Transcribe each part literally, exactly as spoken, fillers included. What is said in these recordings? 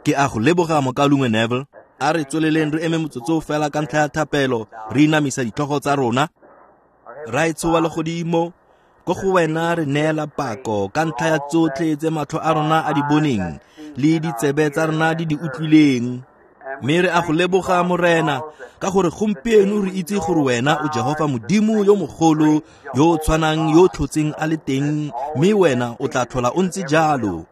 Ke a go leboga mokaulengwe Neville. A re tsweleleng re eme motsotso fela ka ntlha ya thapelo, re inamisa ditlhogo tsa rona. Raetsho wa legodimo, ko go wena re neela pako ka ntlha ya tsotlhe tse matlho a rona a di boneng le ditsebe tsa rona di di utlwileng. Mme re a go leboga Morena ka gore gompieno re itse gore wena o Jehofa Modimo yo mogolo yo o tshwanang yo o tlhotseng a le teng, mme wena o tla tlhola o ntse jalo.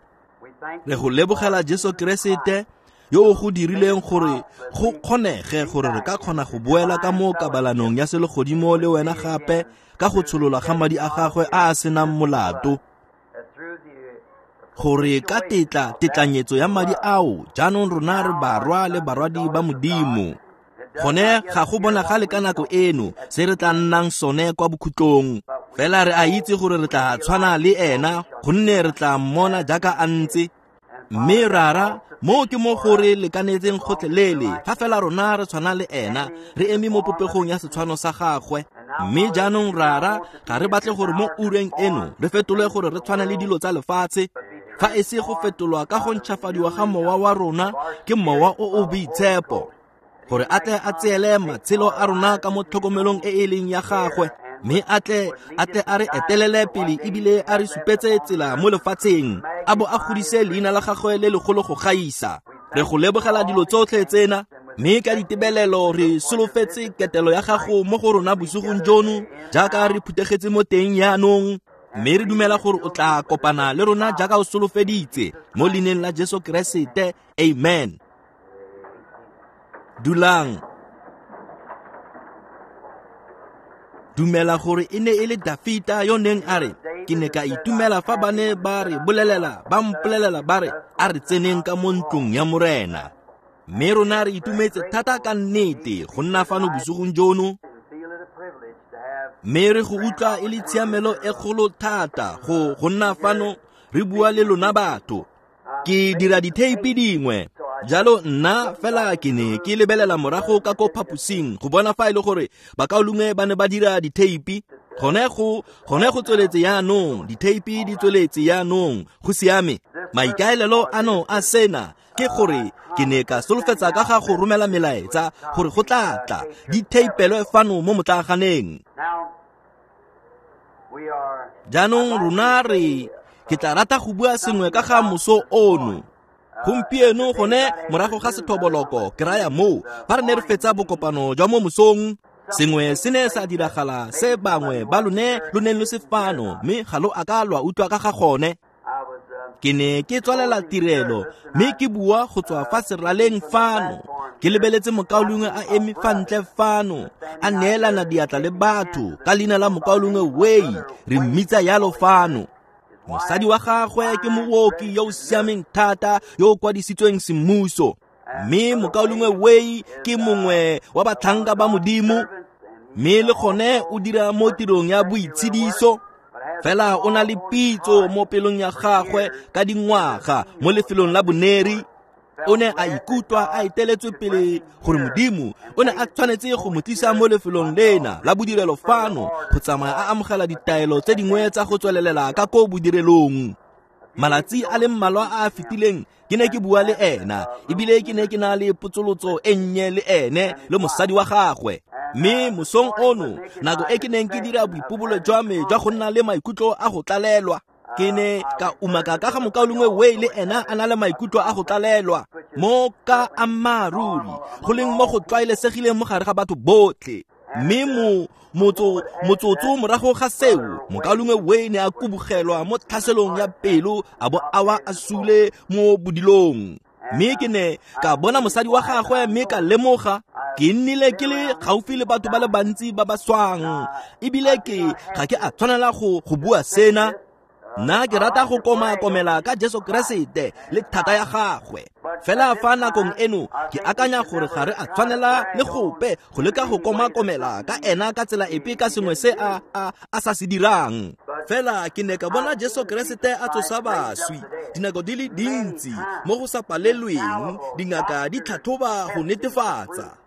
Re go lebogela Jesu Keresete yo o go dirileng gore go kgonege gore re ka kgona go boela ka mo kabalanong ya selegodimo le wena gape ka go tsholola ga madi a gagwe a a senang molato, gore ka tetla tetlanyetso ya madi ao jaanong rona re barwa le barwadi ba Modimo. Gone ga go bonagale ka nako eno se re tla nnang sone kwa bokhutlong, fela re a itse gore re tla tshwana le ena gonne re tla mmona jaaka a ntse. Mme rara, mo ke mo gore lekanetseng gotlhelele, fa fela rona re tshwana le ena, re eme mo popegong ya setshwano sa gagwe. Mme jaanong rara, ga re batle gore mo ureng eno re fetolwe gore re tshwane le dilo tsa lefatshe, fa e se go fetolwa ka go ntšhafadiwa ga mowa wa rona ke mowa o o boitshepo, gore a tle a tseele matshelo a rona ka mo tlhokomelong e e leng ya gagwe, mme a tle a tle a re etelele pele ebile a re supetse tsela mo lefatsheng, a bo a godise leina la gagwe le legolo go gaisa. Re go lebogela dilo tsotlhe tsena, mme ka ditebelelo re solofetse ketelo ya gago mo go rona bosigong jono jaaka re phuthegetse mo teng jaanong, mme re dumela gore o tla kopana le rona jaaka o solofeditse mo leineng la Jesu Keresete. Amen. Dulang. Dumela gore e ne e le Dafita yo neng a re, ke ne ka itumela fa ba ne ba re bolelela, ba mpolelela ba re, a re tseneng ka mo ntlong ya Morena. Mme rona re itumetse thata ka nnete go nna fano bosigong jono, mme re go utlwa e le tshiamelo e kgolo thata go go nna fano re bua le lona batho. Ke dira ditheipi dingwe, jalo nna fela ke ne ke lebelela morago ka ko phaposing go bona fa e le gore bakaulengwe ba ne ba dira ditheipi. Gone go gone go tsweletse jaanong, ditheipi di tsweletse jaanong, go siame. Maikaelelo ano a sena ke gore ke ne ka solofetsa ka ga go romela melaetsa gore go tla tla di theipelwe fano mo motlaaganeng. Jaanong rona re ke tla rata go bua sengwe ka ga moso ono. Gompieno gone morago ga sethoboloko ke raya moo fa re ne re fetsa bokopano jwa mo mosong, sengwe se ne sa diragala se bangwe ba lone lo neng lo se fano, mme ga lo a ka lwa utlwa ka ga gone. Ke ne ke tswalela tirelo mme ke bua go tswa fa seraleng fano, ke lebeletse mokaulengwe a eme fa ntle fano a neelana diatla le batho ka leina la mokaulengwe Way, re mmitsa yalo fano. Mosadi wa gagwe ke mooki yo o siameng thata yo o kwadisitsweng semmuso, mme mokaulengwe Way ke mongwe wa batlhanka ba Modimo, mme le gone o dira mo tirong ya boitshediso. Fela o na le pitso mo pelong ya gagwe ka dingwaga mo lefelong la boneri. O ne a ikutlwa a eteletswe pele gore Modimo o ne a tshwanetse go mo tlisa mo lefelong lena la bodirelo fano go tsamaya a amogela ditaelo tse dingwe tsa go tswelelela ka ko bodirelong. Malatsi a le mmalwa a a fetileng ke ne ke bua le ena, ebile ke ne ke na le potsolotso e nnye le ene le mosadi wa gagwe. Mme mosong ono, nako e ke neng ke dira boipobolo jwa me jwa go nna le maikutlo a go tlalelwa, ke ne ka umaka ka ga mokaulengwe Way le ena a na le maikutlo a go tlalelwa mo ka ammaaruri go leng mo go tlwaelesegileng mo gare ga batho botlhe. Mme mo motso motsotso morago ga seo, mokaulengwe Way ne a kubugelwa mo tlhaselong ya pelo a bo a wa a sule mo bodilong. Mme ke ne ka bona mosadi wa gagwe mme ka lemoga ke nnile ke le gaufi le batho ba le bantsi ba ba swang, ebile ke ga ke a tshwanela go go bua sena. Nna ke rata go komakomela ka Jesu Keresete le thata ya gagwe. Fela fa nakong eno ke akanya gore ga re a tshwanela le gope go leka go komakomela ka ena ka tsela epe ka sengwe se a a a sa se dirang. Fela ke ne ka bona Jesu Keresete a tsosa baswi dinako di le dintsi mo go sa palelweng, dingaka di tlhatlhoba go netefatsa.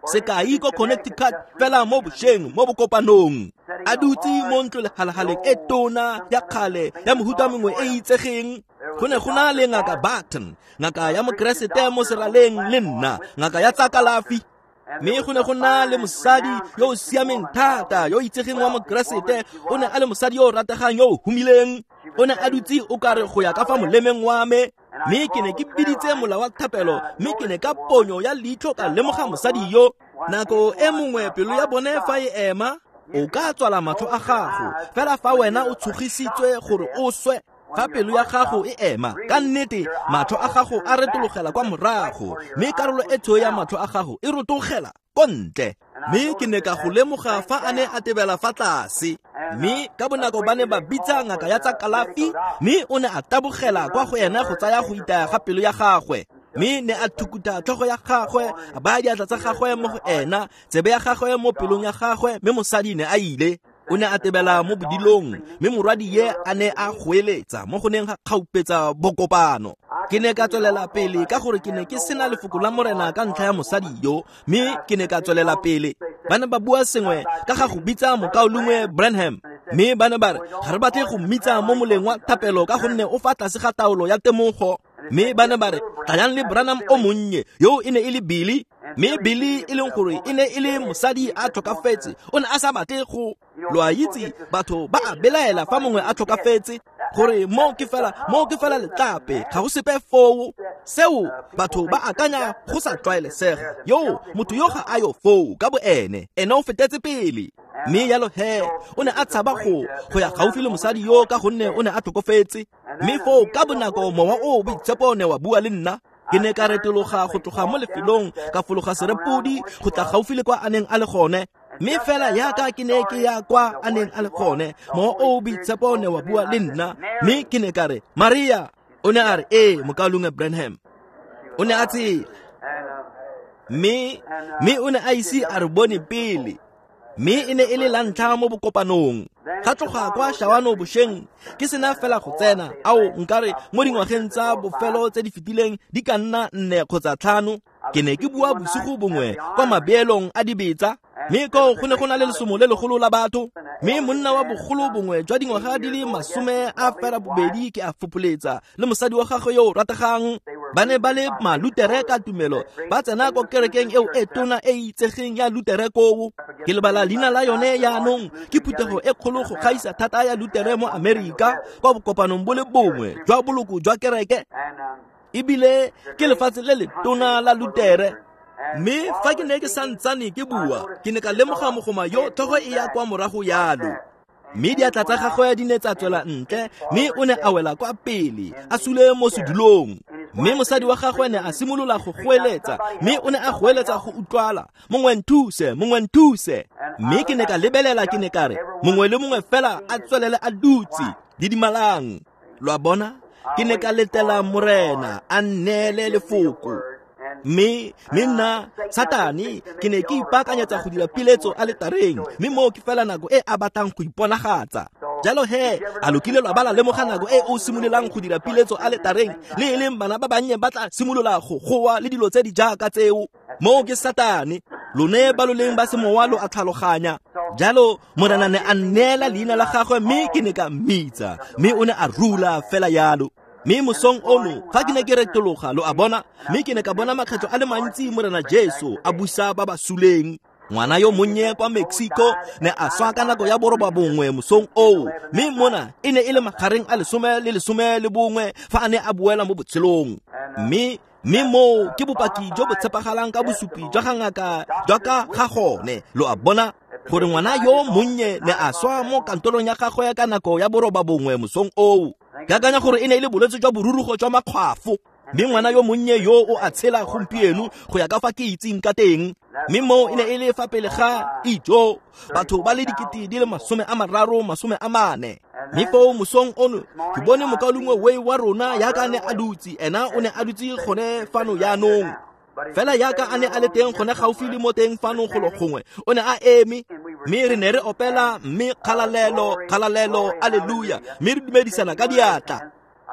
Sekai ko Connecticut fela mo bošeng mo bokopanong, a dutse mo ntlo lehalahaleng e tona ya kgale ya mohuta mongwe e itsegeng. Go ne go na le ngaka Barton, ngaka ya mokeresete mo seraleng le nna, ngaka ya tsa kalafi. Mme go ne go na le mosadi yo o siameng thata yo o itsegeng wa mokeresete, o ne a le mosadi yo o rategang yo o humileng. O ne a dutse o kare go ya ka fa molemeng wa me, mme ke ne ke biditse mola wa thapelo, mme ke ne ka ponyo ya leitlho ka lemoga mosadi yo. Nako e mongwe pelo ya bone fa e ema, o ka tswala matlho a gago fela fa wena o tshogisitswe gore o swe. Fa pelo ya gago e ema, ka nnete matlho a gago a retologela kwa morago, mme karolo e tshweu ya matlho a gago e rotogela ko ntle. Mme ke ne ka go lemoga fa a ne a tebela fa tlase, mme ka bonako ba ne ba bitsa ngaka ya tsa kalafi, mme o ne a tabogela kwa go ena go tsaya go itaya ga pelo ya gagwe. Mme ne a thukuta tlhogo ya gagwe, a baya diatla tsa gagwe mo go ena, tsebe ya gagwe mo pelong ya gagwe, mme mosadi ne a ile. O ne a tebela mo bodilong, mme morwadi ye a ne a goeletsa mo go neng ga kgaupetsa bokopano. Ke ne ka tswelela pele ka gore ke ne ke sena lefoko la Morena ka ntlha ya mosadi yo, mme ke ne ka tswelela pele. Ba ne ba bua sengwe ka ga go bitsa mokaulengwe Branham, mme ba ne ba re ga re batle go mmitsa mo moleng wa thapelo ka gonne o fa tlase ga taolo ya temogo. Mme ba ne ba re tlayang le Branham o monnye, yo e ne e le Billy, mme Billy e leng gore e ne e le mosadi a tlhokafetse, o ne a sa batle go. Lo a itse batho ba a belaela fa mongwe a tlhokafetse, gore mo ke fela mo ke fela letlape, ga go sepe foo. Seo batho ba akanya go sa tlwaelesega, yo motho yo ga a yo foo ka bo ene, ene o fetetse pele. Mme yalo he o ne a tshaba go go ya gaufi le mosadi yo ka gonne o ne a tlhokofetse. Mme foo ka bonako mowa o boitshepo ne wa bua le nna. Ke ne ka retologa go tloga mo lefelong, ka fologa serepodi go tla gaufi le kwa a neng a le gone. Mme fela yaka ke ne ke ya kwa a neng a le gone, mowa o boitshepo ne wa bua le nna. Mme ke ne ka re, Maria. O ne a re, ee, mokaulengwe Branham. O ne a tsela, mme mme o ne a ise a re bone pele, mme e ne e le la ntlha mo bokopanong. Ga tloga kwa Shawano bošeng ke sena fela go tsena, ao nkare mo dingwageng tsa bofelo tse di fetileng di ka nna nne kgotsa tlhano. Ke ne ke bua bosigo bongwe kwa mabeelong a dibetsa, mme koo go ne go na le lesomo le legolo la batho. Mme monna wa bogolo bongwe jwa dingwaga di le masome a fera bobedi ke a fopoletsa, le mosadi wa gagwe yo o rategang. Ba ne ba le malutere ka tumelo, ba tsena ko kerekeng eo e tona e itsegeng ya Lutere koo. Ke lebala leina la yone yaanong, ke phuthego e kgolo go gaisa thata ya Lutere mo Amerika, kwa bokopanong bo le bongwe jwa boloko jwa kereke. Ebile ke lefatshe le letona la Lutere. Mme fa ke ne ke santsane ke bua, ke ne ka lemoga mogoma yo tlhogo e ya kwa morago yalo. Mme diatla tsa gagwe di ne tsa tswela ntle, mme o ne a wela kwa pele, a sule mo sedulong. Mme mosadi wa gagwe ne a simolola go goeletsa, mme o ne a goeletsa go utlwala, mongwe nthuse, mongwe nthuse. Mme ke ne ka lebelela, ke ne ka re, mongwe le mongwe fela a tswelele a dutse, didimalang. Lo a bona? Ke ne ka letela Morena a nneele lefoko. Mme mme nna Satane ke ne ke ipaakanyetsa go dira piletso aletareng, mme moo ke fela nako e a batlang go iponagatsa. Jalo he a lo kile lwa bala lemoga nako e o simololang go dira piletso aletareng, le e leng bana ba bannye ba tla simolola go goa le dilo tse di jaaka tseo. Moo ke Satane, lone ba lo leng ba semowa lo a tlhaloganya. Jalo Morena ne a nneela leina la gagwe, mme ke ne ka mmitsa, mme o ne a rula fela yalo. Mme mosong ono fa ke ne ke retologa, lo a bona, mme ke ne ka bona makgetlo a le mantsi Morena Jesu a busa ba ba suleng. Ngwana yo monnye kwa Mexico ne a swa ka nako ya boroba bongwe mosong oo, mme mona e ne e le magareng a lesome le lesome le bongwe fa a ne a boela mo botshelong. Mme mme moo ke bopaki jo bo tshepagalang ka bosupi jwa ga ngaka jwa ka ga gone. Lo a bona gore ngwana yo monnye ne a swa mo kantorong ya gagwe ka nako ya boroba bongwe mosong oo. Ke akanya gore e ne e le bolwetse jwa borurugo jwa makgwafo. Mme ngwana yo monnye yo o a tshela gompieno go ya ka fa ke itseng ka teng. Mme moo e ne e le fa pele ga ijo, batho ba le dikete di le masome a mararo, masome a mane. Mme foo mosong ono ke bone mokaulengwe Way wa rona yaka a ne a dutse, ena o ne a dutse gone fano yaanong. Fela yaka a ne a le teng gone gaufi le mo teng fano golo gongwe, o ne a eme. Mme re ne re opela mme kgalalelo, kgalalelo, alleluia, mme re dumedisana ka diatla.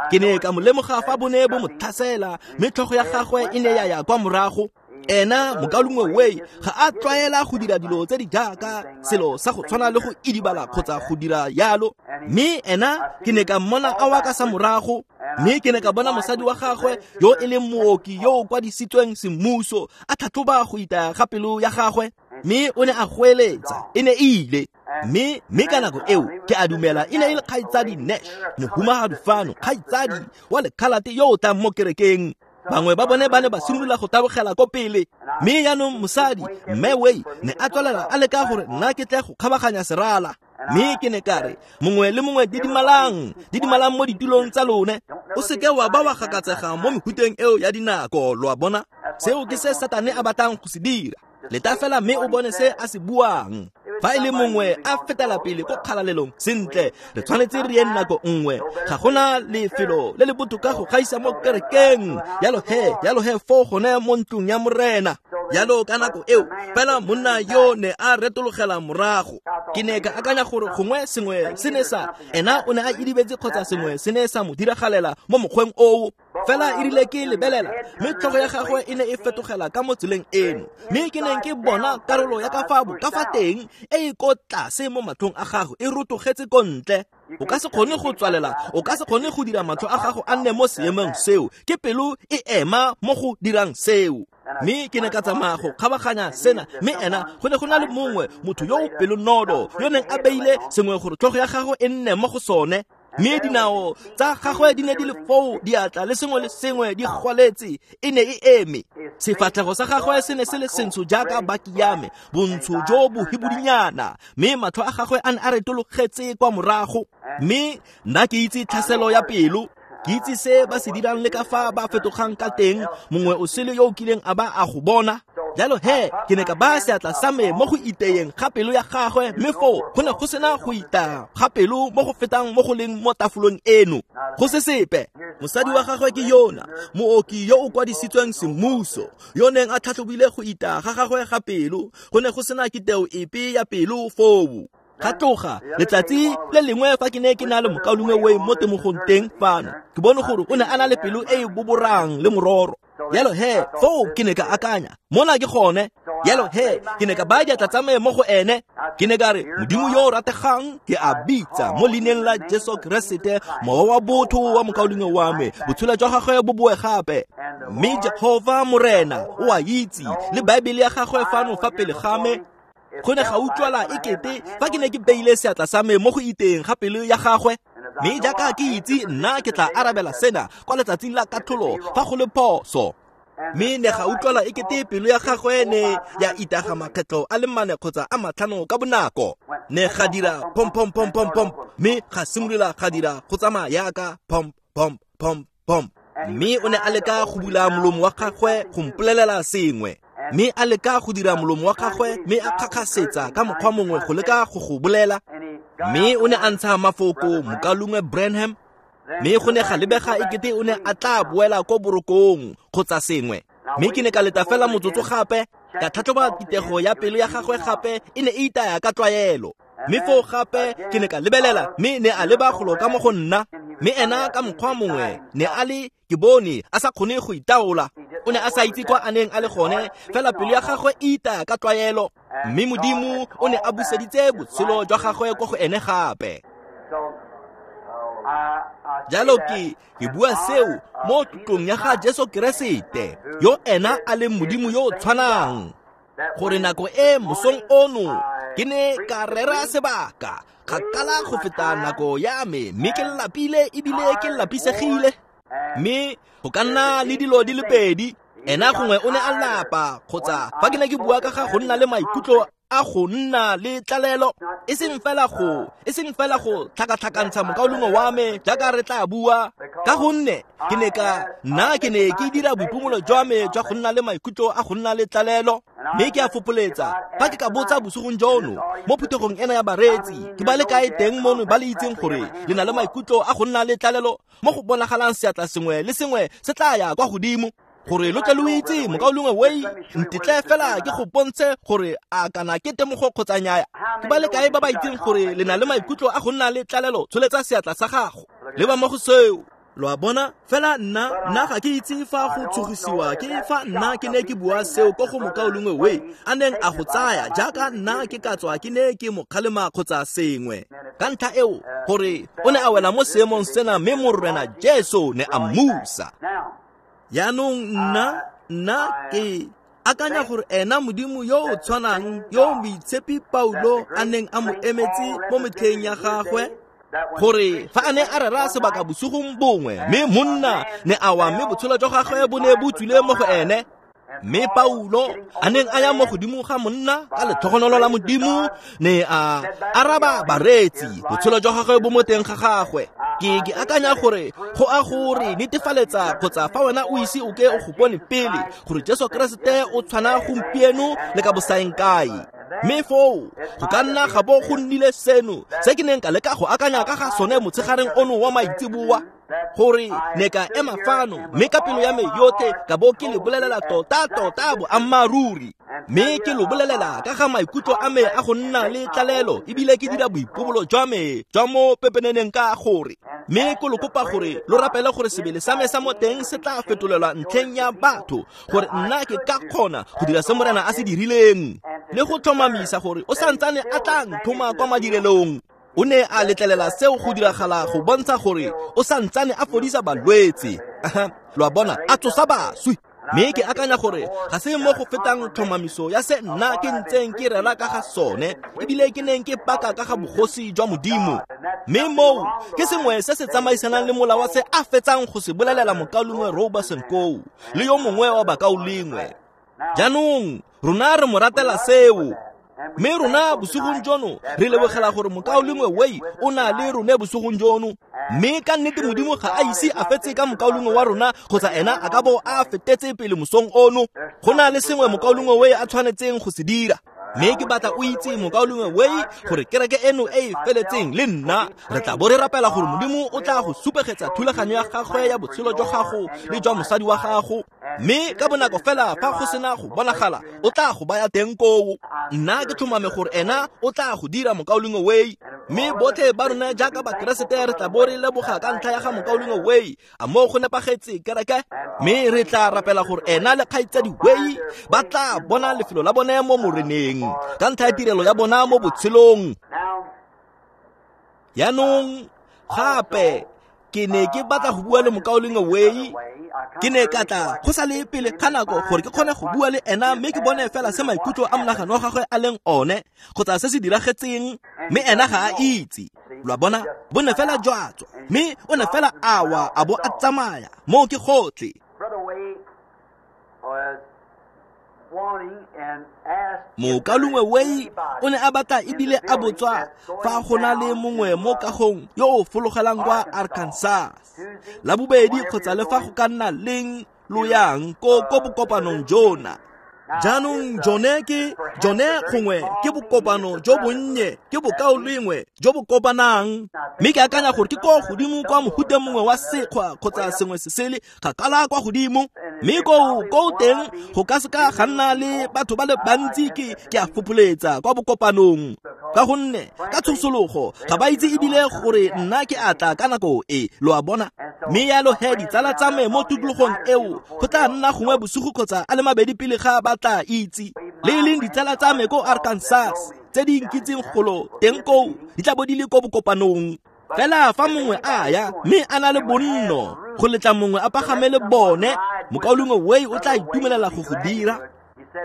Ke ne ka mo lemoga fa bo ne bo mo tlhasela, mme tlhogo ya gagwe e ne ya ya kwa morago. Ena mokaulengwe Way ga a tlwaela go dira dilo tse di jaaka selo sa go tshwana le go idibala kgotsa go dira yalo. Mme ena ke ne ka mmona a wa ka sa morago, mme ke ne ka bona mosadi wa gagwe yo e leng mooki yo o kwadisitsweng semmuso a tlhatlhoba go itaya ga pelo ya gagwe, mme o ne a goeletsa, e ne e ile. Mme mme ka nako eo ke a dumela e ne e le kgaitsadi Nash, mohumagadi fano, kgaitsadi wa lekhalate yo o tlang mo kerekeng. Bangwe ba bone ba ne ba simolola go tabogela ko pele. Mme jaanong mosadi mme Way ne a tswelela a leka gore nna ke tle go kgabaganya serala. Mme ke ne ka re, mongwe le mongwe didimalang, didimalang mo ditulong tsa lone. O seke wa ba wa gakatsega mo mehuteng eo ya dinako, lo a bona. Seo ke se Satane a batlang go se dira. Leta fela mme o bone se a se buang. Fa e le mongwe a fetela pele ko kgalalelong, sentle, re tshwanetse re ye nako nngwe. Ga gona lefelo le le botoka go gaisa mo kerekeng. Yalo he, yalo he foo gone mo ntlong ya Morena. Yalo ka nako eo, fela monna yo ne a retologela morago. Ke ne ka akanya gore gongwe sengwe se ne sa, ena o ne a idibetse kgotsa sengwe se ne sa mo diragalela mo mokgweng oo. Fela e rile ke lebelela, mme tlhogo ya gagwe e ne e fetogela ka mo tseleng eno. Mme ke neng ke bona karolo ya ka fa ka fa teng e e ko tlase mo matlhong a gagwe e rotogetse ko ntle. O ka se kgone go tswalela, o ka se kgone go dira matlho a gago a nne mo seemong seo. Ke pelo e ema mo go dirang seo. Mme ke ne ka tsamaya go kgabaganya sena, mme ena go ne go na le mongwe motho yo o pelonolo yo neng a beile sengwe gore tlhogo ya gagwe e nne mo go sone. Mme dinao tsa gagwe di ne di le foo, diatla le sengwe le sengwe di gwaletse, e ne e eme. Sefatlhego sa gagwe se ne se le sentsho jaaka baki ya me, bontsho jo bo hibidinyana, mme matlho a gagwe a ne a retologetse kwa morago. Mme nna ke itse tlhaselo ya pelo, ke itse se ba se dirang le ka fa ba fetogang ka teng, mongwe o sele yo o kileng a ba a go bona. Jalo he, ke ne ka baya seatla sa me mo go iteyeng ga pelo ya gagwe, mme foo go ne go sena go itaya ga pelo mo go fetang mo go leng mo tafolong eno. Go se sepe. Mosadi wa gagwe ke yona, mooki yo o kwadisitsweng semmuso, yo neng a tlhatlhobile go itaya ga gagwe ga pelo. Go ne go sena kiteo epe ya pelo foo. Ga tloga letsatsi le lengwe fa ke ne ke na le mokaulengwe Way mo temogong teng fano, ke bone gore o ne a na le pelo e e boborang le mororo. Yalo he, foo ke ne ka akanya, mona ke gone. Yalo he, ke ne ka baya diatla tsa me mo go ene. Ke ne ka re, Modimo yo o rategang, ke a bitsa mo leineng la Jesu Keresete, mowa wa botho wa mokaulengwe wa me, botshelo jwa gagwe bo boe gape. Mme Jehova Morena o a itse, le Baebele ya gagwe fano fa pele ga me. Go ne ga utlwala e kete fa ke ne ke beile seatla sa me mo go iteng ga pelo ya gagwe. Mme jaaka ke itse, nna ke tla arabela sena kwa letsatsing la katlholo fa go le phoso. Mme ne ga utlwala e kete pelo ya gagwe ne ya itaga makgetlo a le mane kgotsa a matlhano ka bonako. Ne ga dira pom pom pom pom pom, mme ga simolola ga dira go tsamaya yaka pom pom pom pom. Mme o ne a leka go bula molomo wa gagwe go mpolelela sengwe. Mme a leka go dira molomo wa gagwe, mme a kgakgasetsa ka mokgwa mongwe go leka go go bolela. Mme o ne a ntsha mafoko mokaulengwe Branham, mme go ne ga lebega e kete o ne a tla boela ko borokong kgotsa sengwe. Mme ke ne ka leta fela motsotso gape, ka tlhatlhoba kitego ya pelo ya gagwe gape, e ne e itaya ka tlwaelo. Mme foo gape ke ne ka lebelela, mme ne a leba golo ka mo go nna. Mme ena ka mokgwa mongwe ne a le, ke bone a sa kgone go itaola. O ne a sa itse kwa a neng a le gone, fela pelo ya gagwe e itaya ka tlwaelo. Mme Modimo o ne a buseditse botshelo jwa gagwe kwa go ene gape. Jalo ke ke bua seo mo tlotlong ya ga Jesu Keresete, yo ena a leng Modimo yo o tshwanang. Gore nako e mosong ono ke ne ka rera sebaka kgakala go feta nako ya me, mme ke lapile ebile ke lapisegile. Mme go ka nna le dilo di le pedi, ena gongwe o ne a lapa, kgotsa fa ke ne ke bua ka ga go nna le maikutlo a go nna le tlalelo, e seng fela go e seng fela go tlhakatlhakantsha mokaulengwe wa me jaaka re tla bua, ka gonne ke ne ka nna ke ne ke dira boipomolo jwa me jwa go nna le maikutlo a go nna le tlalelo. Mme ke a fopoletsa fa ke ka botsa bosigong jono mo phuthegong ena ya bareetsi, ke ba le kae teng mono ba le itseng gore le na le maikutlo a go nna le tlalelo mo go bonagalang seatla sengwe le sengwe se tla ya kwa godimo, gore lo tle lo itse mokaulengwe Way, ntetle fela ke go bontshe gore a kana ke temogo kgotsa nnyaya. Ke ba le kae ba ba itseng gore le na le maikutlo a go nna le tlalelo? Tsholetsa seatla sa gago. Leba mo go seo. Lo a bona? Fela nna, nna ga ke itse fa go tshogisiwa ke fa nna ke ne ke bua seo ko go mokaulengwe Way a neng a go tsaya jaaka nna ke ka tswa ke ne ke mo kgalema kgotsa sengwe. Ka ntlha eo gore o ne a wela mo seemong sena mme Morena Jesu ne a mmusa. Jaanong nna, nna ke akanya gore ena Modimo yo o tshwanang yo moitshepi Paulo a neng a mo emetse mo metlheng ya gagwe, gore fa a ne a rera sebaka bosigong bongwe mme monna ne a wa mme botshelo jwa gagwe bo ne bo tswile mo go ene, mme Paulo a neng a ya mo godimo ga monna ka letlhogonolo la Modimo ne a araba bareetsi botshelo jwa gagwe bo mo teng ga gagwe. Ke ke akanya gore go a gore netefaletsa kgotsa fa wena o ise o ke o go bone pele gore Jesu Keresete o tshwana gompieno le ka bosaeng kae. Mme foo go ka nna ga bo go nnile seno se ke neng ka leka go akanya ka ga sone motshegareng ono wa maitseboa, gore ne ka ema fano mme ka pelo ya me yotlhe ka bo ke le bolelela tota-tota boammaaruri, mme ke lo bolelela ka ga maikutlo a me a go nna le tlalelo ebile ke dira boipobolo jwa me jwa mo pepeneneng ka gore, mme ke lo kopa gore lo rapele gore sebele sa me sa mo teng se tla fetolelwa ntlheng ya batho, gore nna ke ka kgona go dira se Morena a se dirileng le go tlhomamisa gore o santsane a tla nthoma kwa madirelong. O ne a letlelela seo go diragala go bontsha gore o santsane a fodisa balwetse. Lo a bona, a tsosa baswi. Mme ke akanya gore ga se mo go fetang tlhomamiso ya se nna ke ntseng ke rera ka ga sone ebile ke neng ke paka ka ga bogosi jwa Modimo. Mme moo ke sengwe se se tsamaisanang le molao wa se a fetsang go se bolelela mokaulengwe Roberson koo le yo mongwe wa bakaulengwe. Jaanong rona re mo ratela seo. Mme rona bosigong jono re lebogela gore mokaulengwe Way o na le rone bosigong jono. Mme ka nnete Modimo ga a ise a fetse ka mokaulengwe wa rona kgotsa ena a ka bo a fetetse pele mosong ono. Go na le sengwe mokaulengwe Way a tshwanetseng go se dira. Mme ke batla o itse mokaulengwe Way gore kereke eno e e feletseng le nna re tla bo re rapela gore Modimo o tla go supegetsa thulaganyo ya gagwe ya botshelo jwa gago le jwa mosadi wa gago, mme ka bonako fela fa go sena go bonagala o tla go baya teng koo. Nna ke tlhomame gore ena o tla go dira mokaulengwe Way, mme botlhe ba rona jaaka bakeresete re tla bo re leboga ka ntlha ya ga mokaulengwe Way. A moo go nepagetse kereke? Mme re tla rapela gore ena le kgaitsadi Way ba tla bona lefelo la bone mo Moreneng ka ntlha ya tirelo ya bona mo botshelong. Jaanong gape ke ne ke batla go bua le mokaulengwe Way. Ke ne ka tla go sa le pele ga nako gore ke kgone go bua le ena mme ke bone fela se maikutlo a monagano wa gagwe a leng one kgotsa se se diragetseng, mme ena ga a itse. Lo a bona, bo ne fela jwa tswa mme o ne fela a wa a bo a tsamaya. Moo ke gotlhe. Mokaulengwe Way o ne a batla ebile a botswa fa go na le mongwe mo kagong yo o fologelang kwa Arkansas la bobedi kgotsa le fa go ka nna leng lo yang ko ko bokopanong jona. Jaanong jone ke jone gongwe ke bokopano jo bonnye, ke bokaulengwe jo bo kopanang, mme ke akanya gore ke ko godimo kwa mohuta mongwe wa sekgwa kgotsa sengwe se sele kgakala kwa godimo, mme koo ko teng go ka seka ga nna le batho ba le bantsi ke ke a fopholetsa kwa bokopanong, ka gonne ka tshosologo ga ba itse ebile gore nna ke a tla ka nako e, lo a bona. Mme yalo he ditsala tsa me mo tikologong eo go tla nna gongwe bosigo kgotsa a le mabedi pele ga ba tla itse. Le e leng ditsala tsa me ko Arkansas tse di nkitseng golo teng koo di tla bo di le ko bokopanong. Fela fa mongwe a ya mme a na le bonno go letla mongwe a pagame le bone, mokaulengwe Way o tla itumelela go go dira.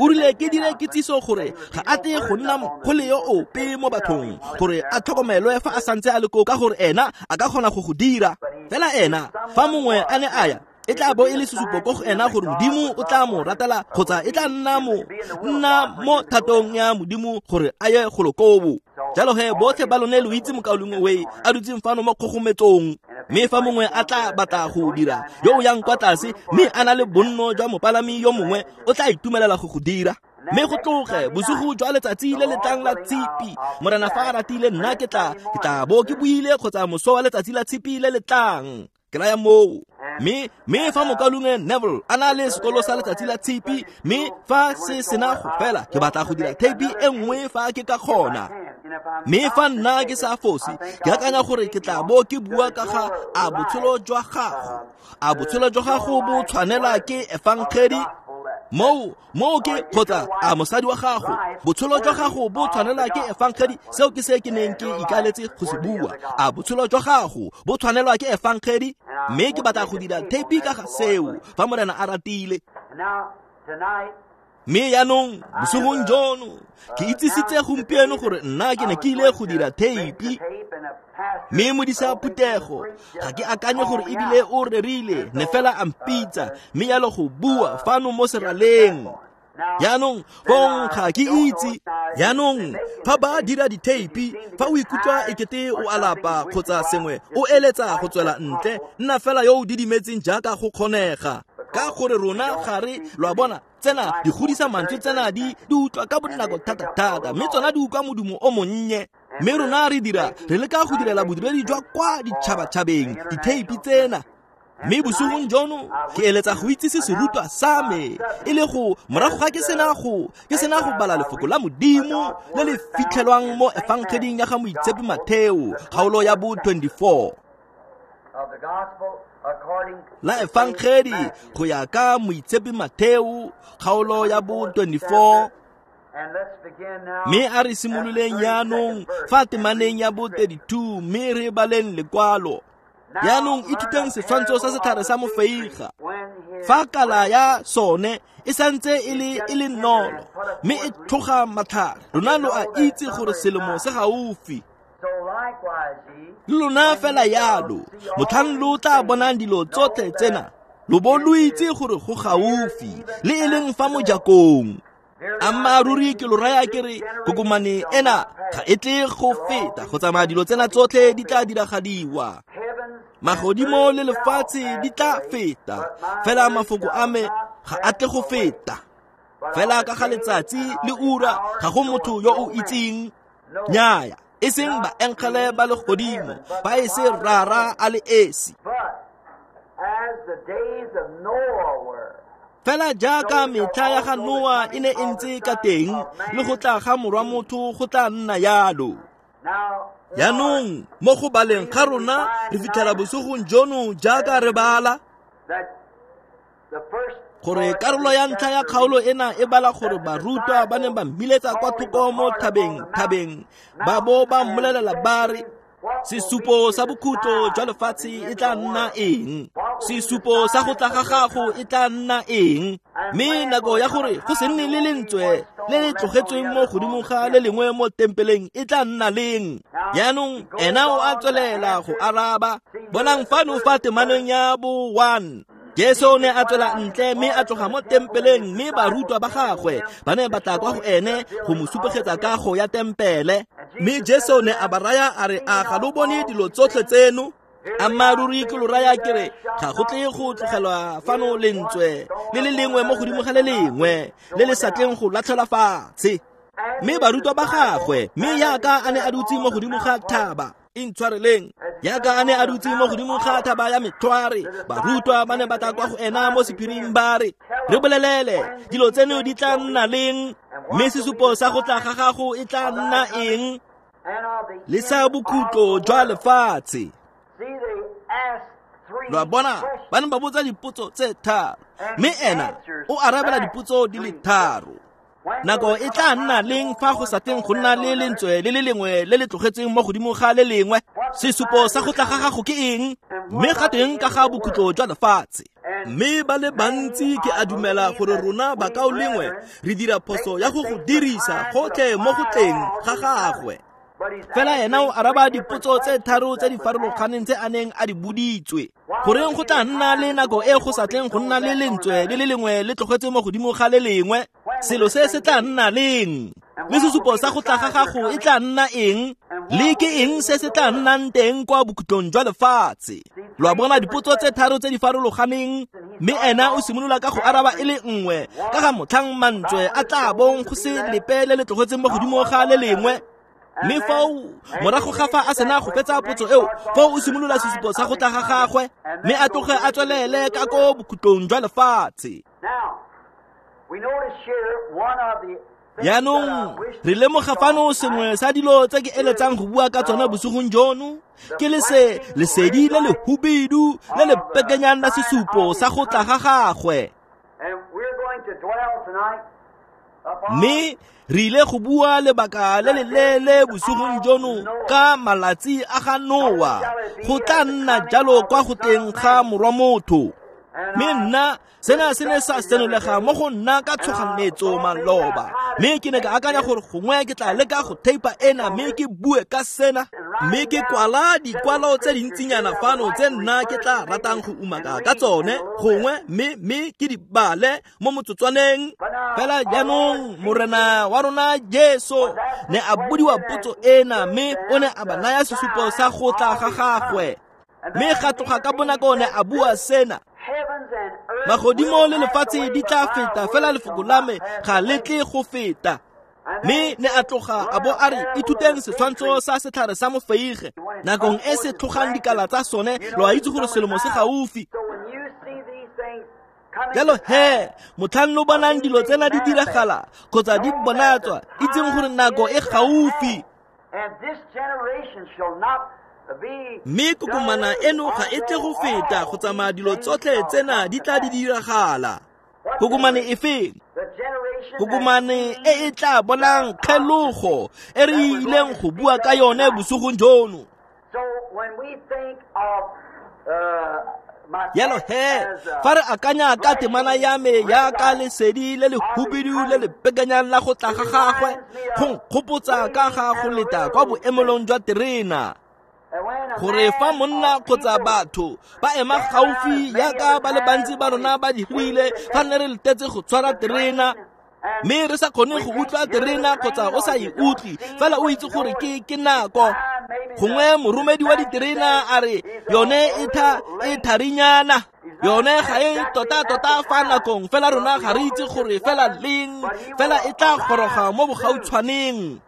O rile ke dire kitsiso gore ga a tle go nna mokgole yo ope mo bathong gore a tlhokomelwe fa a santse a le koo, ka gore ena a ka kgona go go dira. Fela ena fa mongwe a ne a ya e tla bo e le sesupo ko go ena gore Modimo o tla mo ratela kgotsa e tla nna mo nna mo thatong ya Modimo gore a ye golo koo. Jalo he botlhe ba lone lo itse mokaulengwe Way a dutseng fano mo kgogometsong, mme fa mongwe a tla batla go dira yo o yang kwa tlase mme a na le bonno jwa mopalami yo mongwe o tla itumelela go go dira. Mme go tloge bosigo jwa letsatsi le le tlang la tshipi, Morena fa a ratile nna ke tla ke tla bo ke buile kgotsa moso wa letsatsi la tshipi le le tlang. Ke raya moo. Mme mme fa mokaulengwe Neville a na le sekolo sa letsatsi la tshipi, mme fa se sena go fela ke batla go dira theipi e nngwe fa ke ka kgona. Mme fa nna ke sa fose, ke akanya gore ke tla bo ke bua ka ga a botshelo jwa gago. A botshelo jwa gago bo tshwanela ke efangedi? Moo moo ke kgotsa a mosadi wa gago, botshelo jwa gago bo tshwanela ke efangedi? Seo ke se ke neng ke ikaletse go se bua. A botshelo jwa gago bo tshwanelwa ke efangedi? Mme ke batla go dira theipi ka ga seo fa Morena a ratile. Mme jaanong bosigong jono ke itsisitse gompieno gore nna ke ne ke ile go dira theipi. Mme modisa phuthego ga ke akanye gore ebile o rerile, ne fela a mpitsa mme jalo go bua fano mo seraleng. Jaanong fong ga ke itse. Jaanong fa ba dira ditheipi, fa o ikutlwa ekete o alapa kgotsa sengwe, o eletsa go tswela ntle, nna fela yo o didimetseng jaaka go kgonega. Ka gore rona ga re, lo a bona, tsena di godisa mantswe, tsena di di utlwa ka bonako thata-thata, mme tsona di utlwa modumo o monnye. Mme rona re dira, re leka go direla bodiredi jwa kwa ditšhabatšhabeng ditheipi tsena. Mme bosigong jono ke eletsa go itsise serutwa sa me e le go morago ga ke sena go ke sena go bala lefoko la Modimo le le fitlhelwang mo efangeding ya ga Moitshepi Matheo kgaolo ya bo twenty-four la efangedi go ya ka Moitshepi Matheo kgaolo ya bo twenty-four. Mme a re simololeng jaanong fa temaneng ya bo thirty-two, mme re baleng lekwalo. Jaanong ithuteng setshwantsho sa setlhare sa mofeiga. Fa kala ya sone e santse e le e le nolo, mme e tlhoga matlhare, lona lo a itse gore selemo se gaufi. Le lona fela yalo, motlhang lo tla bonang dilo tsotlhe tsena, lo bo lo itse gore go gaufi, le e leng fa mojakong. Ammaaruri ke lo raya ke re kokomane ena ga e tle go feta go tsamaya dilo tsena tsotlhe di tla diragadiwa. Magodimo le lefatshe di tla feta, fela mafoko a me ga a tle go feta. Fela ka ga letsatsi le ura ga go motho yo o itseng, nnyaya, e seng baengele ba legodimo, ba e se Rara a le esi. Fela jaaka metlha ya ga Noa e ne e ntse ka teng, le go tla ga morwa motho go tla nna yalo. Jaanong mo go baleng ga rona re fitlhela bosigong jono jaaka re bala gore karolo ya ntlha ya kgaolo ena e bala gore barutwa ba ne ba mmiletsa kwa thoko mo thabeng thabeng ba bo ba mmolelela ba re, sesupo sa bokhutlo jwa lefatshe e tla nna eng? Sesupo sa go tla ga gago e tla nna eng? Mme nako ya gore go se nne le lentswe le le tlogetsweng mo godimo ga le lengwe mo tempeleng e tla nna leng? Jaanong ena o a tswelela go araba. Bonang fano fa temaneng ya bo one. Jesu o ne a tswela ntle mme a tloga mo tempeleng, mme barutwa ba gagwe ba ne ba tla kwa go ene go mo supegetsa kago ya tempele. Mme Jesu ne a ba raya a re, a ga lo bone dilo tsotlhe tseno? Ammaaruri ke lo raya ke re, ga go tle go tlogelwa fano lentswe le le lengwe mo godimo ga le lengwe le le sa tleng go latlhelwa fatshe. Mme barutwa ba gagwe, mme jaaka a ne a dutse mo godimo ga thaba, intshwareleng, jaaka a ne a dutse mo godimo ga thaba ya Metlhware, barutwa ba ne ba tla kwa go ena mo sephiring ba re, re bolelele dilo tseno di tla nna leng? Mme sesupo sa go tla ga gago e tla nna eng? Le sa bokhutlo jwa lefatshe. Lo a bona, ba ne ba botsa dipotso tse tharo, mme ena o arabela dipotso di le tharo. Nako e tla nna leng fa go sa teng go nna le lentswe le le lengwe le le tlogetsweng mo godimo ga le lengwe? Sesupo sa go tla ga gago ke eng? Mme ga teng ka ga bokhutlo jwa lefatshe. Mme ba le bantsi ke a dumela gore rona bakaulengwe re dira phoso ya go go dirisa gotlhe mo go tleng ga gagwe. Fela ena o araba dipotso tse tharo tse di farologaneng tse a neng a di boditswe. Goreng go tla nna le nako e go sa tleng go nna le lentswe le le lengwe le tlogetse mo godimo ga le lengwe? Selo se se tla nna leng? Le sesupo sa go tla ga gago e tla nna eng? Le ke eng se se tla nnang teng kwa bokhutlong jwa lefatshe? Lo a bona dipotso tse tharo tse di farologaneng, mme ena o simolola ka go araba e le nngwe ka ga motlhang mantswe a tla bong go se lepe le le tlogetseng mo godimo ga le lengwe. Mme foo morago ga fa a sena go fetsa potso eo, foo o simolola sesupo sa go tla ga gagwe, mme a tloge a tswelele ka ko bokhutlong jwa lefatshe. Jaanong re lemoga fano sengwe sa dilo tse ke eletsang go bua ka tsona bosigong jono ke lese lesedi le le hubidu le le pekenyang la sesupo sa go tla ga gagwe. Mme re ile go bua lebaka le le leele bosigong jono ka malatsi a ga Noa, go tla nna jalo kwa go teng ga morwa motho. Mme nna sena se ne sa senolega mo go nna ka tshoganetso maloba, mme ke ne ka akanya gore gongwe ke tla leka go theipa ena mme ke bue ka sena, mme ke kwala dikwalo tse dintsinyana fano tse nna ke tla ratang go umaka ka tsone gongwe, mme mme ke di bale mo motsotswaneng. Fela jaanong Morena wa rona Jesu ne a bodiwa potso ena, mme o ne a ba naya sesupo sa go tla ga gagwe, mme ga tloga ka bonako ne a bua sena: magodimo le lefatshe di tla feta, fela lefoko la me ga le tle go feta. Mme ne a tloga a bo a re, ithuteng setshwantsho sa setlhare sa mofeige, nakong e se tlhogang dikala tsa sone lo a itse gore selemo se gaufi. Jalo he, motlhang lo bonang dilo tsena di diragala kgotsa di bonatswa, itseng gore nako e gaufi. Mme kokomana eno ga e tle go feta go tsamaya dilo tsotlhe tsena di tla di diragala. Kokomane e feng? Kokomane e e tla bonang kgelogo e re ileng go bua ka yone bosigong jono. Jalo he, fa re akanya ka temana ya me ya ka lesedi le le hubidu le le pekanyang la go tla ga gagwe, go nkgopotsa ka ga go leta kwa boemelong jwa terena, gore fa monna kgotsa batho ba ema gaufi yaka ba le bantsi ba rona ba dirile fa ne re letetse go tshwara terena, mme re sa kgone go utlwa terena kgotsa o sa e utlwe, fela o itse gore ke ke nako. Gongwe moromedi wa diterena a re yone e tha e tharinyana, yone ga e tota-tota fa nakong, fela rona ga re itse gore fela leng, fela e tla goroga mo bogautshwaneng.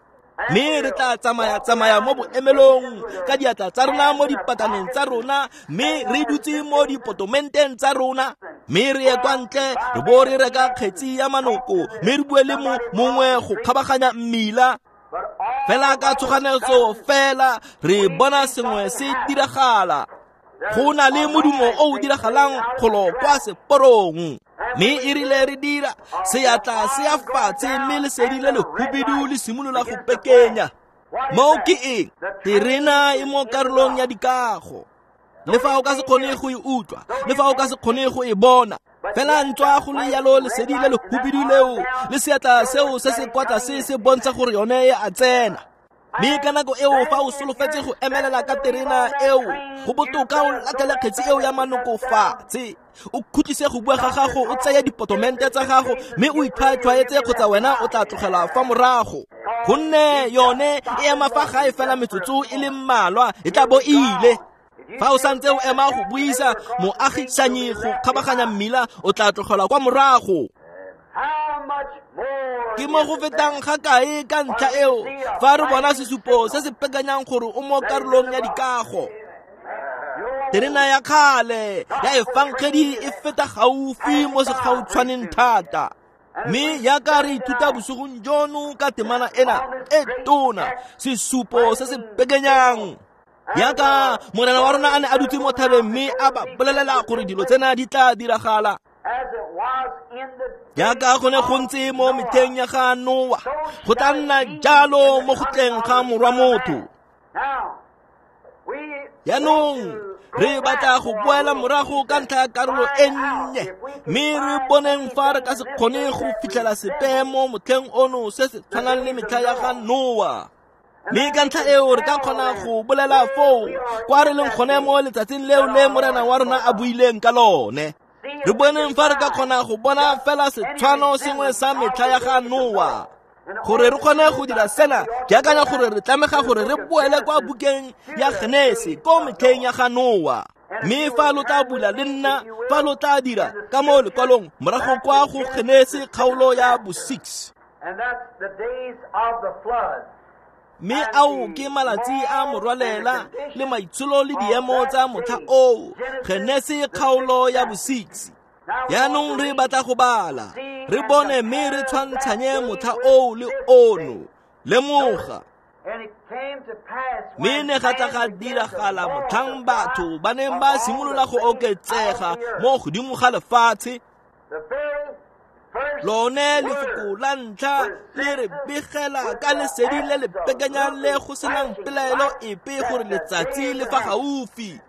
Mme re tla tsamaya-tsamaya mo boemelong ka diatla tsa rona mo dipataneng tsa rona, mme re dutse mo dipotomenteng tsa rona, mme re ye kwa ntle re bo re reka kgetsi ya manoko, mme re bue le mongwe go kgabaganya mmila. Fela ka tshoganetso fela re bona sengwe se diragala. Go na le modumo o o diragalang golo kwa seporong, mme e rile re dira seatla se ya fatshe, mme lesedi le le hubidu le simolola go pekenya. Moo ke eng? Terena e mo karolong ya dikago. Le fa o ka se kgone go e utlwa, le fa o ka se kgone go e bona, fela ntswa go le yalo lesedi le le hubidu leo le seatla seo se se kwa tlase se bontsha gore yone e a tsena. Mme ka nako eo fa o solofetse go emelela ka terena eo, go botoka o latlhele kgetsi eo ya manoko fatshe, o khutlise go bua ga gago, o tseye dipotomente tsa gago, mme o itlhwaetlhwaetse kgotsa wena o tla tlogela fa morago, gonne yone e ema fa gae fela metsotso e le mmalwa e tla bo e ile. Fa o santse o ema go buisa moagisanyi go kgabaganya mmila, o tla tlogelwa kwa morago. Ke mo go fetang ga kae ka ntlha eo fa re bona sesupo se se pekanyang gore o mo karolong ya dikago. Terena ya kgale ya efankgedi e feta gaufi mo segautshwaneng thata. Mme yaka re ithuta bosigong jono ka temana ena e tona, sesupo se se pekenyang. Yaka Morena wa rona a ne a dutse mo thabeng mme a ba bolelela gore dilo tsena di tla diragala. Yaka go ne go ntse mo metlheng ya ga Noa, go tla nna jalo mo go tleng ga morwa motho. Jaanong re batla go boela morago ka ntlha ya karolo e nnye, mme re boneng fa re ka se kgone go fitlhela sepe mo motlheng ono se se tshwanang le metlha ya ga Noa. Mme ka ntlha eo re ka kgona go bolela foo kwa re leng gone mo letsatsing leo le Morena wa rona a buileng ka lone. Re boneng fa re ka kgona go bona fela setshwano sengwe sa metlha ya ga Noa. Gore re kgone go dira sena, ke akanya gore re tlamega gore re boele kwa bukeng ya Genesi ko metlheng ya ga Noa. Mme fa lo tla bula le nna, fa lo tla dira ka mo lekwalong morago kwa go Genesi kgaolo ya bo six. Mme ao ke malatsi a morwalela le maitsholo le diemo tsa motlha oo. Genesi kgaolo ya bo six. Jaanong re batla go bala. Re bone mme re tshwantshanye motlha oo le ono. Lemoga. Mme ne ga tla ga diragala motlhang batho ba neng ba simolola go oketsega mo godimo ga lefatshe. Lone lefoko la ntlha le re begela ka lesedi le le pekanyang le go senang pelaelo epe gore letsatsi le fa gaufi.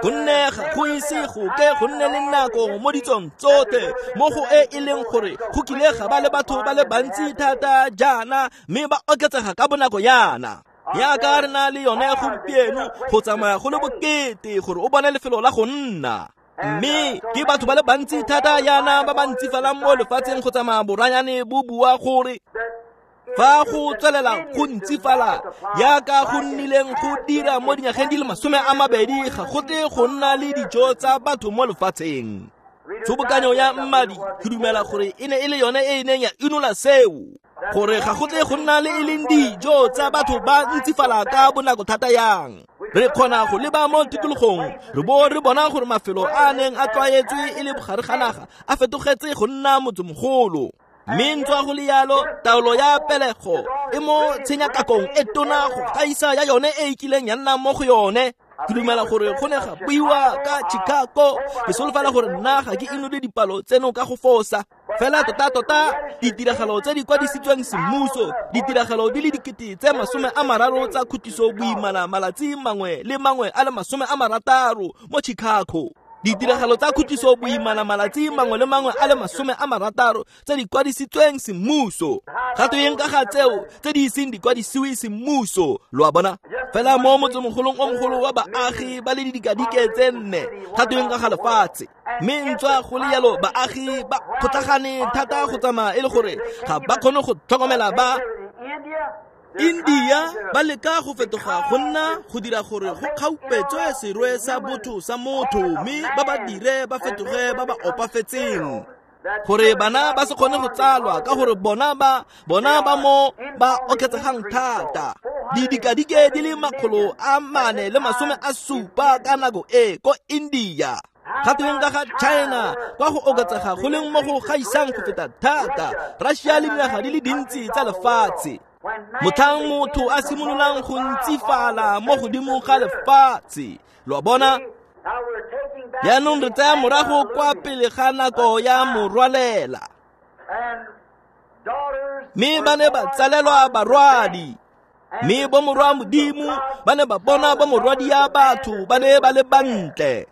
Gonne ga go ise go ke go nne le nako mo ditsong tsotlhe mo go e e leng gore go kile ga ba le batho ba le bantsi thata jaana mme ba oketsega ka bonako yana. Jaaka re na le yone gompieno go tsamaya go le bokete gore o bone lefelo la go nna. Mme ke batho ba le bantsi thata yana ba ba ntsifalang mo lefatsheng go tsamaya boranyane bo bua gore fa go tswelela go ntsifala jaaka go nnileng go dira mo dinyageng di le masome a mabedi ga go tle go nna le dijo tsa batho mo lefatsheng. Tshobokanyo ya mmadi ke dumela gore e ne e le yone e e neng ya inola seo gore ga go tle go nna le e leng dijo tsa batho ba ntsifala ka bonako thata yang. Re kgona go leba mo tikologong re bo re bona gore mafelo a neng a tlwaetswe e le bogare ga naga a fetogetse go nna motsemogolo. Mme ntswa go le yalo taolo ya pelego e mo tshenyakakong e tona go gaisa ya yone e e kileng ya nna mo go yone. Ke dumela gore go ne ga buiwa ka Chicago. Ke solofela gore nna ga ke inole dipalo tseno ka go fosa. Fela tota-tota ditiragalo tse di kwadisitsweng semmuso, ditiragalo di le dikete tse masome a mararo tsa khutiso boimana malatsi mangwe le mangwe a le masome a marataro mo Chicago. Ditiragalo tsa khutiso boimana malatsi mangwe le mangwe a le masome a marataro tse di kwadisitsweng semmuso. Ga tweng ka ga tseo tse di iseng di kwadisiwe semmuso, lo a bona? Fela mo motsemogolong o mogolo wa baagi ba le didikadike tse nne, ga tweng ka ga lefatshe. Mme ntswa go le yalo baagi ba kgotlhagane thata go tsamaya e le gore ga ba kgone go tlhokomela ba India ba leka go fetoga go nna go dira gore go kgaupetswe serwe sa botho sa motho mme ba ba dire ba fetoge ba ba opafetseng gore bana ba se kgone go tsalwa ka gore bona ba bona ba mo ba oketsegang thata. Didikadike di le makgolo a mane le masome a supa ka nako e ko India. Ga tweng ka ga China kwa go oketsega go leng mo go gaisang go feta thata, Russia le dinaga di le dintsi tsa lefatshe. Motlhang motho a simololang go ntsifala mo godimo ga lefatshe, lo a bona? Jaanong re tsaya morago kwa pele ga nako ya morwalela. Mme ba ne ba tsalelwa barwadi. Mme bomorwa Modimo ba ne ba bona bomorwadi ya batho ba ne ba le bantle.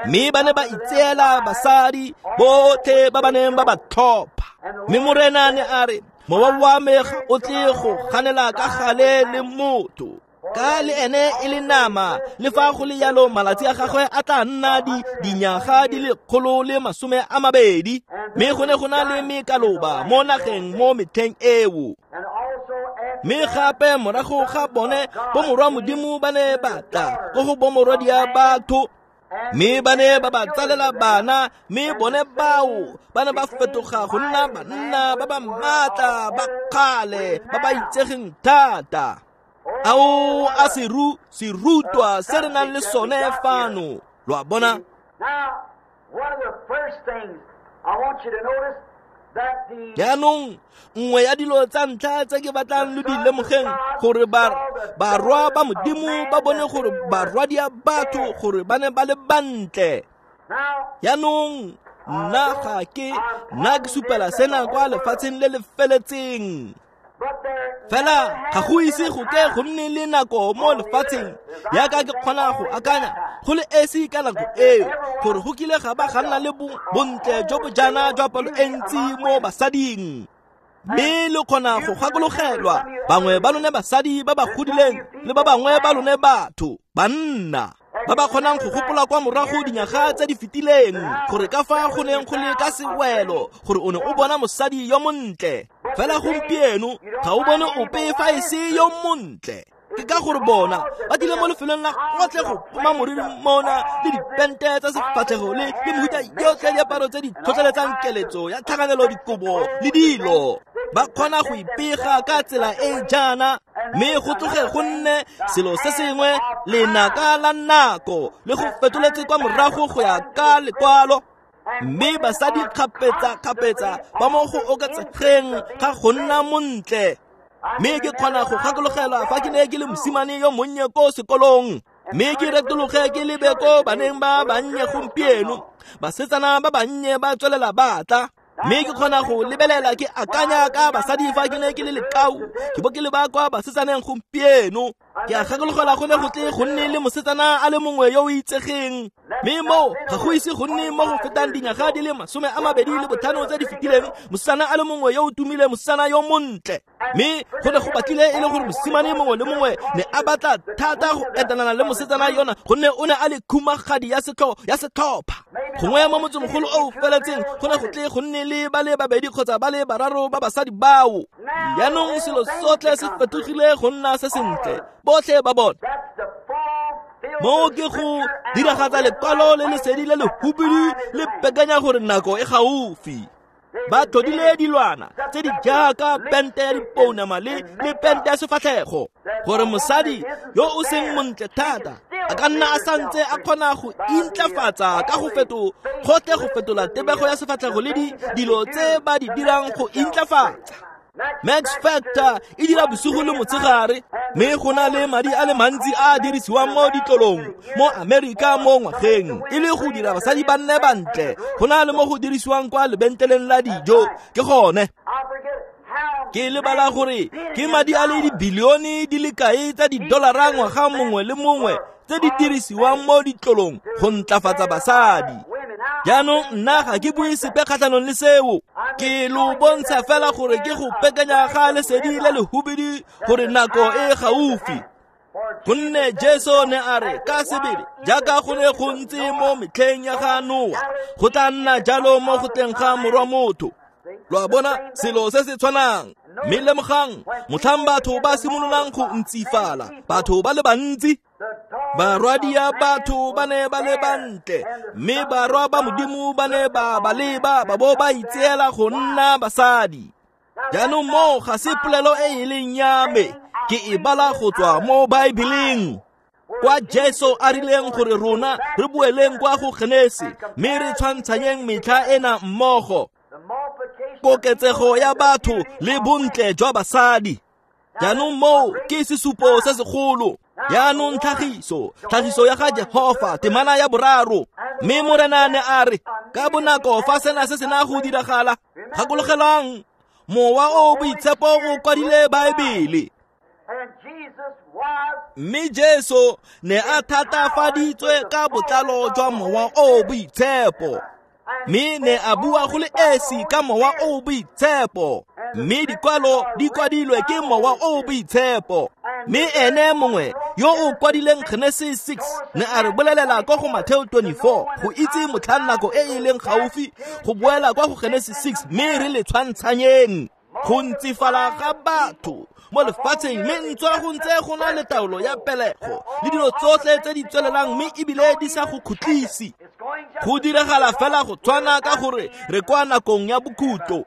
Mme ba ne ba itseela basadi botlhe ba ba neng ba ba tlhopha. Mme Morena ne a re, mowa wa me ga o tle go ganela ka gale le motho. Ka le ene e le nama, le fa go le yalo malatsi a gagwe a tla nna di dinyaga di le kgolo le masome a mabedi. Mme go ne go na le mekaloba mo nageng mo metlheng eo. Mme gape morago ga bone bomorwa Modimo ba ne ba tla ko go bomorwadia batho. Mme ba ne ba ba tsalela bana, mme bone bao ba ne ba fetoga go nna banna ba ba maatla ba kgale ba ba itsegeng thata. Ao a seru serutwa se re nang le sone fano, lo a bona? Jaanong nngwe ya dilo tsa ntlha tse ke batlang lo di lemogeng gore barwa ba Modimo ba bone gore barwadia batho gore ba ne ba le bantle. Jaanong nna ga ke nna ke supela sena kwa lefatsheng le le feletseng. Fela ga go ise go ke go nne le nako mo lefatsheng jaaka ke kgona go akanya go le esi ka nako eo gore go kile ga ba ga nna le bontle jo bo jaana jwa palo e ntsi mo basading. Mme le kgona go gakologelwa bangwe ba lone basadi ba ba godileng le ba bangwe ba lone batho banna ba ba kgonang go gopola kwa morago dinyaga tse di fetileng gore ka fa go neng go le ka sewelo gore o ne o bona mosadi yo montle. Fela gompieno ga o bone ope fa e se yo montle. Ke ka gore bona ba tlile mo lefelong la gotlhe go poma moriri mona le dipente tsa sefatlhego le le mehuta yotlhe ya diaparo tse di tlhotlheletsang keletso ya tlhakanelo dikobo le dilo. Ba kgona go ipega ka tsela e jaana, mme go tloge go nne selo se sengwe lenaka la nako le go fetoletse kwa morago go ya ka lekwalo. Mme basadi kgapetsa-kgapetsa ba mo go oketsegeng ga go nna montle. Mme ke kgona go gakologelwa fa ke ne ke le mosimane yo monnye ko sekolong, mme ke retologe ke lebe ko baneng ba bannye gompieno. Basetsana ba bannye ba tswelela ba tla. Mme ke kgona go lebelela ke akanya ka basadi fa ke ne ke le lekau, ke bo ke leba kwa basetsaneng gompieno. Ke a gakologelwa go ne go tle go nne le mosetsana a le mongwe yo o itsegeng, mme moo ga go ise go nne mo go fetang dinyaga di le masome a mabedi le botlhano tse di fetileng, mosetsana a le mongwe yo o tumile, mosetsana yo montle. Mme go ne go batlile e le gore mosimane mongwe le mongwe ne a batla thata go etelana le mosetsana yona, gonne o ne a le khumagadi ya setlho ya setlhopha. Gongwe mo motsemogolo o o feletseng go ne go tle go nne le ba le babedi kgotsa ba le bararo ba basadi bao. Jaanong selo sotlhe se fetogile go nna se sentle, botlhe ba bona. Moo ke go diragatsa lekwalo le lesedi le lehubidu le pekanya gore nako e gaufi. Ba tlhodile dilwana tse di jaaka pente ya dipounama le le pente ya sefatlhego, gore mosadi yo o seng montle thata a ka nna a santse a kgona go intlafatsa ka go feto gotlhe go fetola tebego ya sefatlhego le di dilo tse ba di dirang go intlafatsa. Max Factor e dira bosigo le motshegare, mme go na le madi a le mantsi a a dirisiwang mo ditlolong mo Amerika mo ngwageng e le go dira basadi ba nne bantle go na le mo go dirisiwang kwa lebenkeleng la dijo. Ke gone ke lebala gore ke madi a le dibilione di le kae tsa didolara ngwaga mongwe le mongwe tse di dirisiwang mo ditlolong go ntlafatsa basadi. Jaanong nna ga ke bue sepe kgatlhanong le seo, ke lo bontsha fela gore ke go pekanya ga lesedi le lehubidu gore nako e gaufi. Gonne Jesu ne a re ka sebele jaaka go ne go ntse mo metlheng ya ga Noa, go tla nna jalo mo go tleng ga morwa motho. Lo a bona, selo se se tshwanang. Mme lemogang, motlhang batho ba simololang go ntsifala, batho ba le bantsi, barwadia batho ba ne ba le bantle, mme barwa ba Modimo ba ne ba ba leba ba bo ba itseela go nna basadi. Jaanong moo ga se polelo e e leng ya me, ke e bala go tswa mo Baebeleng, kwa Jesu a rileng gore rona re boeleng kwa go Genesi, mme re tshwantshanyeng metlha ena mmogo, koketsego ya batho le bontle jwa basadi. Jaanong moo ke sesupo se segolo. Jaanong tlhagiso, tlhagiso ya ga Jehofa, temana ya boraro. Mme Morena ne a re ka bonako fa sena se sena go diragala, gakologelwang, Mowa o Boitshepo o kwadile Baebele. Mme Jesu ne a thatafaditswe ka botlalo jwa Mowa o Boitshepo, mme ne a bua go le esi ka Mowa o Boitshepo, mme dikwalo di kwadilwe ke Mowa o Boitshepo. Mme ene mongwe yo o kwadileng Genesis six ne a re bolelela kwa go Matthew twenty-four go itse motlhang nako e e leng gaufi go boela kwa go Genesis six, mme re le tshwantshanyeng go ntsifala ga batho mo lefatsheng, mme ntswa go ntse go na le taolo ya pelego le dilo tsotlhe tse di tswelelang, mme ebile di sa go khutlise. Go diragala fela go tshwana ka gore re kwa nakong ya bokhutlo.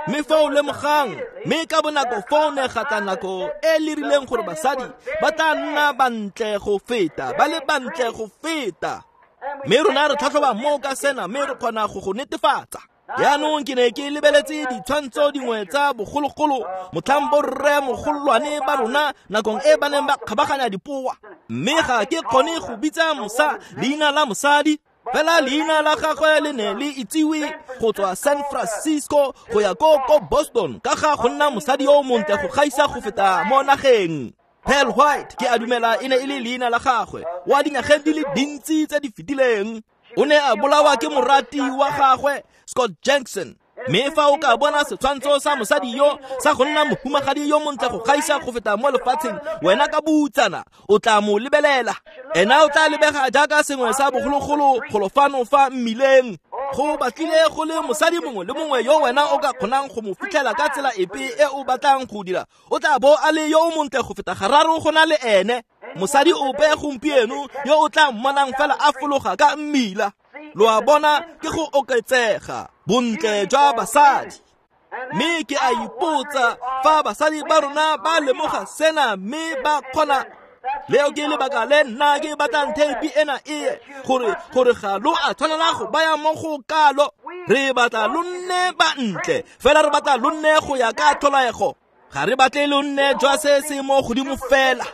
Mme fa o lemogang, mme ka bonako fa o ne ga tla nako e le rileng gore basadi ba tla nna bantle go feta, ba le bantle go feta. Mme rona re tlhatlhoba mo ka sena, mme re kgona go go netefatsa. Jaanong ke ne ke lebeletse ditshwantsho dingwe tsa bogologolo, motlhang borre mogolwane ba rona nakong e ba neng ba kgabaganya dipoa, mme ga ke kgone go bitsa mosa leina la mosadi, fela leina la gagwe le ne le itsiwe go tswa San Francisco go ya ko ko Boston ka ga go nna mosadi yo montle go gaisa go feta mo nageng. Pearl White ke a dumela e ne e le leina la gagwe, wa dingwageng di le dintsi tse di fetileng. O ne a bolawa ke morati wa gagwe Scott Jackson. Mme fa o ka bona setshwantsho sa mosadi yo sa go nna mohumagadi yo montle go gaisa go feta mo lefatsheng, wena ka boutsana o tla mo lebelela. Ena o tla lebega jaaka sengwe sa bogologolo golofano fa mmileng. Go batlile go le mosadi mongwe le mongwe yo wena o ka kgonang go mo fitlhela ka tsela epe e o batlang go dira, o tla bo a le yo o montle go feta gararo go na le ene. Mosadi ope gompieno yo o tla mmonang fela a fologa ka mmila. Lo a bona, ke go oketsega bontle jwa basadi. Mme ke a ipotsa fa basadi ba rona ba lemoga sena mme ba kgona. Leo ke lebaka le nna ke batlang theipi ena e gore gore ga lo a tshwanela go baya mo go kalo. Re batla lo nne bantle, fela re batla lo nne go ya ka tlholego. Ga re batle lo nne jwa se se mo godimo fela.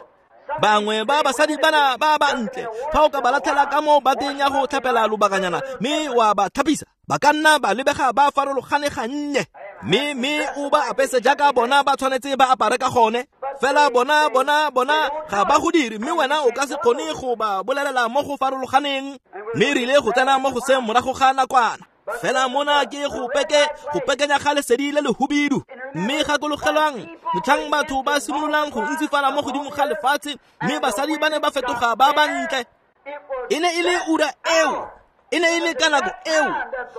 Bangwe ba basadi bana ba bantle, fa o ka ba latlhela ka mo bateng ya go tlhapela lobakanyana mme wa ba tlhapisa, ba ka nna ba lebega ba farologane gannye. Mme mme o ba apese jaaka bona ba tshwanetse ba apare ka gone. Fela bona bona bona ga ba go dire, mme wena o ka se kgone go ba bolelela mo go farologaneng. Mme re ile go tsena mo go se morago ga nakwana. Fela mona ke go peke go pekenya ga lesedi le lehubidu. Mme gakologelwang motlhang batho ba simololang go ntsifala mo godimo ga lefatshe, mme basadi ba ne ba fetoga ba bantle. E ne e le ura eo, e ne e le ka nako eo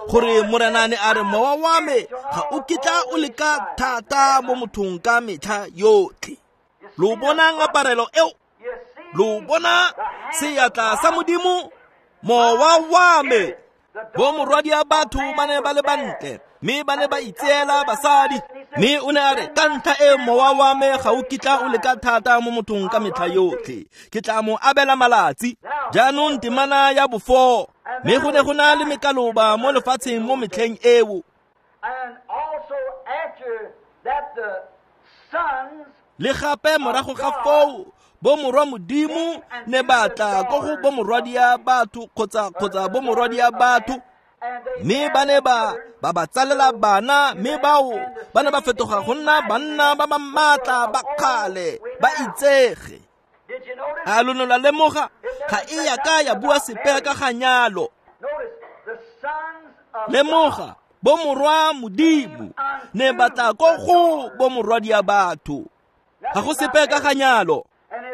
gore Morena ne a re mowa wa me ga o kitla o leka thata mo mothong ka metlha yotlhe. Lo bona ngaparelo eo, lo bona seatla sa Modimo, mowa wa me. Bo morwadia batho ba ne ba le bantle, mme ba ne ba itseela basadi. Mme o ne a re ka ntlha e mowa wa me ga o kitla o leka thata mo mothong ka metlha yotlhe, ke tla mo abela malatsi. Jaanong temana ya bofo, mme go ne go na le mekaloba mo lefatsheng mo metlheng eo. Le gape morago ga foo bo morwa Modimo ne ba tla ko go bo morwadia batho kgotsa kgotsa bo morwadia batho, mme ba ne ba ba ba tsalela bana, mme bao ba ne ba fetoga go nna banna ba ba maatla ba kgale ba itsege. A lo ne la lemoga ga e ya ka ya bua sepe ka ga nyalo. Lemoga bo morwa Modimo ne ba tla ko go bo morwadia batho, ga go sepe ka ga nyalo.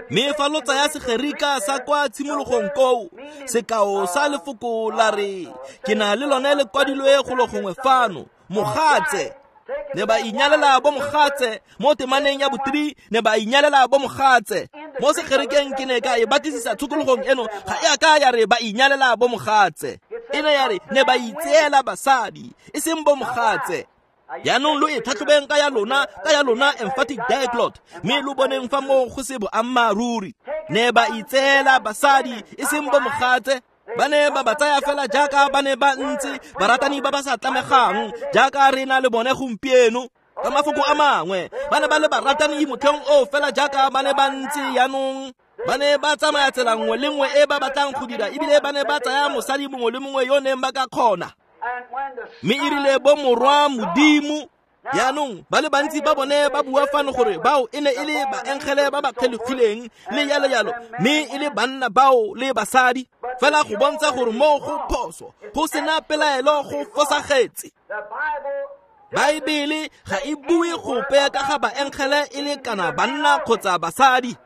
Mme fa lo tsaya Segerika sa kwa tshimologong koo, sekao sa lefoko la re ke na le lone le kwadilwe golo gongwe fano, mogatse. Ne ba inyalela bo mogatse mo temaneng ya bothree, ne ba inyalela bo mogatse. Mo Segerikeng ke ne ka e batlisisa tshokologong eno, ga e a ka ya re ba inyalela bo mogatse. E ne ya re ne ba itseela basadi, e seng bo mogatse. Jaanong lo e tlhatlhobeng ka ya lona, ka ya lona emphatic diglot, mme lo boneng fa moo go se boammaaruri. Ne ba itseela basadi, e seng bo mogatse. Ba ne ba ba tsaya fela jaaka ba ne ba ntse, baratani ba ba sa tlamegang jaaka re na le bone gompieno. Ka mafoko a mangwe, ba ne ba le baratani motlheng o fela jaaka ba ne ba ntse jaanong. Ba ne ba tsamaya tsela nngwe le nngwe e ba batlang go dira, ebile ba ne ba tsaya mosadi mongwe le mongwe yo neng ba ka kgona. Mme e rile bo morwa Modimo. Jaanong ba le bantsi ba bone ba bua fano gore bao e ne e le baengele ba ba kgelogileng le yalo yalo, mme e le banna bao le basadi. Fela go bontsha gore moo go phoso, go sena pelaelo, go fosagetse. Baebele ga e bue gope ka ga baengele e le kana banna kgotsa basadi.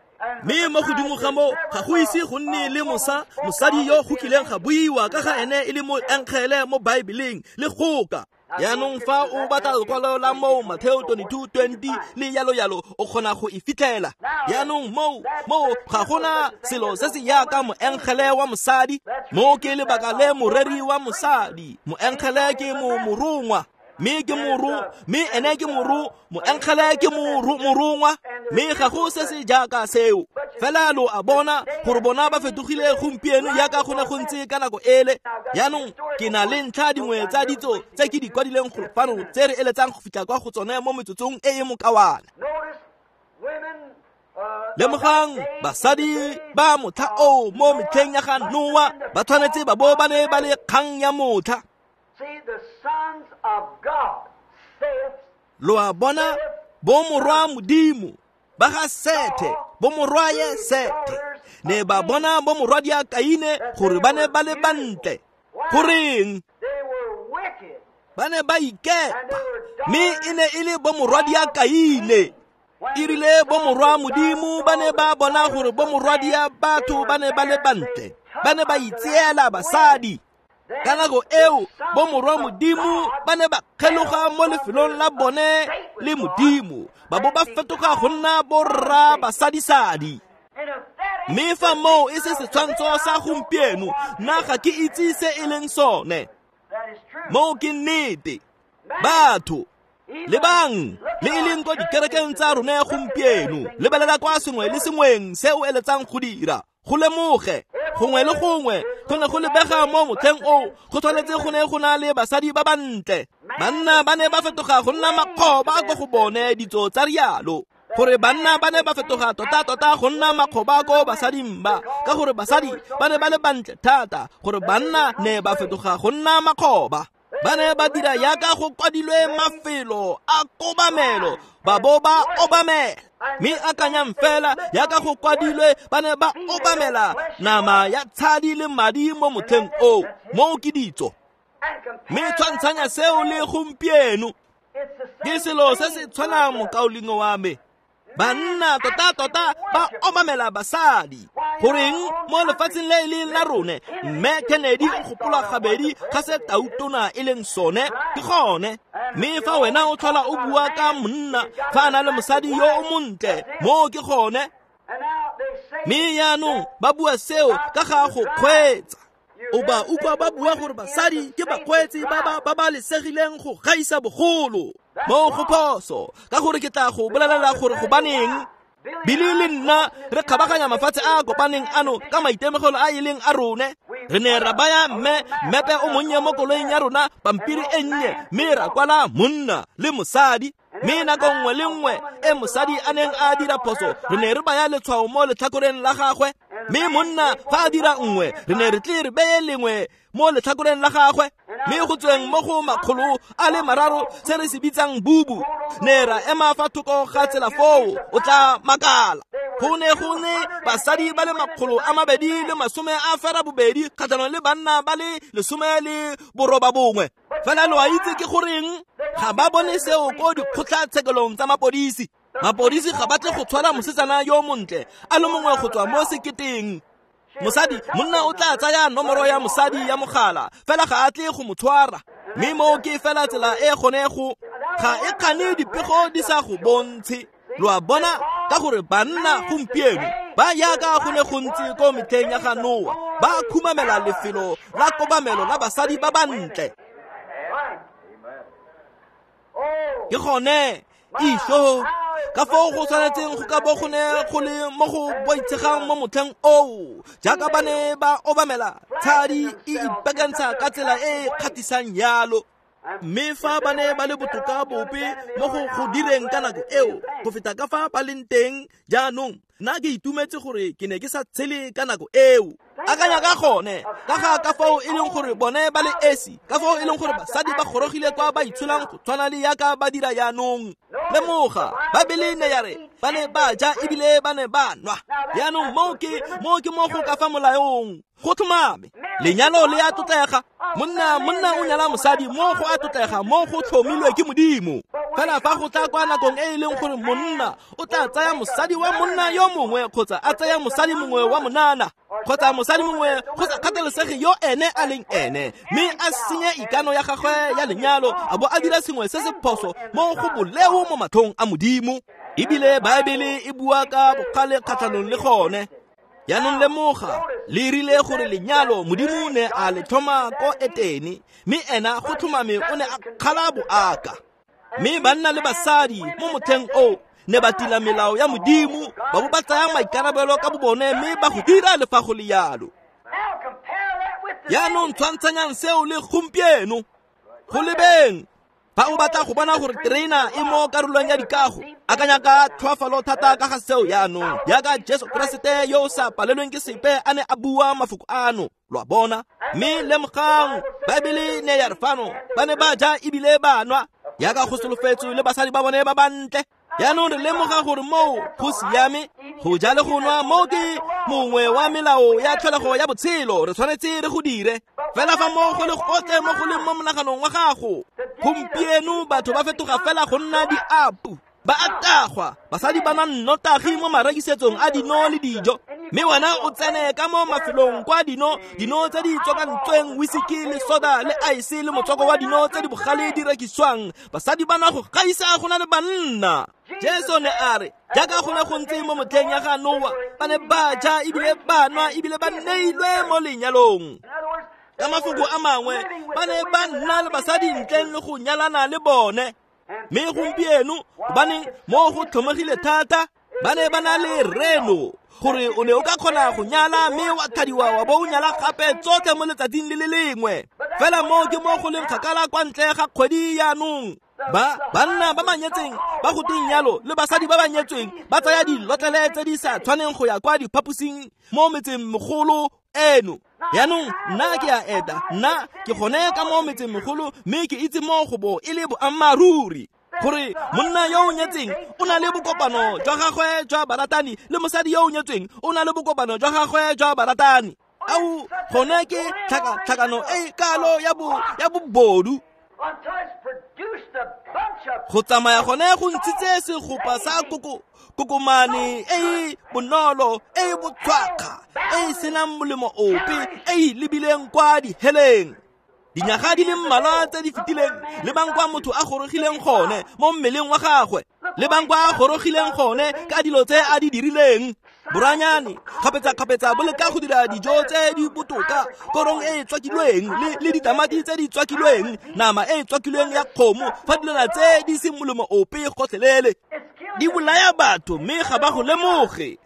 Mme mo godimo ga moo ga go ise go nne le mosa mosadi yo go kileng ga buiwa ka ga ene e le moengele mo Baebeleng le goka. Jaanong fa o batla lekwalo la moo Mateo twenty-two twenty le yalo yalo, o kgona go e fitlhela. Jaanong moo moo ga gona selo se se yaka moengele wa mosadi. Mo ke lebaka le moreri wa mosadi, moengele ke mo morongwa, mme ke moro, mme ene ke moro, moengele ke moro morongwa, mme ga go se se jaaka seo. Fela lo a bona gore bona ba fetogile gompieno jaaka go ne go ntse ka nako ele. Jaanong ke na le ntlha dingwe tsa ditso tse ke di kwadileng go fano tse re eletsang go fitlha kwa go tsone mo metsotsong e e mokawana. Lemogang basadi ba motlha oo mo metlheng ya ga Noa ba tshwanetse ba bo ba ne ba le kgang ya motlha. Lo a bona bo morwa Modimo ba ga Sethe, bo morwaye Sethe, ne ba bona bo morwadia Kaine gore ba ne ba le bantle. Goreng? Ba ne ba ikepa, mme e ne e le bo morwadia Kaine. E rile bo morwa Modimo ba ne ba bona gore bo morwadia batho ba ne ba le bantle, ba ne ba itseela basadi. Ka nako eo bo morwa Modimo ba ne ba kgeloga mo lefelong la bone le Modimo, ba bo ba fetoga go nna borra basadisadi. Mme fa moo e se setshwantsho sa gompieno, nna ga ke itse se e leng sone. Moo ke nnete. Batho Lebang le e leng ko dikerekeng tsa rone gompieno, lebelela kwa sengwe le sengweng se o eletsang go dira. Go lemoge gongwe le gongwe go ne go lebega mo motlheng oo go tshwanetse go ne go na le basadi ba bantle. Banna ba ne ba fetoga go nna makgoba ko go bone ditso tsa rialo, gore banna ba ne ba fetoga tota-tota go nna makgoba ko basading ba, ka gore basadi ba ne ba le bantle thata gore banna ne ba fetoga go nna makgoba. Ba ne ba dira yaka go kwadilwe mafelo a kobamelo, ba bo ba obamela. Mme akanyang fela yaka go kwadilwe ba ne ba obamela nama ya tshadi le madi mo motlheng oo, moo ke ditso. Mme tshwantshanya seo le gompieno, ke selo se se tshwanang mokaulengwe wa me. Banna tota-tota ba obamela basadi. Goreng mo lefatsheng le e leng la rone, mme Kennedy o gopola gabedi ga se tautona e leng sone, ke gone. Mme fa wena o tlhola o bua ka monna fa a na le mosadi yo o montle, moo ke gone. Mme jaanong ba bua seo ka ga go kgweetsa. O ba utlwa ba bua gore basadi ke bakgweetsi ba ba babalesegileng go gaisa bogolo. Mo go phoso, ka gore ke tla go bolelela gore gobaneng. Billy le nna re kgabaganya mafatshe a a kopaneng ano ka maitemogelo a e leng a rone. Re ne ra baya mme mmepe o monnye mo koloing ya rona, pampiri e nnye, mme ra kwala monna le mosadi. Mme nako nngwe le nngwe e mosadi a neng a dira phoso, re ne re baya letshwao mo letlhakoreng la gagwe. Mme monna fa a dira nngwe, re ne re tle re beye lengwe mo letlhakoreng la gagwe. Mme go tsweng mo go makgolo a le mararo se re se bitsang bubu, ne ra ema fa thoko ga tsela foo, o tla makala. Go ne go ne basadi ba le makgolo a mabedi le masome a fera bobedi kgatlhanong le banna ba le lesome le boroba bongwe. Fela lo a itse ke goreng ga ba bone seo ko dikgotlatshekelong tsa mapodisi. Mapodisi ga ba tle go tshwara mosetsana yo montle a le mongwe go tswa mo seketeng. Mosadi, monna o tla tsaya nomoro ya mosadi ya mogala, fela ga a tle go mo tshwara. Mme moo ke fela tsela e gone go ga e kgane dipego di sa go bontshe. Lo a bona, ka gore banna gompieno ba yaka go ne go ntse ko metlheng ya ga Noa, ba khumamela lefelo la kobamelo la basadi ba bantle. Ke gone isho ka foo go tshwanetseng go ka bo go ne go le mo go boitshegang mo motlheng oo, jaaka ba ne ba obamela tshadi e ipakantsha ka tsela e e kgathisang yalo. Mme fa ba ne ba le botoka bope mo go go direng ka nako eo go feta ka fa ba leng teng jaanong, nna ke itumetse gore ke ne ke sa tshele ka nako eo. Akanya ka gone, ka ga ka foo e leng gore bone ba le esi, ka foo e leng gore basadi ba gorogile kwa ba itsholang go tshwana le yaka ba dira jaanong. Lemoga, Baebele ne ya re ba ne ba ja ebile ba ne ba nwa. Jaanong moo ke moo ke mo go ka fa molaong. Go tlhomame, lenyalo le a tlotlega. Monna monna o nyala mosadi mo go a tlotlega, mo go tlhomilwe ke Modimo. Fela fa go tla kwa nakong e e leng gore monna o tla tsaya mosadi wa monna yo mongwe, kgotsa a tsaya mosadi mongwe wa monana, kgotsa mosadi mongwe go sa kgathalesege yo ene a leng ene, mme a senye ikano ya gagwe ya lenyalo, a bo a dira sengwe se se phoso mo go boleo mo matlhong a Modimo. Ebile Baebele e bua ka bogale kgatlhanong le gone. Jaanong lemoga, le rile gore lenyalo Modimo ne a le tlhoma ko Etene, mme ena go tlhomame o ne a kgala boaka. Mme banna le basadi mo motlheng oo ne ba tila melao ya Modimo, ba bo ba tsaya maikarabelo ka bobone mme ba go dira le fa go le yalo. Jaanong tshwantshanyang seo le gompieno. Go lebeng, fa o batla go bona gore terena e mo karolong ya dikago, akanya ka tlhoafalo thata ka ga seo jaanong, jaaka Jesu Keresete yo o sa palelweng ke sepe a ne a bua mafoko ano. Lo a bona? Mme lemogang, Baebele ne ya re fano ba ne ba ja ebile ba nwa jaaka go solofetswe le basadi ba bone ba bantle. Jaanong re lemoga gore moo go siame go ja le go nwa, moo ke mongwe wa melao ya tlholego ya botshelo, re tshwanetse re go dire. Fela fa mo go le gotle mo go leng mo monaganong wa gago, gompieno batho ba fetoga fela go nna diapu, ba a tagwa, basadi ba nwa nnotagi mo marekisetsong a dino le dijo. Mme wena o tsene ka mo mafelong kwa dino dino tse di tswakantsweng, whisky le soda le ice le motswako wa dino tse di bogale di rekisiwang, basadi ba nwa go gaisa go na le banna. Jesu ne a re jaaka go ne go ntse mo motlheng ya ga Noa, ba ne ba ja ebile ba nwa ebile ba neilwe mo lenyalong. Ka mafoko a mangwe, ba ne ba nna le basadi ntleng le go nyalana le bone. Mme gompieno gobaneng mo go tlhomegile thata, ba ne ba na le reno gore o ne o ka kgona go nyala mme wa thadiwa wa bo o nyala gape tsotlhe mo letsatsing le le lengwe. Fela mo ke mo go leng kgakala kwa ntle ga kgwedi yaanong. Ba banna ba ba nyetseng ba go teng yalo le basadi ba ba nyetsweng ba tsaya dilotlele tse di sa tshwaneng go ya kwa diphaposing mo metseng megolo eno. Yaanong nna ke a eta, nna ke gone ka mo metseng megolo mme ke itse mo go bo e le boammaaruri gore monna yo o nyetseng o na le bokopano jwa gagwe jwa baratani le mosadi yo o nyetsweng o na le bokopano jwa gagwe jwa baratani. Ao gone ke tlhakatlhakano e kalo ya bo ya bobodu. Go tsamaya gone go ntshitse segopa sa koko kokomane e e bonolo e e botshwakga e e senang molemo ope e e lebileng kwa diheleng. Dinyaga di le mmalwa tse di fetileng le bang kwa motho a gorogileng gone mo mmeleng wa gagwe, le bang kwa a gorogileng gone ka dilo tse a di dirileng. Boranyane kgapetsa-kgapetsa bo leka go dira dijo tse di botoka, korong e e tswakilweng le, le ditamati tse di tswakilweng, nama e e tswakilweng ya kgomo, fa dilwana tse di seng molemo ope gotlhelele di bolaya batho mme ga ba go lemoge.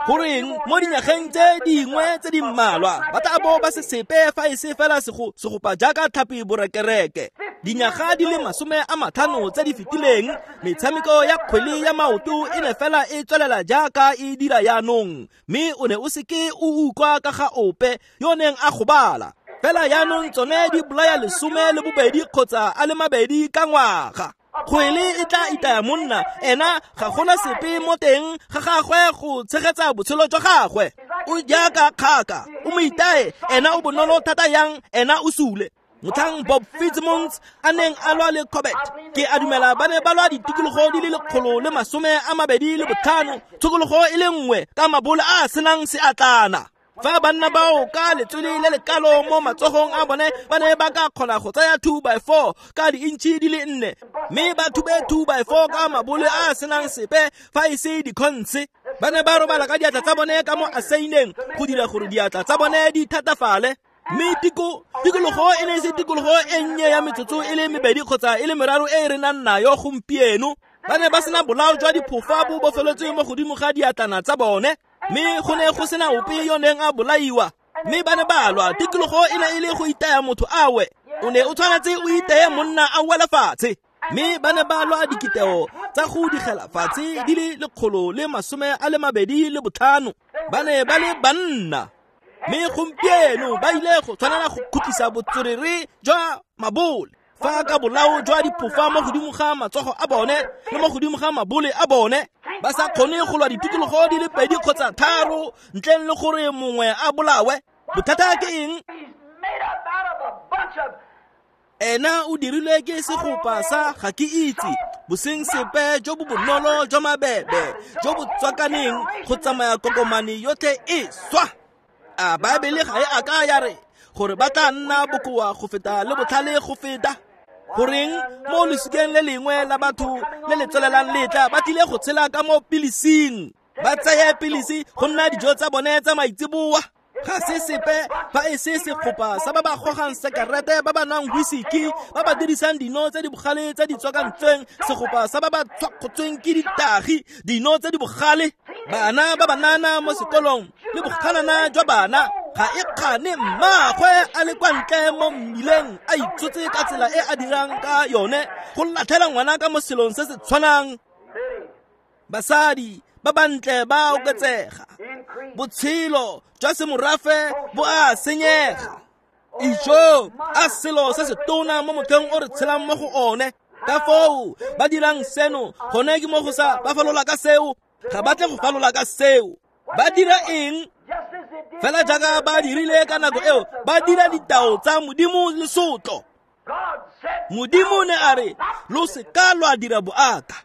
Goreng mo dinyageng tse dingwe tse di mmalwa ba tla bo ba se sepe fa e se fela segopa jaaka tlhapi borekereke. Dinyaga di le masome a matlhano tse di fetileng, metshameko ya kgwele ya maoto e ne fela e tswelela jaaka e dira yaanong, mme o ne o seke o utlwa ka ga ope yo neng a gobala. Fela yaanong tsone di bolaya lesome le bobedi kgotsa a le mabedi ka ngwaga. Kgwele e tla itaya monna, ena ga gona sepe mo teng ga gagwe go tshegetsa botshelo jwa gagwe. O jaaka kgaka, o mo itaye, ena o bonolo thata yang, ena o sule. Motlhang Bob Fitzmons a neng a lwa le Corbett, ke a dumela ba ne ba lwa ditikologo di le lekgolo le masome a mabedi le botlhano, tshokologo e le nngwe ka mabole a a senang seatlana. Fa banna bao ka letswele le lekalo mo matsogong a bone ba ne ba ka kgona go tsaya two by four ka di-intšhi di le nne, mme ba thube two by four ka mabole a a senang sepe fa e se dikhontshe. Ba ne ba robala ka diatla tsa bone ka mo aseineng go dira gore diatla tsa bone di thatafale. Mme tiko tikologo e ne e se tikologo e nnye ya metsotso e le mebedi kgotsa e le meraro e re nang nayo gompieno. Ba ne ba sena bolao jwa diphofa bo bofeletswe mo godimo ga diatlana tsa bone, mme go ne go sena ope yo neng a bolaiwa. Mme ba ne ba lwa, tikologo e ne e le go itaya motho awe, o ne o tshwanetse o iteye monna a wela fatshe. Mme ba ne ba lwa dikiteo tsa go digela fatshe di le lekgolo le masome a le mabedi le botlhano. Ba ne ba le banna. Mme gompieno ba ile go tshwanela go khutlisa botswerere jwa mabole fa ka bolao jwa diphofa mo godimo ga matsogo a bone le mo godimo ga mabole a bone, ba sa kgone go lwa ditikologo di le pedi kgotsa tharo ntleng le gore mongwe a bolawe. Bothata ke eng? Ena o dirilwe ke segopa sa ga ke itse, boseng sepe jo bo bonolo jwa mabebe jo bo tswakaneng go tsamaya kokomane yotlhe e swa. A Baebele ga e a ka ya re gore ba tla nna bokoa go feta le botlhale go feta? Goreng mo lesikeng le lengwe la batho le le tswelelang letla ba tlile go tshela ka mo pilising, ba tseye pilisi go nna dijo tsa bone tsa maitseboa. Ga se sepe fa e se segopa sa ba ba gogang sekarete, ba ba nwang whisky, ba ba dirisang dino tse di bogale tse di tswakantsweng, segopa sa ba ba tshwakgotsweng ke ditagi, dino tse di bogale. Bana ba banana mo sekolong le boganana jwa bana ga e kgane mmaagwe a le kwa ntle mo mmileng a itshotse ka tsela e a dirang ka yone go latlhela ngwana ka mo selong se se tshwanang. Basadi ba bantle ba oketsega, botshelo jwa semorafe bo a senyega. Ijo a selo se se tona mo motlheng o re tshelang mo go one. Ka foo ba dirang seno gone ke mo go sa ba falola ka seo, ga ba tle go falola ka seo. Ba dira eng? Fela jaaka ba dirile ka nako eo, ba dira ditao tsa Modimo lesotlo. Modimo ne a re lo seka lwa dira boaka.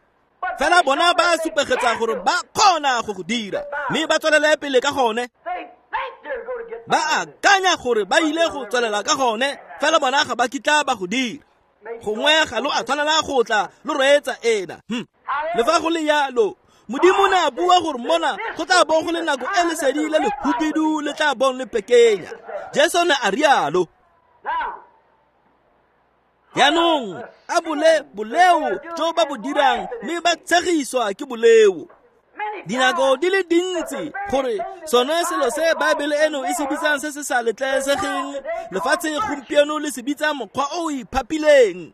Fela bona ba supegetsa gore ba kgona go go dira, mme ba tswelele pele ka gone. Ba akanya gore ba ile go tswelela ka gone, fela bona ga ba kitla ba go dira. Gongwe ga lo a tshwanela go tla lo reetsa ena. Hm. Le fa go le yalo, Modimo ne a bua gore mona go tla bo go le nako e lesedi le lehubidu le tla bong le pekenya. Jesu ne a rialo. Jaanong a bole boleo jo ba bo dirang mme ba tshegiswa ke boleo. Dinako di le dintsi gore sone selo se Baebele eno e se bitsang se se sa letlesegeng lefatshe gompieno le se bitsa mokgwa o o iphapileng.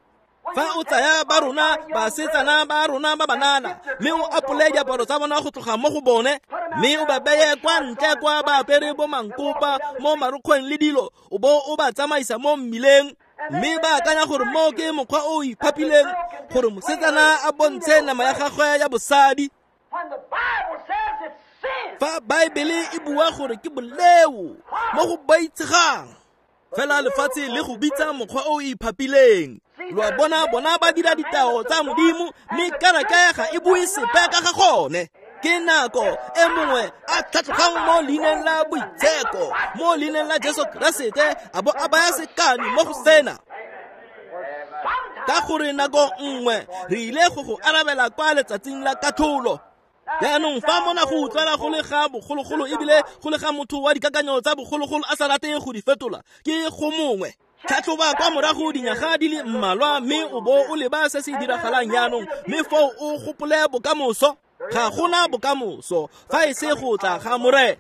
Fa o tsaya ba rona basetsana ba rona ba banana mme o apole diaparo tsa bona go tloga mo go bone mme o ba beye kwa ntle kwa ba apere bo mankopa mo marokgweng le dilo o bo o ba tsamaisa mo mmileng mme ba akanya gore mo ke mokgwa o o iphapileng gore mosetsana a bontshe nama ya gagwe ya bosadi. Fa Baebele e bua gore ke boleo mo go boitshegang, fela lefatshe le go bitsa mokgwa o o iphapileng. Lo a bona, bona ba dira ditao tsa Modimo mme kereke ga e bue sepe ka ga gone. Ke nako e mongwe a tlhatlhogang mo leineng la boitsheko, mo leineng la Jesu Keresete, a bo a baya sekane mo go sena. Ka gore nako nngwe re ile go go arabela kwa letsatsing la katlholo. Jaanong fa mona go utlwala go le ga bogologolo ebile go le ga motho wa dikakanyo tsa bogologolo a sa rateng go di fetola, ke go mongwe. Tlhatlhoba kwa morago dinyaga di le mmalwa mme o bo o leba se se diragalang jaanong, mme foo o gopole bokamoso. Ga gona bokamoso fa e se go tla ga Morena.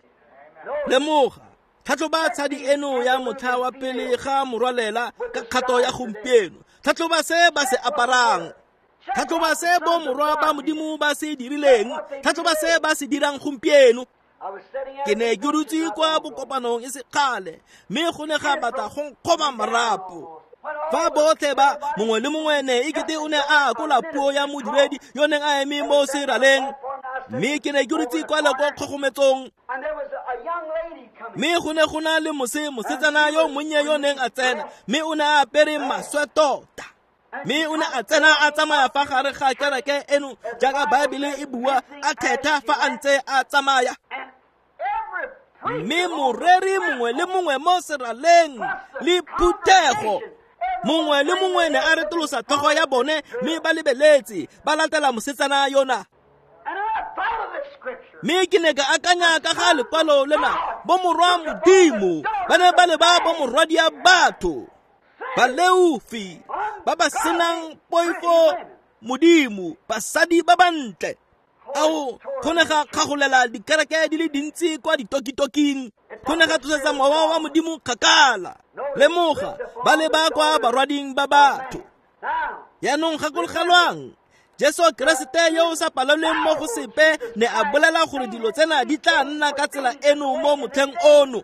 Lemoga, tlhatlhoba tshadi eno ya motlha wa pele ga morwalela ka kgato ya gompieno. Tlhatlhoba se ba se aparang. Tlhatlhoba se bo morwa ba Modimo ba se dirileng. Tlhatlhoba se ba se dirang gompieno. Ke ne ke dutse kwa bokopanong e se kgale mme go ne ga batla go nkgoba marapo. Fa botlhe ba mongwe le mongwe ne e kete o ne a akola puo ya modiredi yo neng a eme mo seraleng, mme ke ne ke dutse kwa le kwa kgogometsong. Mme go ne go na le mose mosetsana yo monnye yo neng a tsena, mme o ne a apere maswe tota. Mme o ne a tsena a tsamaya fa gare ga kereke eno jaaka Baebele e bua, a thetha fa a ntse a tsamaya. Mme moreri mongwe le mongwe mo seraleng le phuthego mongwe le mongwe ne a retolosa tlhogo ya bone mme ba lebeletse ba latela mosetsana yona. Mme ke ne ka akanya ka ga lekwalo lena, bo morwa Modimo ba ne ba leba bo morwadia batho, baleofi ba ba senang poifo Modimo, basadi ba bantle. Ao, go ne ga kgagolela dikereke di le dintsi kwa ditokitoking, go ne ga tlosetsa mowa wa Modimo kgakala. Lemoga, ba leba kwa barwading ba batho. Jaanong gakologelwang, Jesu Keresete yo o sa palelweng mo go sepe ne a bolela gore dilo tsena di tla nna ka tsela eno mo motlheng ono.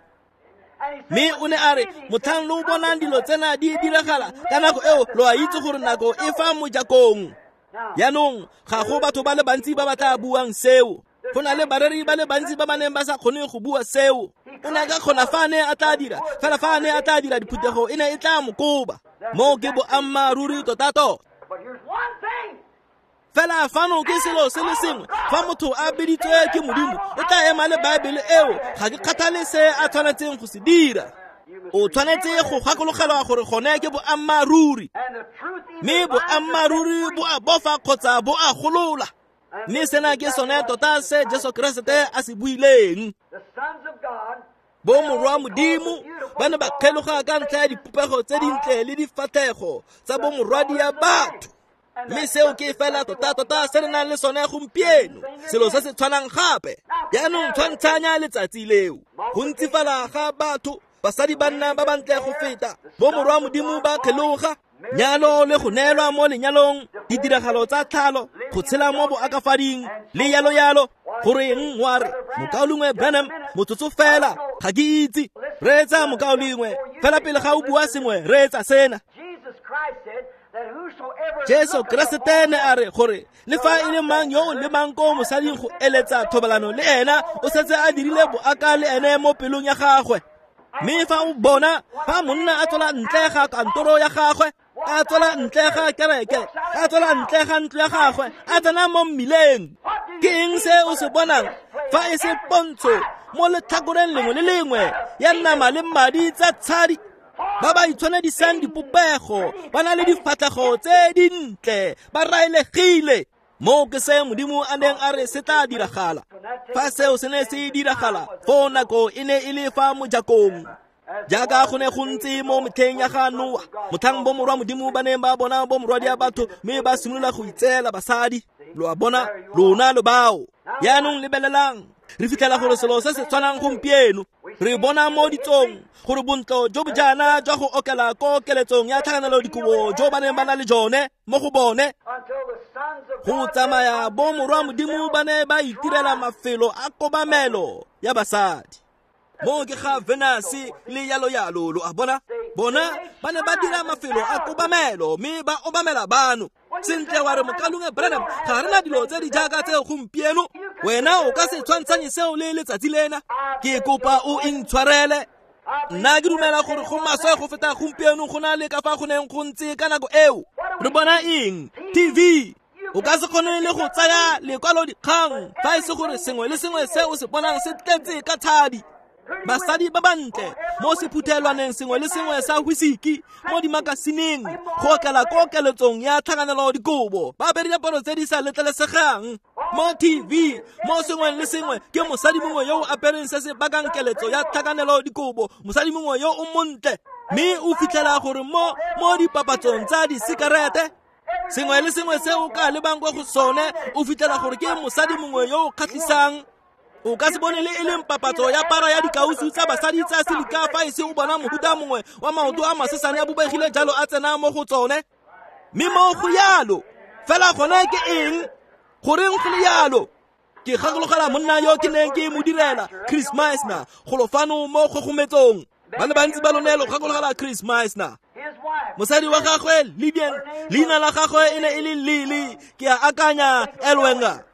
Mme o ne a re, motlhang lo bonang dilo tsena di diragala ka nako eo lo a itse gore nako e fa mojakong. Jaanong ga go batho ba le bantsi ba ba tla buang seo. Go na le bareri ba le bantsi ba ba neng ba sa kgone go bua seo. O ne a ka kgona fa a ne a tla dira, fela fa a ne a tla dira diphuthego e ne e tla mo koba. Moo ke boammaaruri tota-tota. Fela fano ke selo se le sengwe, fa motho a biditswe ke Modimo o tla ema le Baebele eo, ga ke kgathale se a tshwanetseng go se dira. O tshwanetse go gakologelwa gore gone ke boammaaruri, mme boammaaruri bo a bofa kgotsa bo a golola. Mme sena ke sone tota se Jesu Keresete a se buileng. Bo morwa Modimo ba ne ba kgeloga ka ntlha ya dipopego tse dintle le difatlhego tsa bo morwadia batho. Mme seo ke fela tota-tota se re nang le sone gompieno, selo se se tshwanang gape. Jaanong tshwantshanya letsatsi leo, go ntsifala ga batho, basadi ba nna ba bantle go feta, bo morwa Modimo ba kgeloga, nyalo le go neelwa mo lenyalong, ditiragalo tsa tlhalo, go tshela mo boakafading le yalo-yalo. Goreng wa re, mokaulengwe Branham, motsotso fela, ga ke itse. Reetsa mokaulengwe, fela pele ga o bua sengwe, reetsa sena. Jesu Keresete ne a re gore le fa e le mang yo o lemang ko mosading go eletsa thobalano le ena, o setse a dirile boaka le ene mo pelong ya gagwe. Mme fa o bona fa monna a tswela ntle ga kantoro ya gagwe, a tswela ntle ga kereke, a tswela ntle ga ntlo ya gagwe, a tsena mo mmileng, ke eng se o se bonang fa e se pontsho mo letlhakoreng lengwe le lengwe ya nama le madi tsa tshadi? Ba ba itshwanedisang dipopego, ba na le difatlhego tse dintle, ba raelegile. Moo ke se Modimo a neng a re se tla diragala. Fa seo se ne se diragala, foo nako e ne e le fa mojakong. Jaaka go ne go ntse mo metlheng ya ga Noa, motlhang bomorwa Modimo ba neng ba bona bomorwadia batho mme ba simolola go itseela basadi. Lo a bona, lona lo bao. Jaanong lebelelang, re fitlhela gore selo se se tshwanang gompieno. Re bona mo ditsong gore bontlo jo bo jaana jwa go okela ko keletsong ya tlhakanelo dikobo jo ba neng ba na le jone mo go bone, go tsamaya bomorwa Modimo ba ne ba itirela mafelo a kobamelo ya basadi. Mo ke ga Venus le yalo yalo, lo a bona. Bona ba ne ba dira mafelo a kobamelo mme ba obamela bano. Sentle wa re mokalunge Branham, ga re na dilo tse di jaaka tseo gompieno. Wena o ka se tshwantshanye seo le letsatsi lena. Ke kopa o intshwarele. Nna ke dumela gore go maswe go feta gompieno go na le ka fa go neng go ntse ka nako eo. Re bona eng? T V. O ka se kgone le go tsaya lekwalo dikgang fa e se gore sengwe le sengwe se o se bonang se tletse ka tshadi. Basadi ba bantle mo sephuthelwaneng sengwe le sengwe sa whisky mo dimakasineng go okela ko keletsong ya tlhakanelo dikobo, ba apere diaparo tse di sa letlelesegang. Mo T V mo sengwe le sengwe ke mosadi mongwe yo o apereng se se bakang keletso ya tlhakanelo dikobo, mosadi mongwe yo o montle. Mme o fitlhela gore mo mo dipapatsong tsa disikarete sengwe le sengwe se o ka lebang kwa go sone o fitlhela gore ke mosadi mongwe yo o kgatlhisang. O ka se bone le e leng papatso ya para ya dikausu tsa basadi tsa silika fa e se o bona mohuta mongwe wa maoto a masesane a bobegile jalo a tsena mo go tsone. Mme mo go yalo fela gone ke eng? Goreng go le yalo? Ke gakologela monna yo ke neng ke mo direla, Chris Meisner, golo fano mo kgogometsong. Ba le bantsi ba lone lo gakologela Chris Meisner. Mosadi wa gagwe Lydian, leina la gagwe e ne e le Lily, ke a akanya Elwenga.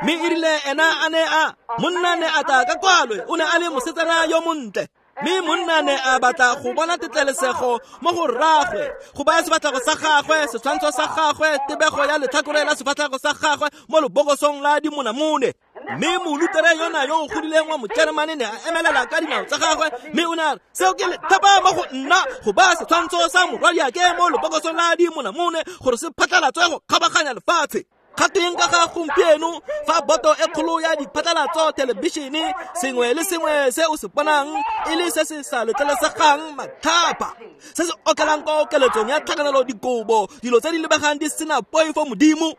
Mme e rile ena a ne a monna ne a tla ka kwalwe, o ne a le mosetsana yo montle. Mme monna ne a batla go bona tetlelesego mo go rraagwe, go baya sefatlhego sa gagwe, setshwantsho sa gagwe, tebego ya letlhakore la sefatlhego sa gagwe mo lebokosong la dimonamone. Mme molutere yona yo o godileng wa Mojeremane ne a emelela ka dinao tsa gagwe, mme o ne a re, seo ke lethapa mo go nna go baya setshwantsho sa morwadiake mo lebokosong la dimonamone gore se phatlhalatswe go kgabaganya lefatshe. Kgateng ka ga gompieno fa boto e kgolo ya diphatlalatso thelebišene sengwe le sengwe se o se bonang e le se se sa letlelesegang matlhapa, se se okelang ko keletsong ya tlhakanelo dikobo, dilo tse di lebegang di sena poifo Modimo.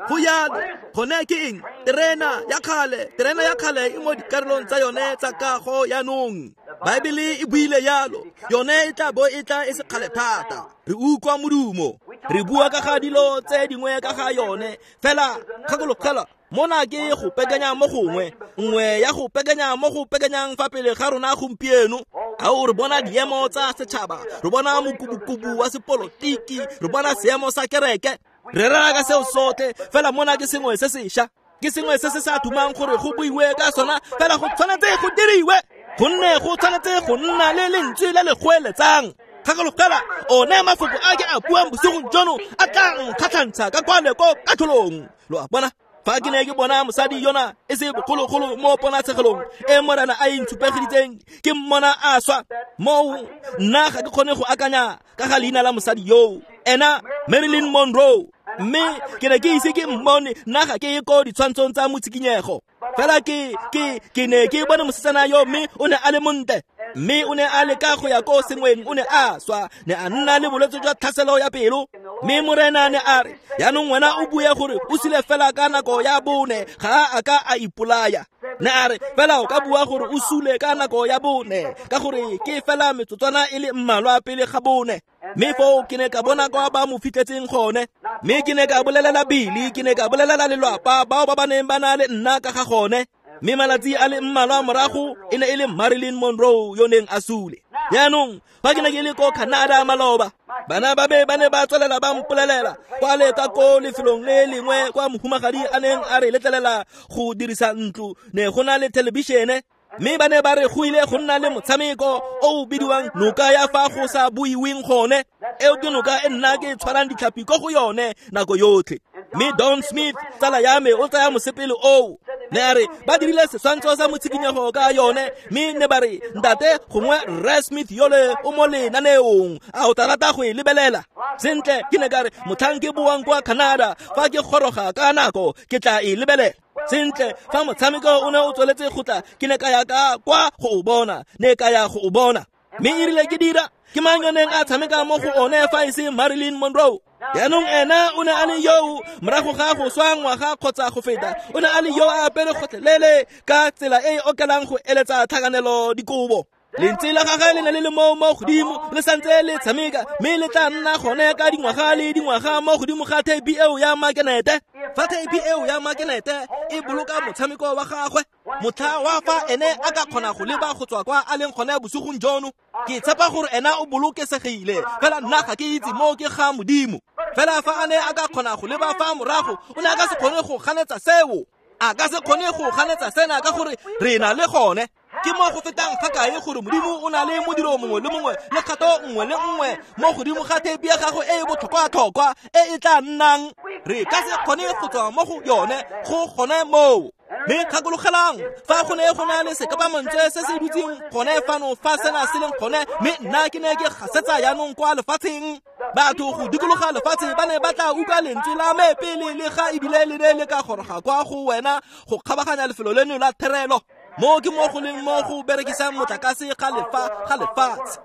Go yalo gone ke eng? Terena ya kgale, terena ya kgale e mo dikarolong tsa yone tsa kago yaanong. Baebele e buile yalo, yone e tla bo e tla e se kgale thata. Re utlwa modumo, re bua ka ga dilo tse dingwe ka ga yone, fela gakologela mona ke go pekanya mo gongwe, nngwe ya go pekanya mo go pekanyang fa pele ga rona gompieno. A o re bona diemo tsa setšhaba, re bona mokubukubu wa sepolotiki, re bona seemo sa kereke, re rera ka seo sotlhe, fela mona ke sengwe se sešwa, ke sengwe se se sa thumang gore go buiwe ka sona, fela go tshwanetse go diriwe, gonne go tshwanetse go nna le lentswe le le goeletsang. Gakologela one mafoko a ke a buang bosigong jono a tla nkgatlhantsha ka kwale ko katlholong. Lo a bona? Fa ke ne ke bona mosadi yona e se bogologolo mo ponatshegelong e Morena a e ntshupegeditseng, ke mmona a swa moo, nna ga ke kgone go akanya ka ga leina la mosadi yoo, ena Marilyn Monroe. Mme ke ne ke ise ke mmone, nna ga ke ye ko ditshwantshong tsa motshikinyego, fela ke ke ke ne ke bone mosetsana yo, mme o ne a le montle, mme o ne a leka go ya ko sengweng, o ne a swa, ne a nna le bolwetse jwa tlhaselo ya pelo. Mme Morena ne a re, yaanong wena o bue gore o sule fela ka nako ya bone, ga a ka a ipolaya. Ne a re, fela o ka bua gore o sule ka nako ya bone, ka gore ke fela metsotswana e le mmalwa pele ga bone. Mme foo ke ne ka bona kwa ba mo fitlhetseng gone, mme ke ne ka bolelela Billy, ke ne ka bolelela lelwapa bao ba ba neng ba na le nna ka ga gone. Mme malatsi a le mmalwa morago e ne e le Marilyn Monroe yo neng a sule. Jaanong fa ke ne ke le ko Canada maloba, bana ba be ba ne ba tswelela ba mpolelela kwa le ka ko lefelong le lengwe kwa mohumagadi a neng a re letlelela go dirisa ntlo, ne go na le thelebišene. Mme ba ne ba re go ile go nna le motshameko o o bidiwang noka ya fa go sa buiweng gone. Eo ke noka e nna ke tshwarang ditlhapi ko go yone nako yotlhe. Mme Don Smith tsala ya me o tsaya mosepele oo, ne a re ba dirile setshwantsho sa motshikinyego ka yone, mme ne ba re ntate gongwe Rre Smith yole o mo lenaneong, a o tla rata go e lebelela? Sentle, ke ne ka re motlhang ke boang kwa Canada, fa ke goroga ka nako ke tla e lebelela. Sentle, fa motshameko o ne o tsweletse go tla, ke ne ka ya ka kwa go o bona, ne ka ya go o bona. Mme erile ke dira, ke mang yo neng a tshameka mo go one fa e se Marilyn Monroe? Jaanong ena o ne a le yoo morago ga go swa ngwaga kgotsa go feta, o ne a le yo a apere gotlhelele ka tsela e e okelang go eletsa tlhakanelo dikobo. Lentswe la gagwe le ne le le mo mo godimo, le santse le tshameka, mme le tla nna gone ka dingwaga le dingwaga mo godimo ga theipi eo ya makenete. Fa theipi eo ya makenete e boloka motshameko wa gagwe, motlha wa fa ene a ka kgona go leba go tswa kwa a leng gone bosigong jono, ke tshepa gore ena o bolokesegile, fela nna ga ke itse mo ke ga Modimo. Fela fa a ne a ka kgona go leba fa morago, o ne a ka se kgone go ganetsa seo. A ka se kgone go ganetsa sena ka gore re na le gone. Ke mo go fetang fa kae gore Modimo o na le modiro mongwe le mongwe le kgato nngwe le nngwe mo godimo ga theipi ya gago e e botlhokwa-tlhokwa e e tla nnang. Re ka se kgone go tswa mo go yone go gone moo. Mme gakologelang, fa go ne go na le sekapamantswe se se dutseng gone fano fa sena se leng gone, mme nna ke ne ke gasetsa jaanong kwa lefatsheng. Batho go dikologa lefatshe ba ne ba tla utlwa lentswe la me pele le ga ebile le ne le ka goroga kwa go wena go kgabaganya lefelo leno la therelo. Mo ke mo go leng mo go berekisang motlakase ga lefa ga lefatshe.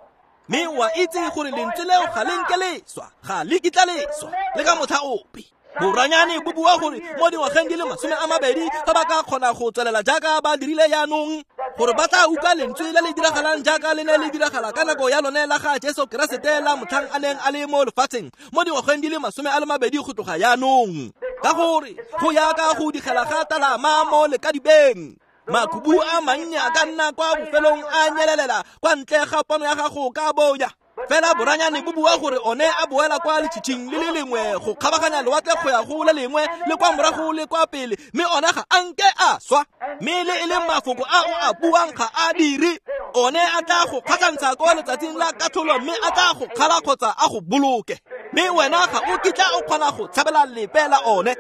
Mme wa itse gore lentswe leo ga le nke le swa, ga le kitla le swa le ka motlha ope. Boranyane bo bua gore mo dingwageng di le masome a mabedi fa ba ka kgona go tswelela jaaka ba dirile jaanong, gore ba tla utlwa lentswe le le diragalang jaaka le ne le diragala ka nako ya lone la ga Jesu Keresete la motlhang a neng a le mo lefatsheng mo dingwageng di le masome a le mabedi go tloga jaanong. Ka gore go yaka go digela ga talama mo lekadibeng, makhubu a mannye a ka nna kwa bofelong a nyelelela kwa ntle ga pono ya gago ka bonya. Fela boranyane bo bua gore one a boela kwa letšhitšhing le le lengwe go kgabaganya lewatle go ya go le lengwe le kwa morago le kwa pele, mme one ga a nke a swa. Mme le e leng mafoko a o a buang ga a dire, one a tla go kgatlhantsha kwa letsatsing la katlholo, mme a tla go kgala kgotsa a go boloke, mme wena ga o kitla o kgona go tshabela lepe la one.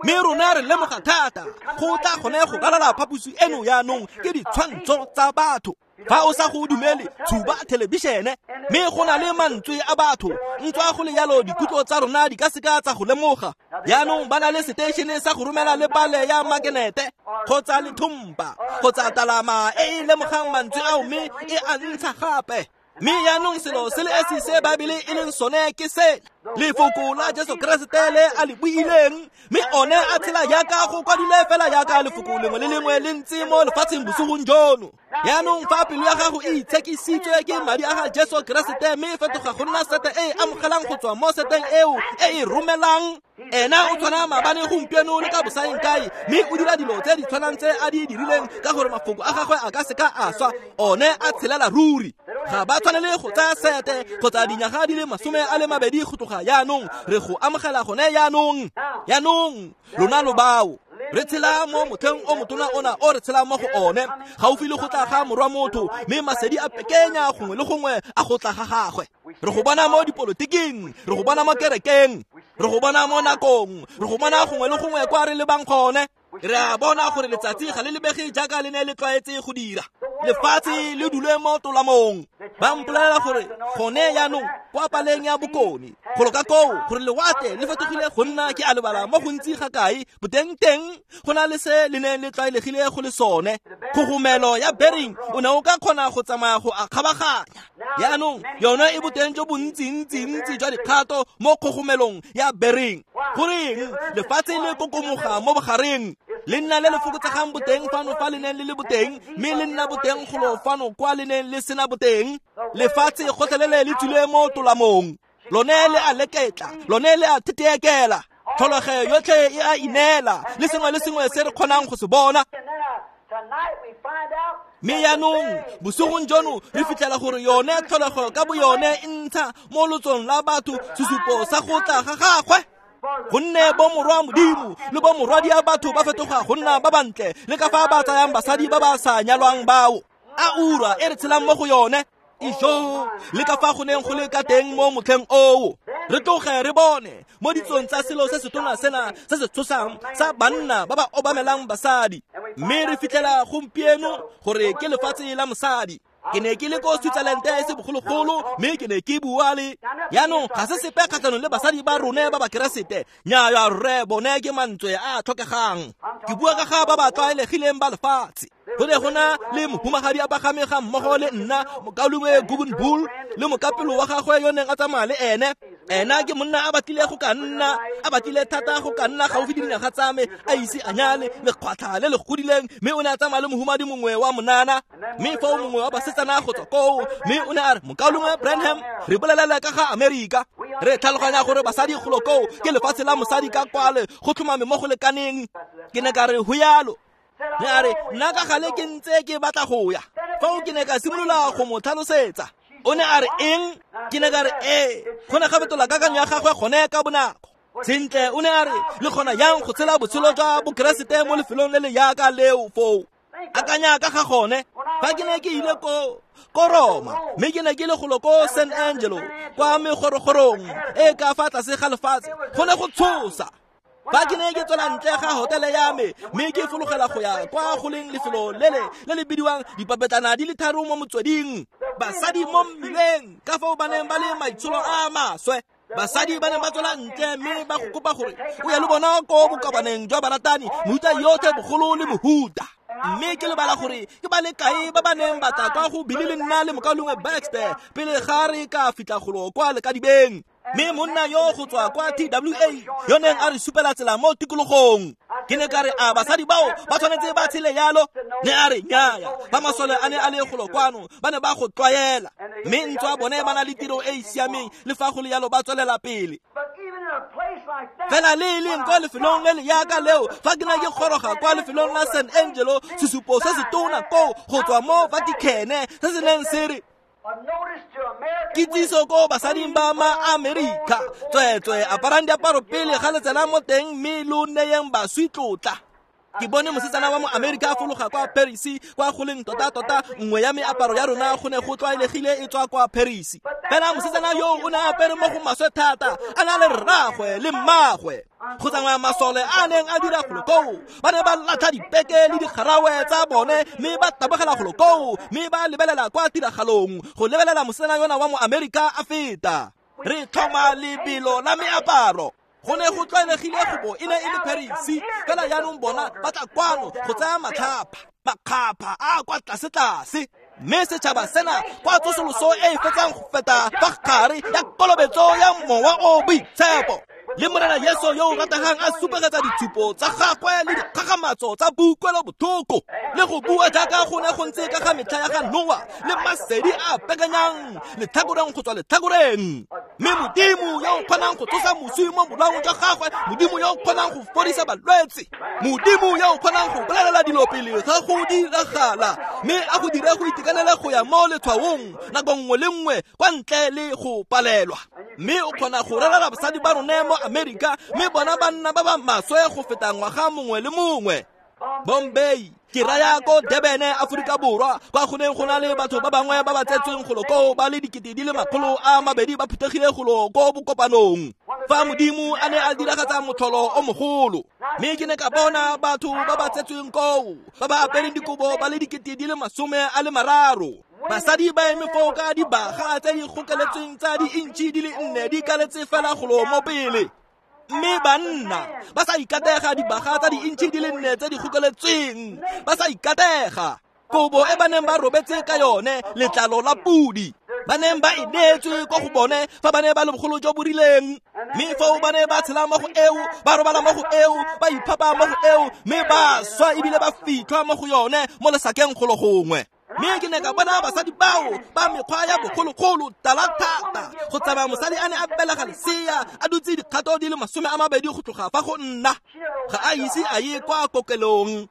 Mme rona re lemoga thata go tla gone go ralala phaposi eno jaanong ke ditshwantsho tsa batho. Fa o sa go dumele, tshuba thelebišene, mme go na le mantswe a batho. Ntswa go le jalo dikutlo tsa rona di ka seka tsa go lemoga. Jaanong ba na le seteišene sa go romela le pale ya makenete kgotsa lethompa kgotsa talama e e lemogang mantswe ao mme e a ntsha gape. Mme jaanong selo se le esi se Baebele e leng sone ke sena, lefoko la Jesu Keresete le a le buileng, mme one a tshela jaaka go kwadile fela jaaka lefoko lengwe le lengwe le ntse mo lefatsheng bosigong jono. Jaanong fa pelo ya gago e itshekisitswe ke madi a ga Jesu Keresete mme e fetoga go nna sete e e amogelang go tswa mo seteng eo e e romelang, ena o tshwana maabane gompieno le ka bosaeng kae, mme o dira dilo tse di tshwanang tse a di dirileng ka gore mafoko a gagwe a ka seka a swa, one a tshelela ruri. Ga ba tshwanele go tsaya sete kgotsa dinyaga di le masome a le mabedi go tloga jaanong, re go amogela gone jaanong. Jaanong lona lo bao re tshela mo motlheng o motona ona o re tshelang mo go one, gaufi le go tla ga morwa motho, mme masedi a pekenya gongwe le gongwe a go tla ga gagwe. Re go bona mo dipolotiking, re go bona mo kerekeng, re go bona mo nakong, re go bona gongwe le gongwe kwa re lebang gone. Re a bona gore letsatsi ga le lebege jaaka le ne le tlwaetse go dira, lefatshe le dule mo tolamong. Ba mpolelela gore gone jaanong kwa paleng ya bokone golo ka koo gore lewatle le fetogile go nna ke a lebala mo gontsi ga kae boteng teng go na le se le neng le tlwaelegile go le sone. Kgogomelo ya Bering o ne o ka kgona go tsamaya go a kgabaganya. Jaanong yone e boteng jo bontsi-ntsi-ntsi jwa dikgato mo kgogomelong ya Bering. Goreng lefatshe le kokomoga mo bogareng, le nna le le fokotsegang boteng fano fa le neng le le boteng, mme le nna boteng golo fano kwa le neng le sena boteng. Lefatshe gotlhelele le tswile mo tolamong, lone le a leketla, lone le a theteekela, tlholego yotlhe e a ineela, le sengwe le sengwe se re kgonang go se bona. Mme jaanong bosigong jono re fitlhela gore yone tlholego ka boyone e ntsha mo lotsong la batho sesupo sa go tla ga gagwe. Gonne bo morwa Modimo le bo morwadia batho ba fetoga go nna ba bantle le ka fa ba tsayang basadi ba ba sa nyalwang bao. A ura e re tshelang mo go yone, ijo le ka fa go neng go le ka teng mo motlheng oo. Re tloge re bone mo ditsong tsa selo se setona sena se se tshosang sa banna ba ba obamelang basadi, mme re fitlhela gompieno gore ke lefatshe la mosadi. Ke ne ke le ko Switzerland e se bogologolo, mme ke ne ke bua le jaanong ga se sepe kgatlhanong le basadi ba rone ba bakeresete. Nnyaya rre, bone ke mantswe a a tlhokegang. Ke bua ka ga ba ba tlwaelegileng ba lefatshe. Go ne go na le mohumagadi a pagame ga mmogo le nna, mokaulengwe Guggenbuhl, le mokapelo wa gagwe yo neng a tsamaya le ene. Ena ke monna a batlile go ka nna, a batlile thata go ka nna gaufi le dinaga tsa me, a ise a nyale, lekgwatlha le le godileng, mme o ne a tsamaya le mohumadi mongwe wa monana. Mme foo mongwe wa basetsana go tswa koo, mme o ne a re, mokaulengwe Branham, re bolelele ka ga Amerika. Re tlhaloganya gore basadi golo koo ke lefatshe la mosadi ka kwale, go tlhomame mo go lekaneng. Ke ne ka re ho yalo. Ne a re, nna ka gale ke ntse ke batla go ya. Foo ke ne ka simolola go mo tlhalosetsa. O ne a re eng? Ke ne ka re ee. Go ne ga fetola kakanyo ya gagwe gone ka bonako. Sentle, o ne a re, le kgona yang go tshela botshelo jwa bokeresete mo lefelong le le yaka leo foo? Akanya ka ga gone. Fa ke ne ke ile ko ko Roma, mme ke ne ke le golo ko San Angelo, kwa megorogorong e ka fa tlase ga lefatshe, go ne go tshosa. Fa ke ne ke tswela ntle ga hotele ya me, mme ke fologela go ya kwa go leng lefelo lele le le bidiwang dipapetlana di le tharo mo motsweding, basadi mo mmileng ka fao ba neng ba le maitsholo a maswe. Basadi ba neng ba tswela ntle mme ba go kopa gore o ye le bona ko bokopaneng jwa baratani, mehuta yotlhe bogolo le mohuta. Mme ke lebala gore ke ba le kae ba ba neng ba tla kwa go bile le nna le mokaulengwe Baxter pele ga re ka fitlha golo kwa lekadibeng. Mme monna yo go tswa kwa T W A yo neng a re supela tsela mo tikologong. Ke ne ka re, a basadi bao ba tshwanetse ba tshele yalo? Ne a re nnyaya, ba masole a ne a le golo kwano, ba ne ba go tlwaela. Mme ntswa bone ba na le tiro e e siameng, le fa go le yalo ba tswelela pele. Fela le e leng kwa lefelong le le yaka leo, fa ke ne ke goroga kwa lefelong la San Angelo, sesupo se se tona koo go tswa mo Vatican se se neng se re, kitsiso ko basading ba ma-Amerika, tsweetswe aparang diaparo pele ga le tsena mo teng mme lo neyeng baswi tlotla. Ke bone mosetsana wa mo Amerika a fologa kwa Paris, kwa go leng tota-tota nngwe ya meaparo ya rona go ne go tlwaelegile e tswa kwa Paris. Fela mosetsana yo o ne a apere mo go maswe thata, a na le rraagwe le mmagwe. Go tsamaya masole a neng a dira golo koo, ba ne ba latlha dipeke le digarawe tsa bone, mme ba tabogela golo koo, mme ba lebelela kwa tiragalong go lebelela mosetsana yona wa mo Amerika a feta. Re tlhoma lebelo la meaparo. Go ne go tlwaelegile go bo e ne e le Paris, fela jaanong bona ba tla kwano go tsaya matlhapa, makgapha a kwa tlase-tlase. Mme setšhaba sena kwa tsosoloso e e fetsang go feta fa gare ya kolobetso ya mowa o boitshepo, le Morena Jesu yo o rategang a supegetsa ditshupo tsa gagwe le dikgakgamatso tsa boutlwelobotlhoko, le go bua jaaka go ne go ntse ka ga metlha ya ga Noa, le masedi a pekanyang letlhakoreng go tswa letlhakoreng. Mme Modimo yo o kgonang go tsosa moswi mo bolaong jwa gagwe, Modimo yo o kgonang go fodisa balwetse, Modimo yo o kgonang go bolelela dilo pele ga go diragala, mme a go dire go itekanele go ya mo letshwaong nako nngwe le nngwe kwa ntle le go palelwa. Mme o kgona go rerela basadi ba rone mo Amerika, mme bona banna ba ba maswe go feta ngwaga mongwe le mongwe. Bombay, ke raya ko Durban, Aforika Borwa, kwa go neng go na le batho ba bangwe ba ba tsetsweng golo koo ba le dikete di le makgolo a mabedi ba phuthegile golo ko bokopanong, fa Modimo a ne a diragatsa motlholo o mogolo. Mme ke ne ka bona batho ba ba tsetsweng koo ba ba apereng dikobo ba le dikete di le masome a le mararo. Basadi ba eme foo ka dibaga tse di gokeletsweng tsa di-intšhi di le nne di kaletse fela golo mo pele. Mme banna ba sa ikatega dibaga tsa di-intšhi di le nne tse di gokeletsweng, ba sa ikatega. Kobo e ba neng ba robetse ka yone, letlalo la pudi, ba neng ba e neetswe ko go bone fa ba ne ba le bogolo jo bo rileng. Mme foo ba ne ba tshela mo go eo, ba robala mo go eo, ba iphapa mo go eo, mme ba swa ebile ba fitlhwa mo go yone mo lesakeng golo gongwe. Mme ke ne ka bona basadi bao ba mekgwa ya bogologolo tala thata, go tsamaya mosadi a ne a belega lesea a dutse dikgato di le masome a mabedi go tloga fa go nna, ga a ise a ye kwa kokelong.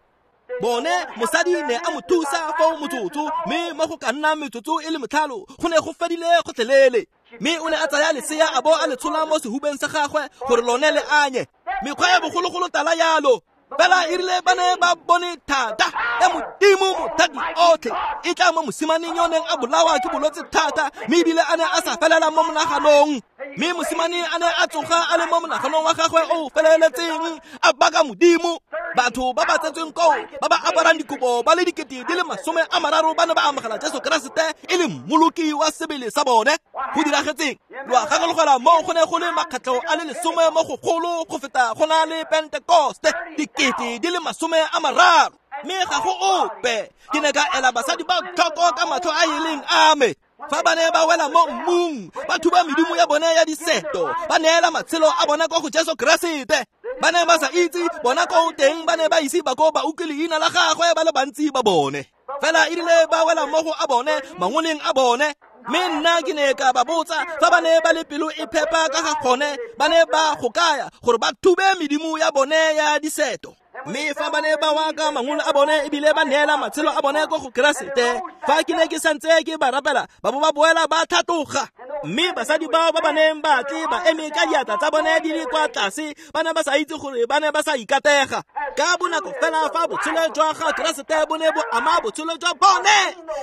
Bone mosadi ne a mo thusa foo motsotso, mme mo go ka nna metsotso e le metlhano go ne go fedile gotlhelele. Mme o ne a tsaya lesea a bo a le tshola mo sehubeng sa gagwe gore lone le anye. Mekgwa ya bogologolo tala yalo, fela e rile ba ne ba bone thata ya Modimo mothati otlhe e tla mo mosimaneng yo neng a bolawa ke bolwetse thata, mme ebile a ne a sa felela mo monaganong. Mme mosimane a ne a tsoga a le mo monaganong wa gagwe o feleletseng a baka Modimo. Batho ba ba tsetsweng koo ba ba aparang dikobo ba le dikete di le masome a mararo ba ne ba amogela Jesu Keresete e le mmoloki wa sebele sa bone. Go diragetseng? Lo a gakologela moo go ne go le makgetlho a le lesome mo go golo go feta go na le Pentekoste, dikete di le masome a mararo. Mme ga go ope. Ke ne ka ela basadi ba tlhoko ka matlho a e leng a me. Fa ba ne ba wela mo mmung, ba thuba medimo ya bone ya diseto, ba neela matshelo a bona kwa go Jesu Keresete. Ba ne ba sa itse bona ko teng, ba ne ba ise ba ko ba utlwe leina la gagwe ba le bantsi ba bone. Fela e rile ba wela mo go a bone, mangoleng a bone. Mme nna ke ne ka ba botsa fa ba ne ba le pelo e phepa ka ga gone, ba ne ba go kaya gore ba thube medimo ya bone ya diseto. Mme fa ba ne ba wa ka mangolo a bone ebile ba neela matshelo a bone ko go Keresete, fa ke ne ke santse ke ba rapela, ba bo ba boela ba tlhatloga. Mme basadi bao ba ba neng ba tle ba eme ka diatla tsa bone di le kwa tlase, ba ne ba sa itse gore ba ne ba sa ikatega. Ka bonako fela fa botshelo jwa ga Keresete bo ne bo ama botshelo jwa bone,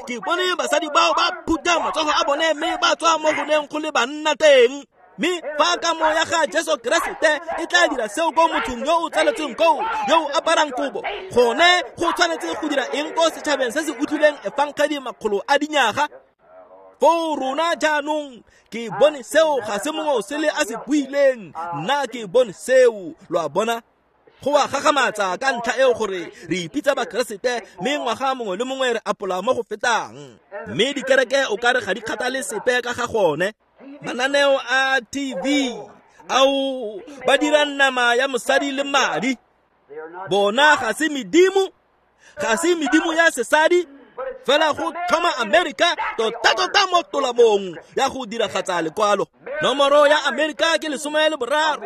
ke bone basadi bao ba phutha matsogo a bone mme ba tswa mo go neng go le banna teng. Mme fa kamo ya ga Jesu Keresete e tla dira seo ko mothong yo o tsaletsweng koo, yo o aparang kobo, gone go tshwanetse go dira eng ko setšhabeng se se utlwileng efangedi makgolo a dinyaga? Foo rona jaanong ke bone seo ga se mongwe o sele a se buileng, nna ke bone seo. Lo a bona? Go a gagamatsa ka ntlha eo gore re ipitsa Bakeresete, mme ngwaga mongwe le mongwe re apola mo go fetang. Mme dikereke o kare ga di kgathale sepe ka ga gone. Mananeo a T V ao ba dira nama ya mosadi le madi. Bona ga se medimo, ga se medimo ya sesadi, fela go tlhoma Amerika tota-tota mo tolamong ya go diragatsa lekwalo. Nomoro ya Amerika ke lesome le boraro.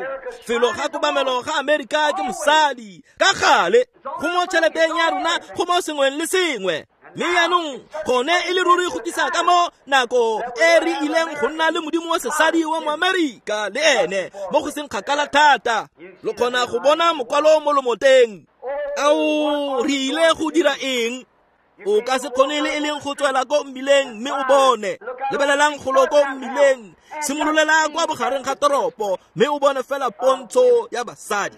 Felo ga kobamelo ga Amerika ke mosadi. Ka gale go mo tšheleteng ya rona, go mo sengweng le sengwe. Mme jaanong gone e le ruri go tlisa ka mo nako e re ileng go nna le modimo wa sesadi wa mo Amerika le ene mo go seng kgakala thata. Lo kgona go bona mokwalo mo lomoteng. Ao, re ile go dira eng? O ka se kgone le e leng go tswela ko mmileng mme o bone. Lebelelang golo ko mmileng, simololela kwa bogareng ga toropo mme o bone fela pontsho ya basadi.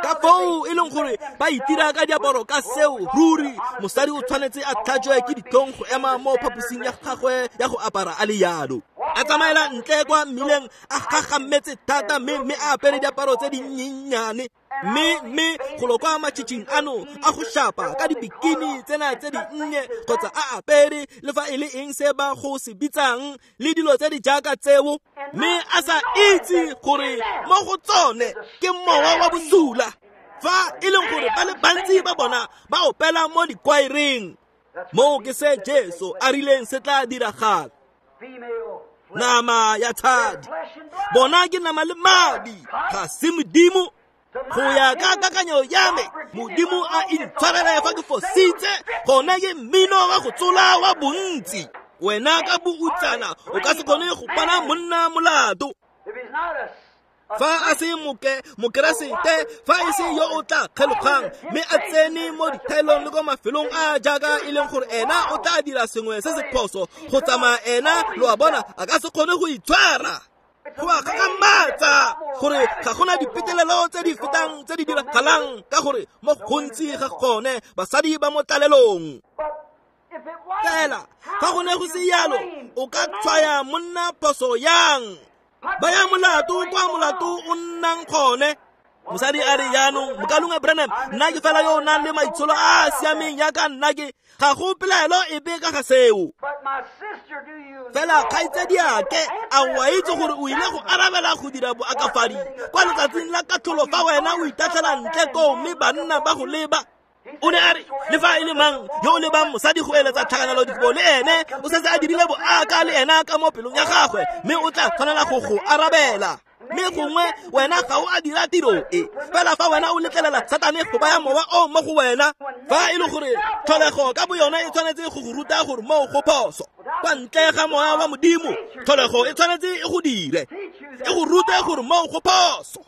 Ka foo e leng gore ba itira ka diaparo ka seo, ruri mosadi o tshwanetse a tlhajwe ke ditlhong go ema mo phaposing ya gagwe ya go apara a le yalo. A tsamaela ntle kwa mmileng a gagammetse thata mme mme a apere diaparo tse dinyenyane. Mme mme golo kwa matšhitšhing ano a go shapa ka dibikini tsena tse dinnye kgotsa a apere le fa e le eng se ba go se bitsang le dilo tse di jaaka tseo, mme a sa itse gore mo go tsone ke mowa wa bosula. Fa e leng gore ba le bantsi ba bona ba opela mo dikwaereng. Moo ke se Jesu a rileng se tla diragala. Nama ya tshadi, bona ke nama le madi, ga se modimo. Go ya ka kakanyo ya me, modimo a intshwarele fa ke fositse, gone ke mmino wa go tsola wa bontsi. Wena ka boutsana o ka se kgone go pana monna molato. Fa a se moke mokeresete, fa e se yo o tla kgelogang mme a tsene mo dithaelong le ko mafelong a jaaka e leng gore ena o tla dira sengwe se se phoso go tsamaya ena, lo a bona, a ka se kgone go itshwara. Go a gagamatsa gore ga gona dipetelelo tse di fetang tse di diragalang ka gore mo gontsi ga gone basadi ba mo tlalelong. Fela fa go ne go se yalo, o ka tshwaya monna phoso yang? Ba ya molato kwa molato o nnang gone. Mosadi a re jaanong, mokalongwe Branham, nna ke fela yo o nang le maitsholo a a siameng jaaka nna ke, ga go pelaelo epe ka ga seo. Fela kgaitsadiake, a o a itse gore o ile go arabela go dira boakafadi kwa letsatsing la katlholo fa wena o itatlhela ntle koo mme banna ba go leba? O ne a re le fa e le mang yo o lebang mosadi go eletsa tlhakanelo dikobo le ene o setse a dirile boaka le ena ka mo pelong ya gagwe, mme o tla tshwanela go go arabela. Mme gongwe wena ga o a dira tiro e, fela fa wena o letlelela Satane go baya mowa o mo go wena, fa e le gore tlholego ka boyona e tshwanetse go go ruta gore moo go phoso. Kwa ntle ga moya wa modimo, tlholego e tshwanetse e go dire, e go rute gore moo go phoso.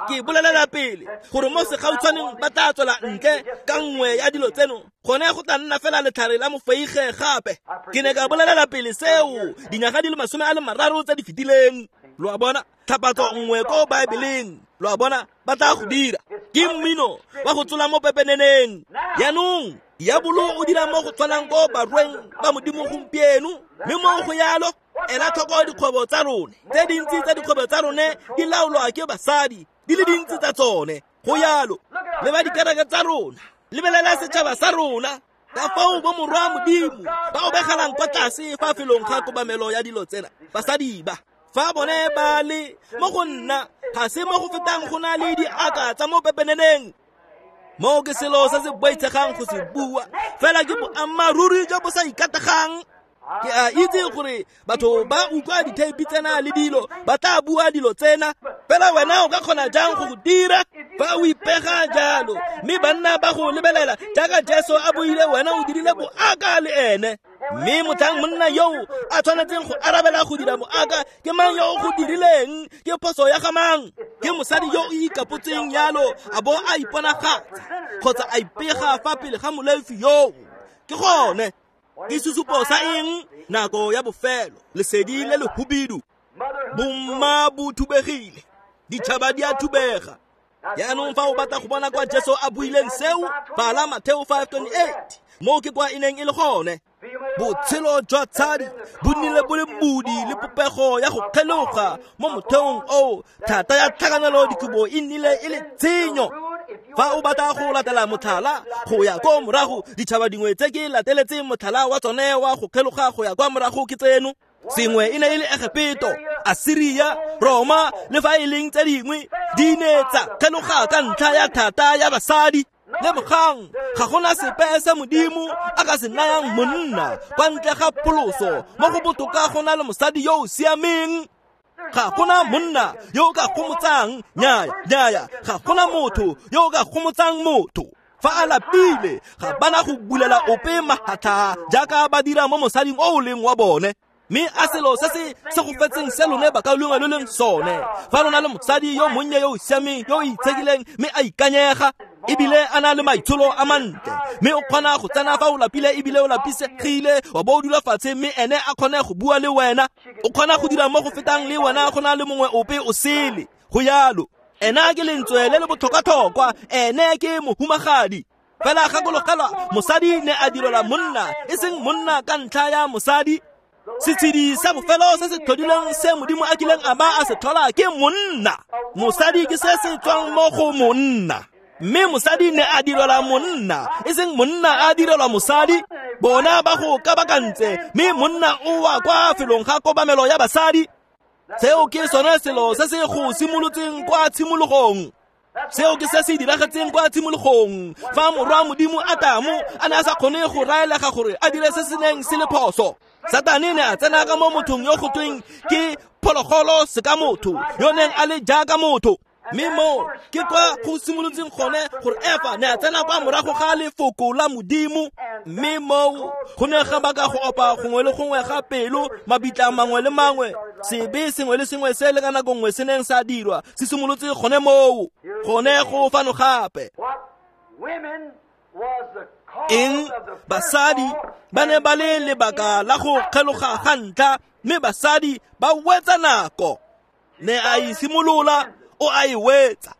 Ke bolelela pele gore mo segautshwaneng ba tla tswela ntle ka nngwe ya dilo tseno, gone go tla nna fela letlhare la mofeige gape. Ke ne ka bolelela pele seo dinyaga di le masome a le mararo tse di fetileng. Lo a bona? Tlhapatso nngwe ko Baebeleng, lo a bona, ba tla go dira. Ke mmino wa go tsola mo pepeneneng. Jaanong diabolo o dira mo go tshwanang ko barweng ba Modimo gompieno, mme mo go yalo ela tlhoko dikgwebo tsa rone. Tse dintsi tsa dikgwebo tsa rone di laolwa ke basadi, di le dintsi tsa tsone. Go yalo le ba dikereke tsa rona, lebelela setšhaba sa rona, ka fao bo morwa Modimo ba obegalang kwa tlase fa felong ga kobamelo ya dilo tsena. Basadi ba fa bone ba le mo go nna ga se mo go fetang go na le diaka tsa mo pepeneneng. Mo ke selo se se boitshegang go se bua, fela ke boammaaruri jo bo sa ikategang. Ke a itse gore batho ba utlwa ditheipi tsena le dilo, ba tla bua dilo tsena, fela wena o ka kgona jang go go dira fa o ipega jalo? Mme banna ba go lebelela jaaka Jesu a buile, wena o dirile boaka le ene. Mme motlhang monna yo a tshwanetseng go arabela go dira boaka, ke mang yo o go dirileng? Ke phoso ya ga mang? Ke mosadi yo o ikapotseng yalo a bo a iponagatsa kgotsa a ipega fa pele ga molefi yoo. Ke gone ke sesupo sa eng? Nako ya bofelo, lesedi le le hubidu. Bomma bo thubegile, ditšhaba di a thubega. Jaanong fa o batla go bona kwa Jesu a buileng seo, bala Mateo five twenty-eight. Mo ke kwa e neng e le gone. Botshelo jwa tshadi bo nnile bo le modi le popego ya go kgeloga mo motheong oo. Thata ya tlhakanelo dikobo e nnile e le tshenyo. Fa o batla go latela motlhala go ya ko morago, ditšhaba dingwe tse ke lateletseng motlhala wa tsone wa go kgeloga go ya kwa morago ke tseno. Sengwe e ne e le Egepeto, Asiria, Roma, le fa e leng tse dingwe di ne tsa kgeloga ka ntlha ya thata ya basadi. Lebogang, ga gona sepe se Modimo a ka se nayang monna kwa ntle ga pholoso. Mo go botoka go na le mosadi yo o siameng. Ga gona monna yo o ka gomotsang, nyaya, nyaya, ga gona motho yo o ka gomotsang motho. Fa a lapile, ga bana go bulela ope mahatlha jaaka ba dira mo mosading o o leng wa bone. Mme a selo se se segofetseng se lone bakaulengwe lo leng sone. Fa lona le mosadi yo monnye yo o siameng, yo o itshekileng, mme a ikanyega, ebile a na le maitsholo a mantle, mme o kgona go tsena fa o lapile ebile o lapisegile, wa bo o dula fatshe, mme ene a kgone go bua le wena. O kgona go dira mo go fetang le wena go na le mongwe ope o sele. Go yalo, ena ke lentswe le le botlhokwa-tlhokwa, ene ke mohumagadi. Fela gakologelwa, mosadi ne a direlwa monna, e seng monna ka ntlha ya mosadi. Setshedi sa bofelo se se tlhodileng se Modimo a kileng a ba a se tlhola ke monna. Mosadi ke se se tswang mo go monna. Mme mosadi ne a direlwa monna, e seng monna a direlwa mosadi. Bona ba go kabakantse, mme monna o wa kwa felong ga kobamelo ya basadi. Seo ke sone selo se se go simolotseng kwa tshimologong. Seo ke se se diragetseng kwa tshimologong, fa morwa Modimo Atamo a ne a sa kgone go raelega gore a dire se se neng se le phoso. Satane ne a tsena ka mo mothong yo go tweng ke phologolo se ka motho, yo neng a le jaaka motho. Mme mo ke kwa go simolotseng gone gore Efa ne a tsena kwa morago ga lefoko la Modimo. Mme moo go ne ga baka go opa gongwe le gongwe ga pelo, mabitla mangwe le mangwe, sebe sengwe le sengwe se le ka nako nngwe se neng sa dirwa se simolotse gone moo. Gone go fano gape. Eng? Basadi ba ne ba le lebaka la go kgeloga ga ntlha, mme basadi ba wetsa nako. Ne a e simolola, o a e wetsa.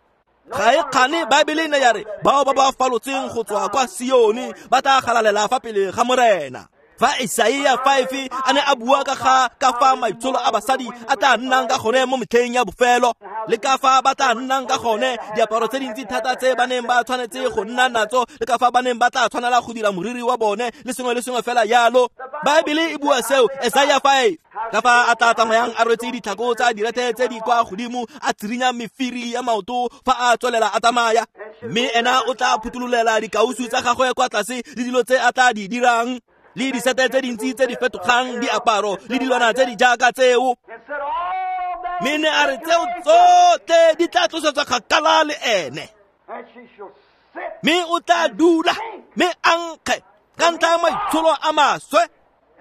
Ga e kgane Baebele ne ya re bao ba ba falotseng go tswa kwa Sione ba tla galalela fa pele ga Morena. Fa Isaia five a ne a bua ka ga ka fa maitsholo a basadi a tla nnang ka gone mo metlheng ya bofelo, le ka fa ba tla nnang ka gone, diaparo tse dintsi thata tse ba neng ba tshwanetse go nna natso, le ka fa ba neng ba tla tshwanela go dira moriri wa bone, le sengwe le sengwe fela yalo. Baebele e bua seo, Isaia five. Ka fa a tla tsamayang a rwetse ditlhako tsa direthe tse di kwa godimo, a tsirinya mefiri ya maoto fa a tswelela a tsamaya. Mme ena o tla phuthulolela dikausu tsa gagwe kwa tlase le dilo tse a tla di dirang, le disete tse dintsi tse di fetogang, diaparo le dilwana tse di jaaka tseo. Mme ne a re tseo tsotlhe di tla tlosetswa kgakala le ene. Mme o tla dula mme a nkge ka ntlha ya maitsholo a maswe.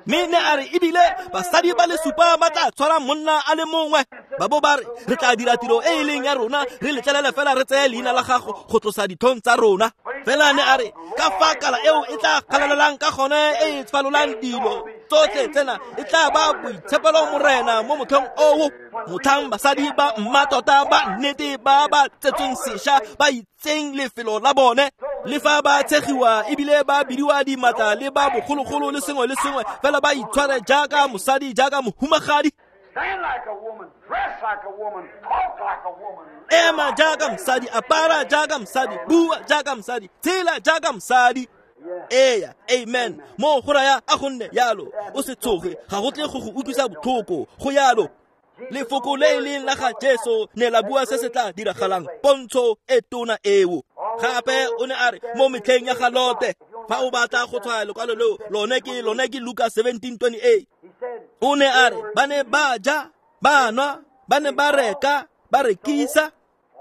Mme ne a re ebile basadi ba le supa ba tla tshwara monna a le mongwe. Ba bo ba re re tla dira tiro e e leng ya rona, re letlelele fela re tseye leina la gago go tlosa ditlhong tsa rona. Fela ne a re ka fa kala eo e tla galalelang ka gone e e falolang dilo tsotlhe tsena e tla ba boitshepelo morena mo motlhong oo. Motlhang basadi ba mmatota ba nnete ba ba tsetsweng sešwa ba itseng lefelo la bone, le fa ba tshegiwa ebile ba bidiwa dimatla le ba bogologolo le sengwe le sengwe, fela ba itshware jaaka mosadi, jaaka mohumagadi. Ema jaaka mosadi, apara jaaka mosadi, bua jaaka mosadi, tshela jaaka mosadi. Eya, amen. Mo go raya a gonne yalo, o se tshoge, ga go tle go go utlwisa botlhoko, go yalo. Lefoko le e leng la ga Jesu ne la bua se se tla diragalang, pontsho e tona eo. Gape o ne a re mo metlheng ya ga Lote, fa o batla go tshwaya lekwalo leo, lone ke lone ke Luka seventeen twenty-eight. O ne a re ba ne ba ja, ba nwa, ba ne ba reka, ba rekisa.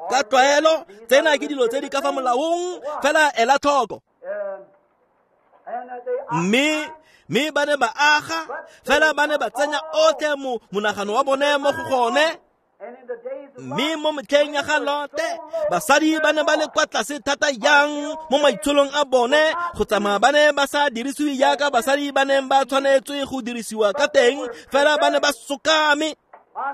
Ka tlwaelo tsena ke dilo tse di ka fa molaong, fela ela tlhoko. Mme mme ba ne ba aga, fela ba ne ba tsenya otlhe mo monagano wa bone mo go gone. Mme mo metlheng ya ga Lote, basadi ba ne ba le kwa tlase thata yang mo maitsholong a bone, go tsamaya ba ne ba sa dirisiwe jaaka basadi ba neng ba tshwanetswe go dirisiwa ka teng, fela ba ne ba sokame.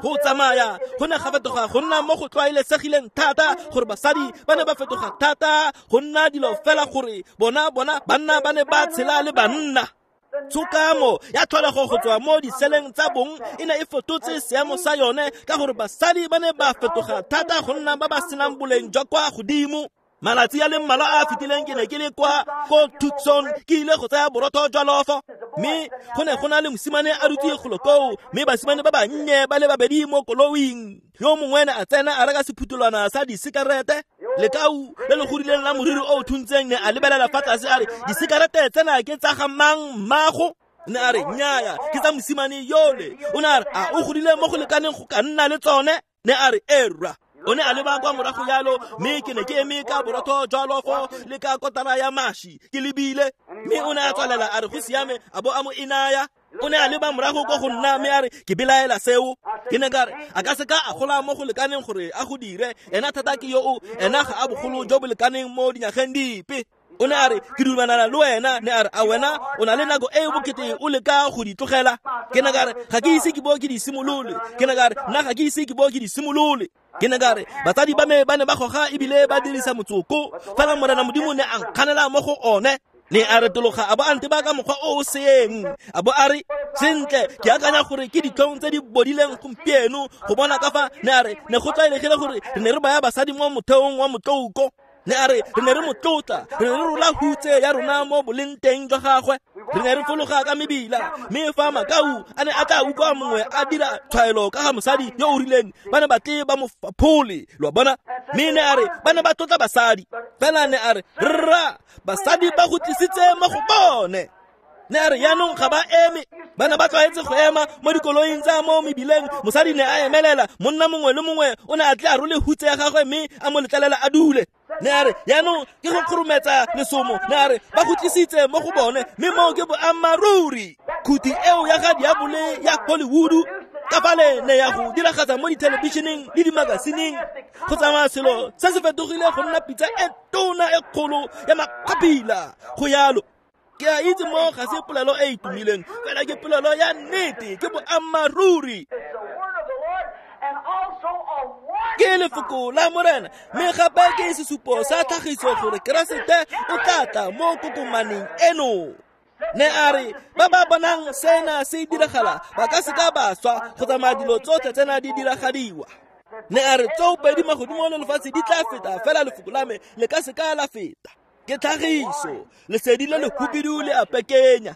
Go tsamaya go ne ga fetoga go nna mo go tlwaelesegileng thata gore basadi ba ne ba fetoga thata go nna dilo fela gore bona bona banna ba ne ba tshela le banna. Tshokamo ya tlholego go tswa mo diseleng tsa bong e ne e fetotse seemo sa yone ka gore basadi ba ne ba fetoga thata go nna ba ba senang boleng jwa kwa godimo. Malatsi a le mmalwa a a fetileng ke ne ke le kwa ko Tucson, ke ile go tsaya borotho jwa lofo, mme go ne go na le mosimane a dutse golo koo, mme basimane ba bannye ba le babedi mo koloing. Yo mongwe ne a tsena a reka sephutholwana sa disekarete, lekau le le godileng la moriri o o thuntseng ne a lebelela fa tlase a re, disekarete tsena ke tsa ga mang mmago? Ne a re nnyaya, ke tsa mosimane yole. O ne a re a o godile mo go lekaneng go ka nna le tsone? Ne a re erra. O ne a leba kwa morago jalo, mme ke ne ke eme ka borotho jwa lofo le ka kotara ya maši ke lebile. Mme o ne a tswalela a re go siame, a bo a mo inaya. O ne a leba morago kwa go nna mme a re ke belaela seo. Ke ne ka re a ka seka a gola mo go lekaneng gore a go dire, ena thata ke yo o, ena ga a bogolo jo bo lekaneng mo dinyageng dipe. O ne a re ke dumelana le wena. Ne a re a wena o na le nako e e bokete o leka go di tlogela. Ke ne ka re ga ke ise ke bo ke di simolole. Ke ne ka re nna ga ke ise ke bo ke di simolole. Ke ne ka re batsadi ba me ba ne ba goga ebile ba dirisa motsoko, fela Morena Modimo ne a nkganela mo go one. Ne a retologa a bo a nteba ka mokgwa o o seeng, a bo a re sentle ke akanya gore ke ditlhong tse di bodileng gompieno go bona ka fa. Ne a re ne go tlwaelegile gore re ne re baya basadi mo motheong wa motloko. Ne a re re ne re mo tlotla, re ne re rola hutse ya rona mo boleng teng jwa gagwe, re ne re fologa ka mebila. Mme fa makau a ne a tla utlwa mongwe a dira tshwaelo ka ga mosadi yo o rileng, ba ne ba tle ba mo faphole, lo a bona. Mme ne a re ba ne ba tlotla basadi, fela ne a re rra basadi ba go tlisitse mo go bone. Ne a re yaanong ga ba eme, ba ne ba tlwaetse go ema mo dikoloing tsa mo mebileng. Mosadi ne a emelela, monna mongwe le mongwe o ne a tle a role hutse ya gagwe mme a mo letlelela a dule. Ne a re yaanong ke go kgorometsa lesomo. Ne a re ba go tlisitse mo go bone, mme moo ke boammaaruri. Khuti eo ya ga diabole ya Hollywood ka fale ne ya go diragatsa mo dithelebišeneng le dimakasineng, go tsamaya selo se se fetogile go nna pitsa e tona e kgolo ya makgapila. Go yalo. Ke a itse mo ga se polelo e e tumileng, fela ke polelo ya nnete, ke boammaaruri. Ke lefoko la Morena, mme gape ke sesupo sa tlhagiso gore Keresete o tla tla mo kokomaneng eno. Ne a re ba ba bonang sena se diragala ba ka seka ba swa go tsamaya dilo tsotlhe tsena di diragadiwa. Ne a re tsoopedi magodimo le lefatshe di tla feta, fela lefoko la me le ka seka la feta. Ke tlhagiso, lesedi le le hubidu le a pekenya.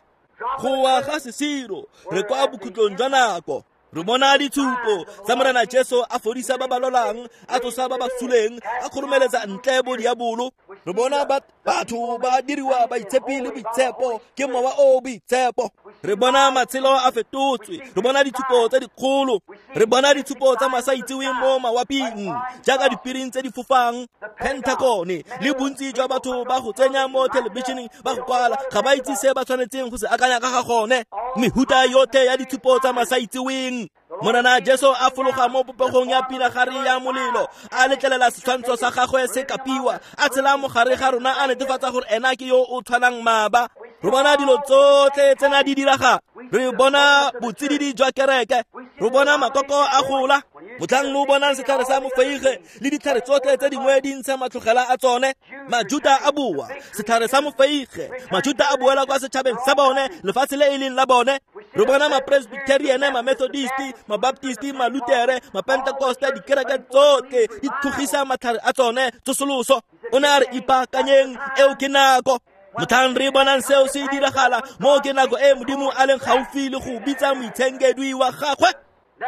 Go wa ga sesiro, re kwa bokhutlong jwa nako. Re bona ditshupo tsa Morena Jesu a fodisa ba ba lwalang, a tsosa ba ba suleng, a kgoromeletsa ntle bo diabolo. Re bona batho ba diriwa baitshepi le boitshepo ke mowa o o boitshepo. Re bona matshelo a fetotswe, re bona ditshupo tse dikgolo, re bona ditshupo tsa masaitseweng mo mawaping jaaka dipiring tse di fofang, Pentagone le bontsi jwa batho ba go tsenya mo thelebišeneng ba go kwala ga ba itse se ba tshwanetseng go se akanya ka ga gone. Mehuta yotlhe ya ditshupo tsa masaitseweng. Morena Jesu a fologa mo popegong ya pinagare ya molelo, a letlelela setshwantsho sa gagwe se kapiwa, a tshela mogare ga rona, a netefatsa gore ena ke yo o tshwanang maaba. Re bona dilo tsotlhe tsena di diraga, re bona botsididi jwa kereke, re bona makoko a gola. Motlhang lo bonang setlhare sa mofeige le ditlhare tsotlhe tse dingwe di ntsha matlhogela a tsone, Majuta a boa. Setlhare sa mofeige, Majuta a boela kwa setšhabeng sa bone, lefatshe le e leng la bone. Re bona ma-Presbyterian, ma-Methodist, ma-Baptist, ma-Lutere, ma-Pentecoste, dikereke tsotlhe di tlhogisa matlhare a tsone tsosoloso. O ne a re ipaakanyeng, eo ke nako. Motlhang re bonang seo se diragala, mo ke nako e Modimo a leng gaufi le go bitsa moitshenkedwi wa gagwe.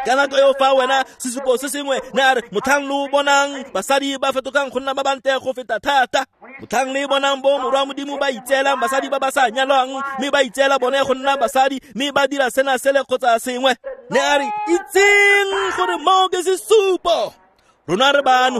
Ka nako eo fa wena sesupo se sengwe ne a re motlhang lo bonang basadi ba fetogang go nna ba bantle go feta thata, motlhang le bonang bo morwa Modimo ba itseelang basadi ba ba sa nyalwang, mme ba itseela bone go nna basadi, mme ba dira sena sele kgotsa sengwe, ne a re itseng gore mo ke sesupo, rona re bano.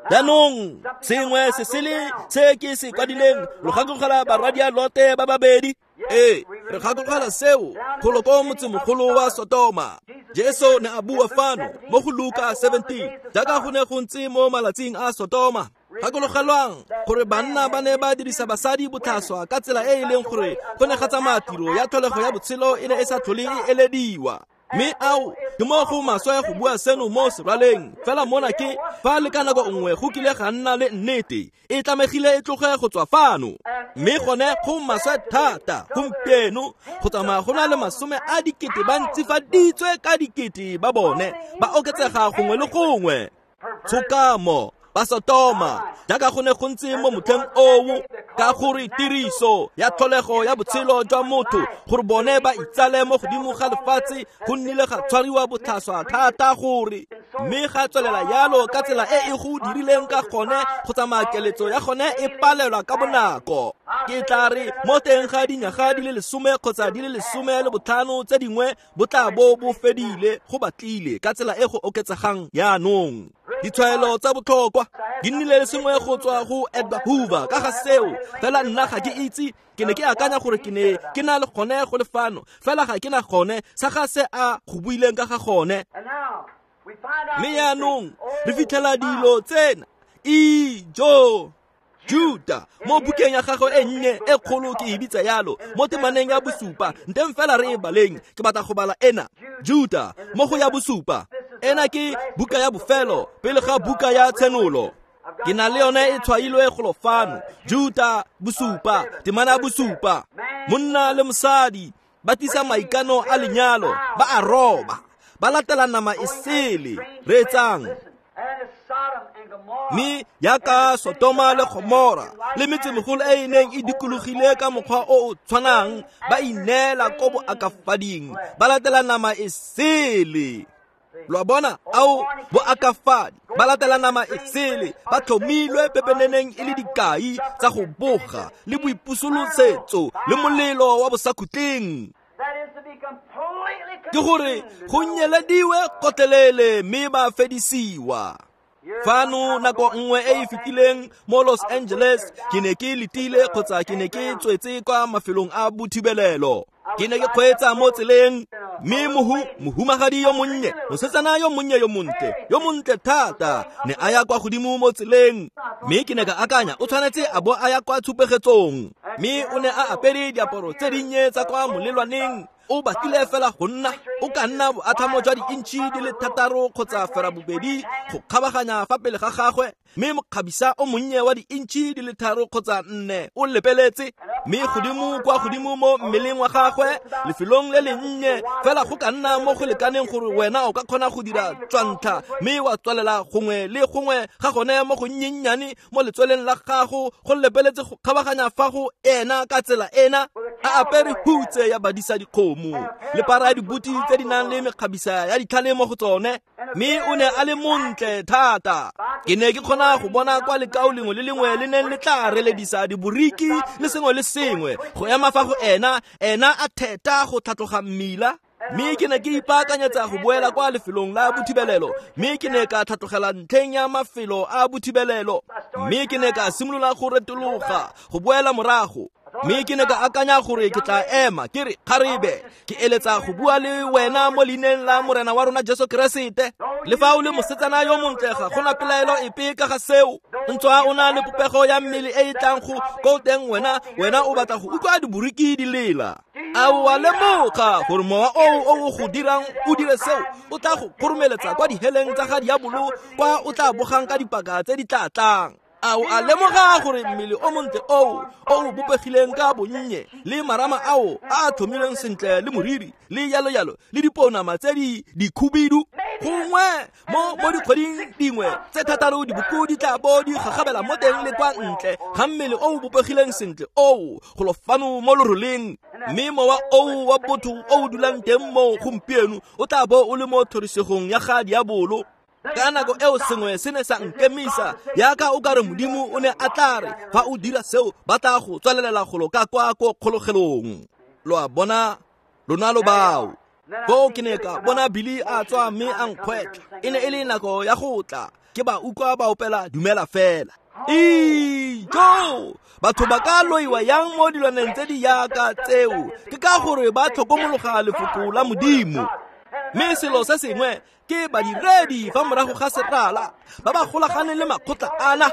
Jaanong sengwe se sele se ke se kwadileng, lo gakologelwa barwadia Lote ba babedi. Ee, re gakologelwa seo golo ko motsemogolo wa Sotoma. Jesu ne a bua fano mo go Luka seventeen, jaaka go ne go ntse mo malatsing a Sotoma. Gakologelwang gore banna ba ne ba dirisa basadi botlhaswa ka tsela e e leng gore go ne ga tsamaya tiro ya tlholego ya botshelo e ne e sa tlhole e elediwa. Mme ao ke mo go maswe go bua seno mo seraleng, fela mona ke fa le ka nako nngwe go kile ga nna le nnete e tlamegile e tloge go tswa fano. Mme gone go maswe thata gompieno go tsamaya go na le masome a dikete ba ntsifaditswe ka dikete ba bone ba oketsega gongwe le gongwe. Tshokamo ba Sotoma jaaka go ne go ntse mo motlheng oo, ka gore tiriso ya tlholego ya botshelo jwa motho gore bone ba itsale mo godimo ga lefatshe go nnile ga tshwariwa botlhaswa thata gore, mme ga tswelela yalo ka tsela e e go dirileng ka gone go tsamaya keletso ya gone e palelwa ka bonako. Ke tla re mo teng ga dinyaga di le lesome kgotsa di le lesome le botlhano tse dingwe bo tla bo bo fedile go batlile ka tsela e go oketsegang jaanong. Ditshwaelo tsa botlhokwa di nnile le sengwe go tswa go Edgar Hoover ka ga seo, fela nna ga ke itse, ke ne ke akanya gore ke ne ke na le gone go le fano, fela ga ke na gone sa ga se a go buileng ka ga gone. Mme jaanong re fitlhela dilo tsena ijo. Juda mo bukeng ya gagwe e nnye e kgolo ke e bitsa yalo mo temaneng ya bosupa, nteng fela re e baleng, ke batla go bala ena. Juda mo go ya bosupa, ena ke buka ya bofelo pele ga buka ya Tshenolo. Ke na le yone e tshwailwe golo fano. Juda bosupa, temana ya bosupa. Monna le mosadi ba tlisa maikano a lenyalo, ba a roba, ba latela nama e sele. Reetsang. Mme yaka Sotoma le Gomora le metsemegolo e e neng e dikologile ka mokgwa o o tshwanang, ba ineela ko boakafading, ba latela nama e sele. Lo a bona, ao boakafadi ba latela nama e sele, ba tlhomilwe pepeneneng e le dikai tsa go boga le boipusolosetso le molelo wa bosakhutleng. Ke gore go nyelediwe kotlelele mme ba fedisiwa. Fano nako nngwe e e fetileng mo Los Angeles, ke ne ke letile kgotsa ke ne ke tswetse kwa mafelong a bothibelelo. Ke ne ke kgweetsa mo tseleng, mme mohu mohumagadi yo monnye, mosetsana yo monnye yo montle, yo montle thata, ne a ya kwa godimo mo tseleng. Mme ke ne ka akanya o tshwanetse a bo a ya kwa tshupegetsong, mme o ne a apere diaparo tse dinnye tsa kwa molelwaneng. O batlile fela go nna o ka nna boatlhamo jwa di-intšhi di le thataro kgotsa ferabobedi go kgabaganya fa pele ga gagwe, mme mokgabisa o monnye wa di-intšhi di le tharo kgotsa nne o lepeletse, mme godimo kwa godimo mo mmeleng wa gagwe lefelong le lennye fela go ka nna mo go lekaneng gore wena o ka kgona go dira tswantlha mme wa tswalela gongwe le gongwe ga gone mo go nnyennyane mo letsweleng la gago go lepeletse go kgabaganya fa go ena ka tsela ena. A apere hutse ya badisa dikgomo le para ya dibuti tse di nang le mekgabisa ya ditlhale mo go tsone, mme o ne a le montle thata. Ke ne ke kgona go bona kwa lekao lengwe le lengwe le neng le tla reledisa diboriki le sengwe le sengwe go ema fa go ena, ena a theta go tlhatloga mmila. Mme ke ne ke ipaakanyetsa go boela kwa lefelong la bothibelelo, mme ke ne ka tlhatlogela ntlheng ya mafelo a bothibelelo, mme ke ne ka simolola go retologa go boela morago. Mme ke ne ka akanya gore ke tla ema ke re, kgarebe, ke eletsa go bua le wena mo leineng la Morena wa rona Jesu Keresete. Le fa o le mosetsana yo montle, ga gona pelaelo epe ka ga seo. Ntswa o na le popego ya mmele e e tlang go ko teng, wena wena o batla go utlwa diboriki di lela. A o a lemoga gore mowa oo o o go dirang o dire seo o tla go kgoromeletsa kwa diheleng tsa ga diabolo, kwa o tla bogang ka dipaka tse di tla tlang. A o a lemoga gore mmele o montle oo o o bopegileng ka bonnye le marama ao a a tlhomilweng sentle le moriri le yalo yalo le diponama tse di dikhubidu, gongwe mo mo dikgweding dingwe tse thataro diboko di tla bo di gagabela mo teng le kwa ntle ga mmele o o bopegileng sentle oo golo fano mo loroleng. Mme mowa oo wa botho o o dulang teng mo gompieno o tla bo o le mo thorisegong ya ga diabolo. Ka nako eo sengwe se ne sa nkemisa, yaka o kare Modimo o ne a tla re fa o dira seo ba tla go tswalelela golo ka kwa ko kgologelong. Lo a bona, lona lo bao. Foo ke ne ka bona Billy a tswa mme a nkgwetlha. E ne e le nako ya go tla, ke ba utlwa ba opela Dumela Fela. Ijo, batho ba ka loiwa yang mo dilwaneng tse di yaka tseo? Ke ka gore ba tlhokomologa lefoko la Modimo. Mme selo se sengwe ke badiredi fa morago ga serala ba ba golaganeng le makgotla ana,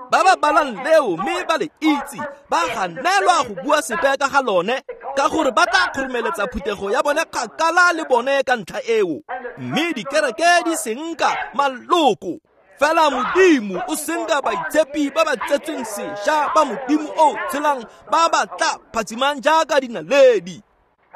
ba ba balang leo mme ba le itse, ba ganelwa go bua sepe ka ga lone, ka gore ba tla kgoromeletsa phuthego ya bone kgakala le bone ka ntlha eo. Mme dikereke di senka maloko. Fela Modimo o senka baitshepi ba ba tsetsweng sešwa ba Modimo o tshelang, ba ba tla phatsimang jaaka dinaledi.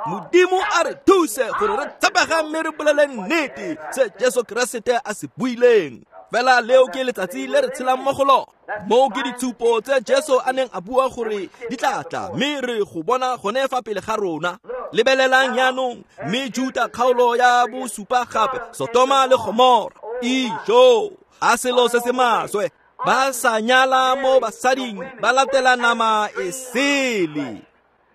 Modimo a re thuse gore re tshepege mme re bolele nnete se Jesu Keresete a se buileng. Fela leo ke letsatsi le re tshelang mo go lona. Moo ke ditshupo tse Jesu a neng a bua gore di tla tla, mme re go bona gone fa pele ga rona. Lebelelang jaanong, mme Juta kgaolo ya bosupa gape, Sotoma le Gomora. Ijo, a selo se se maswe. Ba sa nyala mo basading, ba latela nama e sele.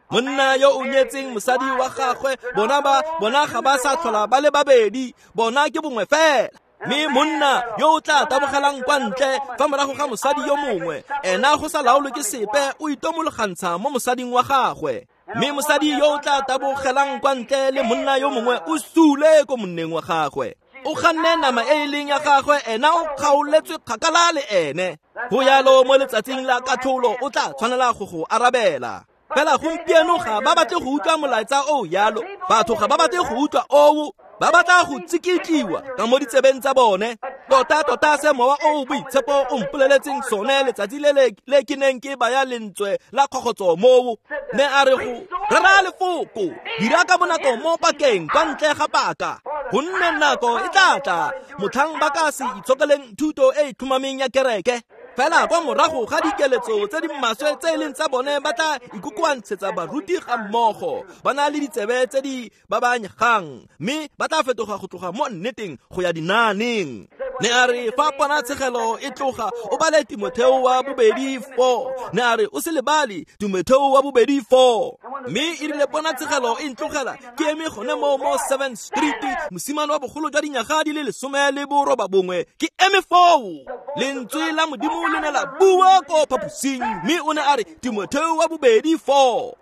Monna yo o nyetseng mosadi wa gagwe, bona ba bona ga ba sa tlhola ba le babedi, bona ke bongwe fela. Mme monna yo o tla tabogelang kwa ntle fa morago ga mosadi yo mongwe, ena go sa laolwe ke sepe, o itomologantsha mo mosading wa gagwe. Mme mosadi yo o tla tabogelang kwa ntle le monna yo mongwe o sule ko monneng wa gagwe. O ganne nama e e leng ya gagwe, ena o kgaoletswe kgakala le ene. Go yalo mo letsatsing la katlholo o tla tshwanela go go arabela. Fela gompieno ga ba batle go utlwa molaetsa o yalo, batho ga ba batle go utlwa oo, ba batla go tsikitliwa ka mo ditsebeng tsa bone. Tota tota se mowa o boitshepo o mpoleletseng sone letsatsi le le ke neng ke baya lentswe la kgogotso moo, ne a re go rera lefoko, dira ka bonako mo pakeng kwa ntle ga paka, gonne nako e tla tla motlhang ba ka se itshokeleng thuto e e tlhomameng ya kereke. Fela kwa morago ga dikeletso tse di maswe tse e leng tsa bone, ba tla ikokoantshetsa baruti ga mmogo, ba na le ditsebe tse di babanyegang, mme ba tla fetoga go tloga mo nneteng go ya dinaaneng. Ne a re fa ponatshegelo e tloga, o bale Timotheo wa bobedi four. Ne a re o se lebale Timotheo wa bobedi four. Mme e rile ponatshegelo e ntlogela, ke eme gone mo mo seventh Street, mosimane wa bogolo jwa dinyaga di le lesome le boroba bongwe, ke eme foo. Lentswe la Modimo le ne la bua ko phaposing, mme o ne a re Timotheo wa bobedi four.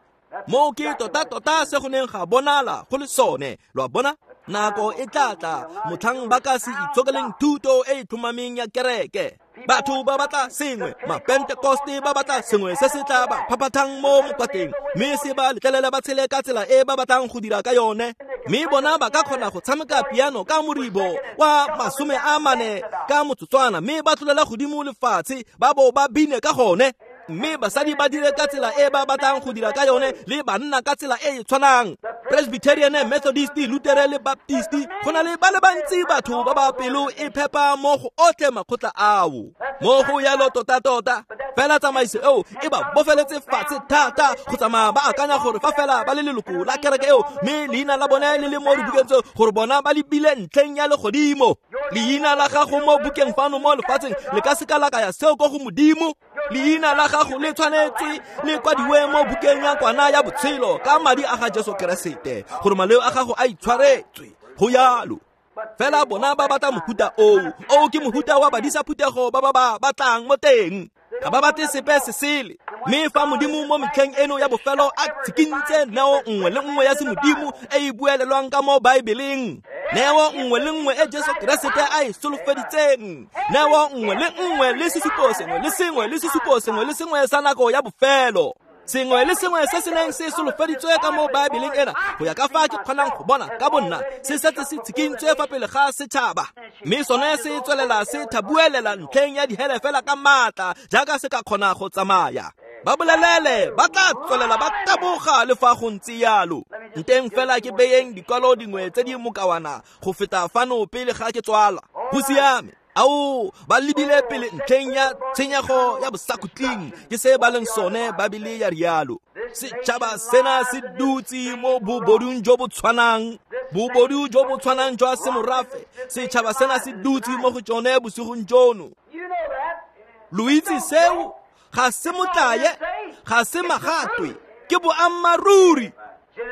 Moo ke tota tota se go neng ga bonala go le sone. Lo a bona? Nako e tla tla motlhang ba ka se itshokeleng thuto e e tlhomameng ya kereke. Batho ba batla sengwe, mapentekoste ba batla sengwe se se tla ba phaphathang mo mokwateng, mme se ba letlelela ba tshele ka tsela e ba batlang go dira ka yone. Mme bona ba ka kgona go tshameka piano ka moribo wa masome a mane ka motsotswana, mme ba tlolela godimo lefatshe ba bo ba bine ka gone. Mme basadi ba dire ka tsela e ba batlang go dira ka yone, le banna ka tsela e e tshwanang. Presbyterian, Methodist, Lutheran le Baptist, go na le ba le bantsi batho ba ba pelo e phepa mo go otlhe makgotla ao. Mo go yalo tota tota, Fela tsamaiso eo e ba bofeletse fatshe thata go tsamaya ba akanya gore fa fela ba le leloko la kereke eo mme leina la bone le le mo dibukeng tseo gore bona ba lebile ntlheng ya legodimo. Leina la gago mo bukeng fano mo lefatsheng le ka seka la kaya seo ko go Modimo. Leina la gago le tshwanetse le kwadiwe mo bukeng ya kwana ya botshelo ka madi a ga Jesu Keresete gore maleo a gago a itshwaretswe. Go yalo. Fela bona ba batla mohuta oo. Oo ke mohuta wa badisa phuthego ba ba ba batlang mo teng. Ga ba batle sepe se sele. Mme fa Modimo mo metlheng eno ya bofelo a tshikintse neo nngwe le nngwe ya semodimo e e buelelwang ka mo Baebeleng, neo nngwe le nngwe e Jesu Keresete a e solofeditseng, neo nngwe le nngwe le sesupo sengwe le sengwe le sesupo sengwe le sengwe sa nako ya bofelo, sengwe le sengwe se se neng se solofeditswe ka mo Baebeleng ena, go ya ka fa ke kgonang go bona ka bonna, se setse se tshikintswe fa pele ga setšhaba. Mme sone se tswelela se thabuelela ntlheng ya dihele fela ka maatla jaaka se ka kgona go tsamaya. Ba bolelele ba tla tswelela ba taboga le fa go ntse yalo. Nteng fela ke beyeng dikwalo dingwe tse di mokawana go feta fano pele ga ke tswala. Go siame. Ao, ba lebile pele ntlheng ya tshenyego ya bosakhutleng ke se ba leng sone Babele ya rialo. Setšhaba sena se dutse mo bobodung jo bo tshwanang, bobodu jo bo tshwanang jwa semorafe. Setšhaba sena se dutse mo go tsone bosigong jono. Lo itse seo? Ga se motlaye, ga se magatwe, ke boammaaruri.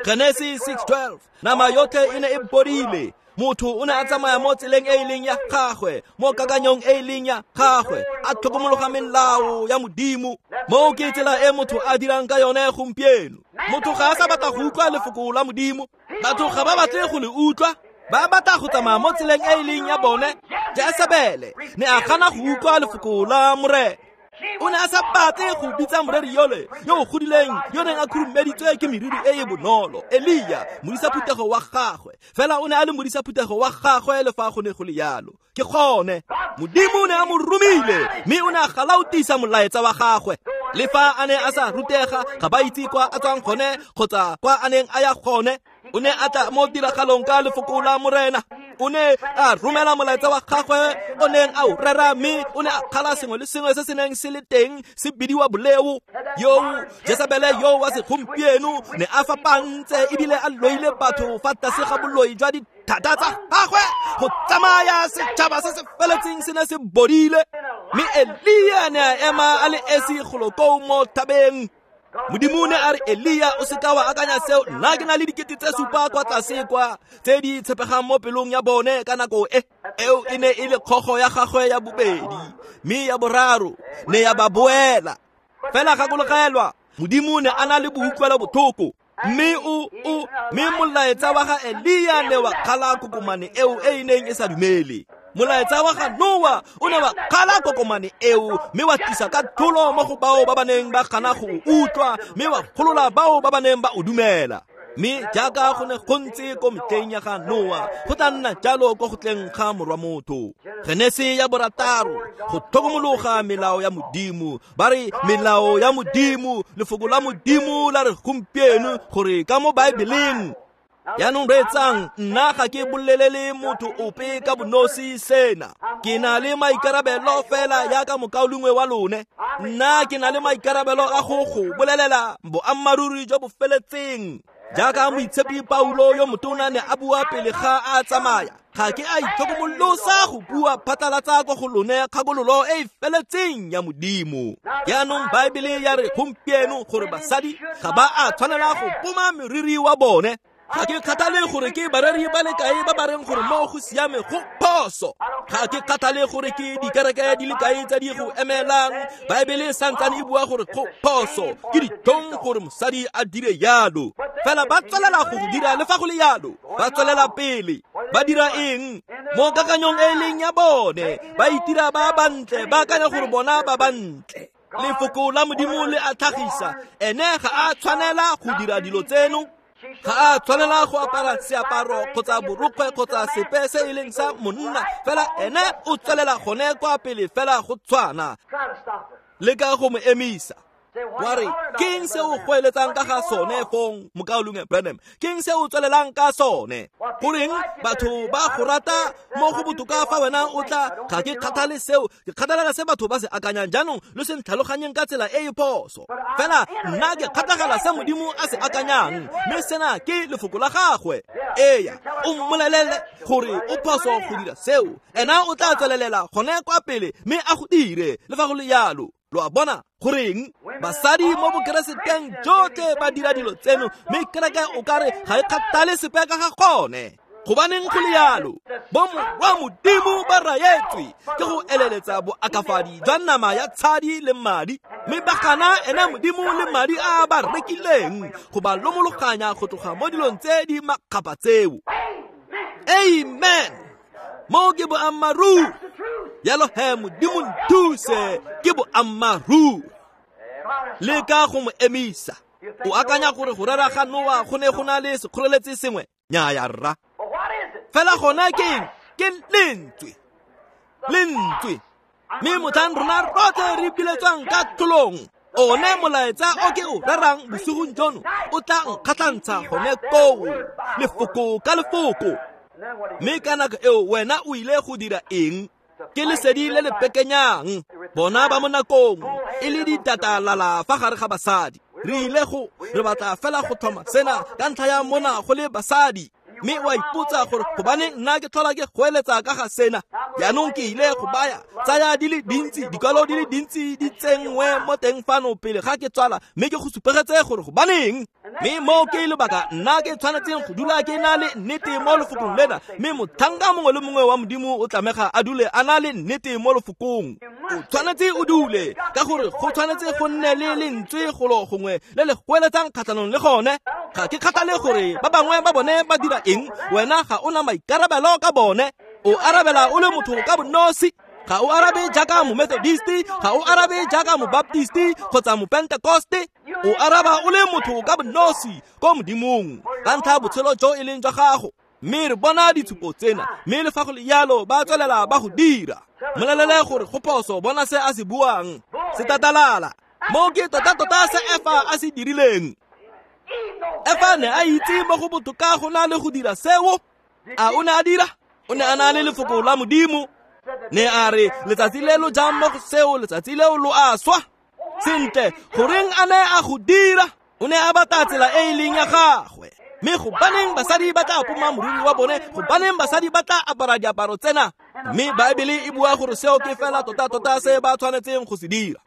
Genesis six twelve, nama yotlhe e ne e bodile. Motho o ne a tsamaya mo tseleng e e leng ya gagwe, mo kakanyong e e leng ya gagwe, a tlhokomologa melao ya Modimo. Moo ke tsela e motho a dirang ka yone gompieno. Motho ga a sa batla go utlwa lefoko la Modimo. Batho ga ba batle go le utlwa. Ba batla go tsamaya mo tseleng e e leng ya bone. Jesebele ne a gana go utlwa lefoko la Morena. O ne a sa batle go bitsa moreri yole yo o godileng yo neng a khurumeditswe ke meriri e e bonolo, Elia, modisa phuthego wa gagwe. Fela o ne a le modisa phuthego wa gagwe le fa go ne go le yalo. Ke gone Modimo o ne a mo romile mme o ne a galaotisa molaetsa wa gagwe. Le fa a ne a sa rutega, ga ba itse kwa a tswang gone kgotsa kwa a neng a ya gone. O ne a tla mo tiragalong ka lefoko la Morena. O ne a romela molaetsa wa gagwe o neng a o rera, mme o ne a kgala sengwe le sengwe se se neng se le teng se bidiwa boleo. Yo Jesebele yo wa segompieno ne a fapantse ebile a loile batho fa tlase ga boloi jwa dithata tsa gagwe go tsamaya setšhaba se se feletseng se ne se bodile. Mme Elia ne a ema a le esi golo koo mo thabeng. Modimo ne a re, Elia, o seka wa akanya seo, nna ke na le dikete tse supa kwa tlase kwa tse di tshepegang mo pelong ya bone ka nako e. Eo e ne e le kgogo ya gagwe ya bobedi, mme ya boraro ne ya ba boela. Fela gakologelwa, Modimo ne a na le boutlwelo botlhoko. Mme o o mme molaetsa wa ga Elia ne wa kgala kokomane eo e e neng e sa dumele. Molaetsa wa ga Noa o ne wa kgala kokomane eo mme wa tlisa ka tholo mo go bao ba ba neng ba gana go utlwa, mme wa golola bao ba ba neng ba o dumela. Mme jaaka go ne go ntse ko metlheng ya ga Noa, go tla nna jalo ko go tleng ga morwa motho. Genese ya borataro, go tlhokomologa melao ya Modimo. Ba re melao ya Modimo, lefoko la Modimo la re gompieno gore ka mo Baebeleng. Jaanong reetsang, nna ga ke bolelele motho ope ka bonosi sena. Ke na le maikarabelo fela jaaka mokaulengwe wa lone. Nna ke na le maikarabelo a go go bolelela boammaaruri jo bo feletseng. Jaaka moitshepi Paulo yo motona ne a bua pele ga a tsamaya, ga ke a itlhokomolosa go bua phatlalatsa ko go lone kgakololo e e feletseng ya Modimo. Jaanong Baebele ya re gompieno gore basadi ga ba a tshwanela go poma meriri wa bone. Ga ke kgathale gore ke bareri ba le kae ba ba reng gore mo go siame go phoso. Ga ke kgathale gore ke dikereke di le kae tse di go emelang. Baebele e santsane e bua gore go phoso, ke ditlhong gore mosadi a dire yalo. Fela ba tswelela go dira le fa go le yalo, ba tswelela pele. Ba dira eng? Mo kakanyong e leng ya bone, ba itira ba bantle, ba akanya gore bona ba bantle. Lefoko la Modimo le a tlhagisa, ene ga a tshwanela go dira dilo tseno. Ga a tshwanela go apara seaparo kgotsa borokgwe kgotsa sepe se e leng sa monna, fela ene o tswelela gone kwa pele fela go tshwana. Leka go mo emisa. Wa re, ke eng se o goeletsang ka ga sone fong, mokaulengwe Branham? Ke eng se o tswelelang ka sone? Goreng batho ba go rata mo go botoka fa wena o tla? Ga ke kgathale seo, ke kgathalela se batho ba se akanyang. Jaanong lo se ntlhaloganyeng ka tsela e e phoso. Fela nna ke kgatlhagela se Modimo a se akanyang, mme sena ke lefoko la gagwe. Eya, o mmolelele gore o phoso go dira seo, ena o tla tswelelela gone kwa pele mme a go dire le fa go le jalo. Lo a bona? Goreng basadi mo bokereseteng jotlhe ba dira dilo tseno, mme kereke o kare ga e kgathale sepe ka ga gone? Gobaneng go le jalo? Bomorwa Modimo ba raetswe ke go eleletsa boakafadi jwa nama ya tshadi le madi, mme ba gana ene Modimo le madi a ba rekileng go ba lomologanya go tloga mo dilong tse di makgapha tseo. Amen. Mo ke boammaaruri. Jalo he, Modimo nthuse, ke boammaaruri. Leka go mo emisa. O akanya gore go rera ga Noa go ne go na le sekgoreletsi sengwe? Nnyaya rra. Fela gona ke eng? Ke lentswe. Lentswe. Mme motlhang rona rotlhe re biletswang ka tlholong, one molaetsa o ke o rerang bosigong jono o tla nkgatlhantsha gone koo, lefoko ka lefoko. Mme ka nako eo wena o ile go dira eng? Ke lesedi le le pekenyang. Bona ba mo nakong e le ditatalala fa gare ga basadi. Re ile go re batla fela go tlhoma sena ka ntlha ya mona go le basadi. Mme wa ipotsa gore gobane nna ke tlhola ke goeletsa ka ga sena. Jaanong ke ile go baya tsaya di le dintsi, dikwalo di le dintsi di tsenngwe mo teng fano pele ga ke tswala, mme ke go supegetse gore gobaneng. Mme mo ke lebaka nna ke tshwanetseng go dula ke na le nnete mo lefokong lena, mme motlhanka mongwe le mongwe wa Modimo o tlamega a dule a na le nnete mo lefokong. O tshwanetse o dule, ka gore go tshwanetse go nne le lentswe golo gongwe le le goeletsang kgatlhanong le gone. Ga ke kgathale gore ba bangwe ba bone ba dira eng, wena ga o na maikarabelo ka bone. O arabela o le motho ka bonosi. Ga o arabe jaaka Momethodisti, ga o arabe jaaka Mobaptisti kgotsa Mopentekoste. O araba o le motho ka bonosi ko Modimong ka ntlha ya botshelo jo e leng jwa gago. Mme re bona ditshupo tsena, mme le fa go le jalo ba tswelela ba go dira. Mmolelele gore go phoso, bona se a se buang. Se tatalala. Mo ke tota-tota se Efa a se dirileng. Efa ne a itse mo go botoka go na le go dira seo. A o ne a dira? O ne a na le lefoko la Modimo. Ne a re letsatsi le lo jang mo go seo, letsatsi leo lo a swa. Sentle, goreng a ne a go dira? O ne a batla tsela e e leng ya gagwe. Mme gobaneng basadi ba tla poma moriri wa bone? Gobaneng basadi ba tla apara diaparo tsena? Mme Baebele e bua gore seo ke fela tota-tota se ba tshwanetseng go se dira.